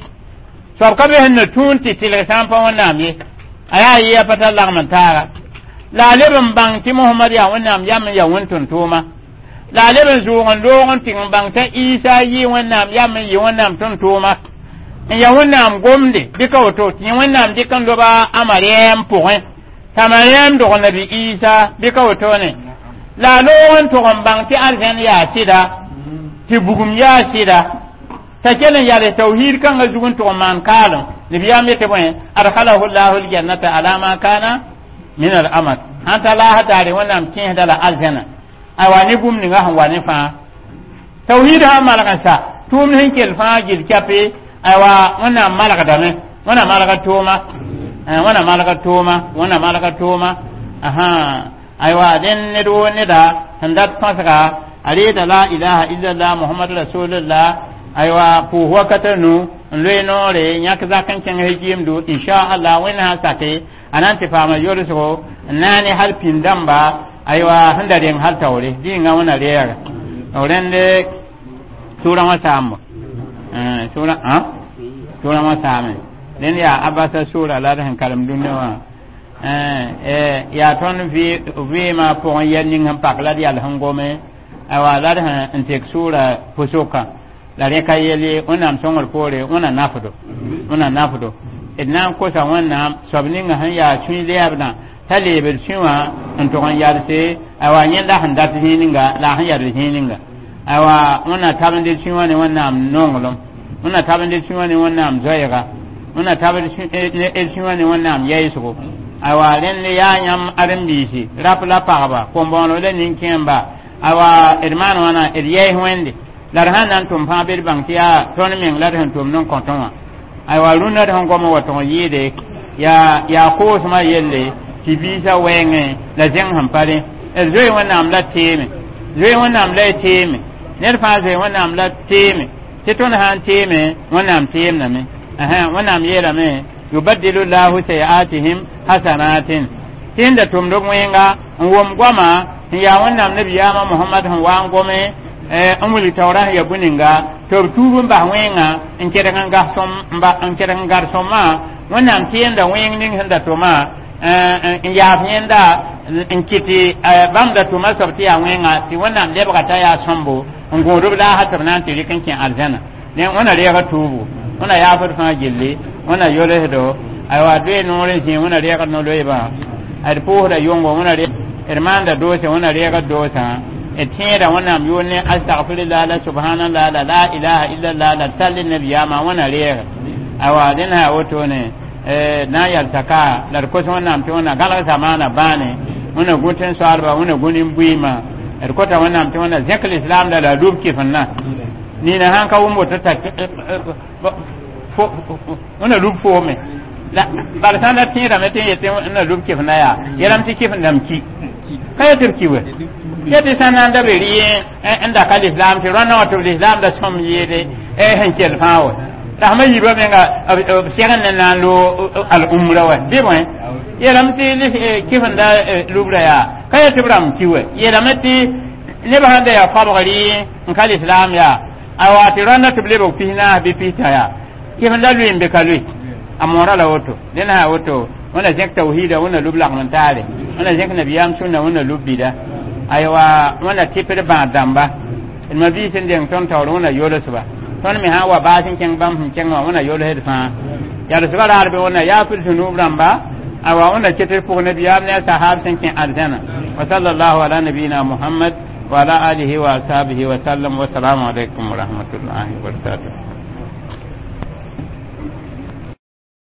soab ka be sẽn na tũun tɩ tɩlg sã n pa Wẽnnaam ye a yaa ye a pa tar lagm n taaga la a leb n bãng tɩ Mohamad yaa Wẽnnaam yam n yaa wẽn-tʋm-tʋʋma la a leb n zʋʋg n loog n tɩg n bãng t'a Isa yɩ Wẽnnaam yam n yɩ Wẽnnaam tʋm-tʋʋma n yaa Wẽnnaam gomde bɩ ka woto tɩ Wẽnnaam dɩk n loba a Mariam pʋgẽ t'a Mariam dog nabi Isa bɩ ka wotone la a loog n tʋg n bãng tɩ arzẽn yaa sɩda tɩ bugum yaa sɩda t'a kell n yals tawhiid kãngã zug n tʋg n maan kaalem. Nabiyaam yetɩ bõe adkhalahu llahu aljannata ala ma kana min al amal sãn ta laasa daare Wẽnnaam kẽesda la arzẽna, aywa, ne bũmb ninga sẽn wa ne fãa tawhiid sã n malg n sa tʋʋmd sẽn kell fãa gil kɛpe, aywa, Wẽnnaam malgdame, Wẽnnaam malga tʋʋma, Wẽnnaam malga tʋʋma, Wẽnnaam malga tʋʋma aha. Aywa, dẽn ned woo neda sẽn dat põsga a reeda la ilaha illallah Muhammad rasulullah, aywa, pʋʋs wakata nu n loe noore yãk zak n kẽng gɩɩmdo inchallah. Wẽnd sã n sake a na n tɩ paama yolsgo n na ne hal pĩnd dãmba, aywa, sẽn da reng hal taoore dĩnga Wẽnna reega rẽnd sʋʋrã wã saambo sʋʋrã sʋʋrã wã saame. Rẽnd yaa Abasa sʋʋra la d sẽn karem dũniyã wã. yaa tõnd vɩɩmã pʋgẽ yɛl ning sẽn pak la d yal sẽn gome awa la d sẽn tek sʋʋra pʋsʋkã la rẽ ka yel ye wẽnnaam sõngr poore wẽna nafdo wẽna nafdo d na n kosa wẽnnaam soab ninga sẽn yaa sũy lɛɛbdã t'a leebd sũ wã n tʋg n yalse awa yẽnda sẽn dat zĩig ninga la a sẽn yald zĩig ninga awa wẽnna tabend sũ wã ne wẽnnaam nonglem wẽnna tabend sũ wã ne wẽnnaam zoɛɛga wẽnna tabend sũ wã ne wẽnnaam yɛɛsgo awa rẽnd yaa yãmb ãdem-biisi rap la pagba kom-bõoneg la nin-kẽemba awa d maan wãna d yɛɛs wẽnde la d sãn na n tʋm fãa bɩ d bãng tɩ yaa tõnd meng la d sẽn tʋmd n kõ tõe wã aywa rũnã d sẽn gom wa tʋg n yɩɩde yaa yaa koosmã yelle tɩ biisã wɛɛngẽ la zẽng sẽn pa rẽ d zoe wẽnnaam la teeme zoe wẽnnaam la y teeme ned fãa zoe wẽnnaam la teeme tɩ tõnd sã n teeme wẽnnaam teemdame wẽnnaam yeelame yubaddilu llahu sayiatihim hasanatin tɩ da tʋmd b wẽnga n wʋm goama n yaa wẽnnaam nabiyaamã mohamad sẽn wa n gome n wilg taoorã sẽn ya bũ-ninga tɩ b tuub n bas wẽnga n kedg n gas n kedg n gar sõmã wẽnnaam tẽemda wẽng ning sẽn da tʋma n yaaf yẽnda n kɩt bãmb da tʋma soab tɩ yaa wẽnga tɩ wẽnnaam lebga t'a yaa sõmbo n gũud b laasã tɩ b na n tɩ rɩk n kẽ arzãna wẽna reega tuubu wẽna yaafd fãa gilli wẽna yolsdo aywa doe noor n zĩ wẽna reegd no-loeebã d pʋʋsda yʋngo wẽna d maanda doosã wẽna reegd doosã d tẽeda wẽnnaam yʋʋr ne astagfirullah la subhanallah la la ilaha illallah la tall nabiyaamã wẽna reeg awa dẽn sã wotone na n yalsa ka la d kos wẽnnaam tɩ wẽnna gãlg zamaana bãane wẽna gũ tẽn-soaalba wẽna gũ nin-buiimã d kota wẽnnaam tɩ wẽnna zẽk lislaam la la lub kɩfenna nina sãn ka wʋm woto t'a wẽna lub foome bala sã n da tẽedame tɩ n yetɩ na lub kɩfenda yaa yelame tɩ kɩfendame ki ka yetɩ b ki we yetɩ sã na n da be rɩ n da ka lislaam tɩ rõndã wã tɩ b lislaam da sõm yɩɩde sẽn kell fãa wa rasmã yiibã menga b segn ne na n loog al-umra wa bɩ bõe yeelame tɩ kɩfenda lubra yaa ka yetɩ b rãmb ki we yeelame tɩ nebã sãn da yaa koabg rɩ n ka lislaam yaa awa tɩ rõndã tɩ b lebg pis naas bɩ pista yaa kɩfenda lʋɩ n be ka lʋɩ a moora la woto dẽn sã woto wẽna zẽk tawhiida wẽna lub lagm n taare wẽna zẽk nabiyaam sũnna wẽna lub bida aywa wẽna tɩpd bãad dãmba d ma biis n deng tõnd taoor wẽna yolsba tõnd me sã n wa baas n kẽng bãmb sẽn kẽng wã wẽna yolsd fãa yalsba raar bɩ wẽna yaafd zũnub rãmba awa wẽna ket d pʋg nabiyaam ne a sahab sẽn kẽ arzãna wa sallallahu ala nabiyina muhammad wa ala alihi wa ashabihi wa sallam wa salaamu alaykum wa rahmatullahi wa barakatuh.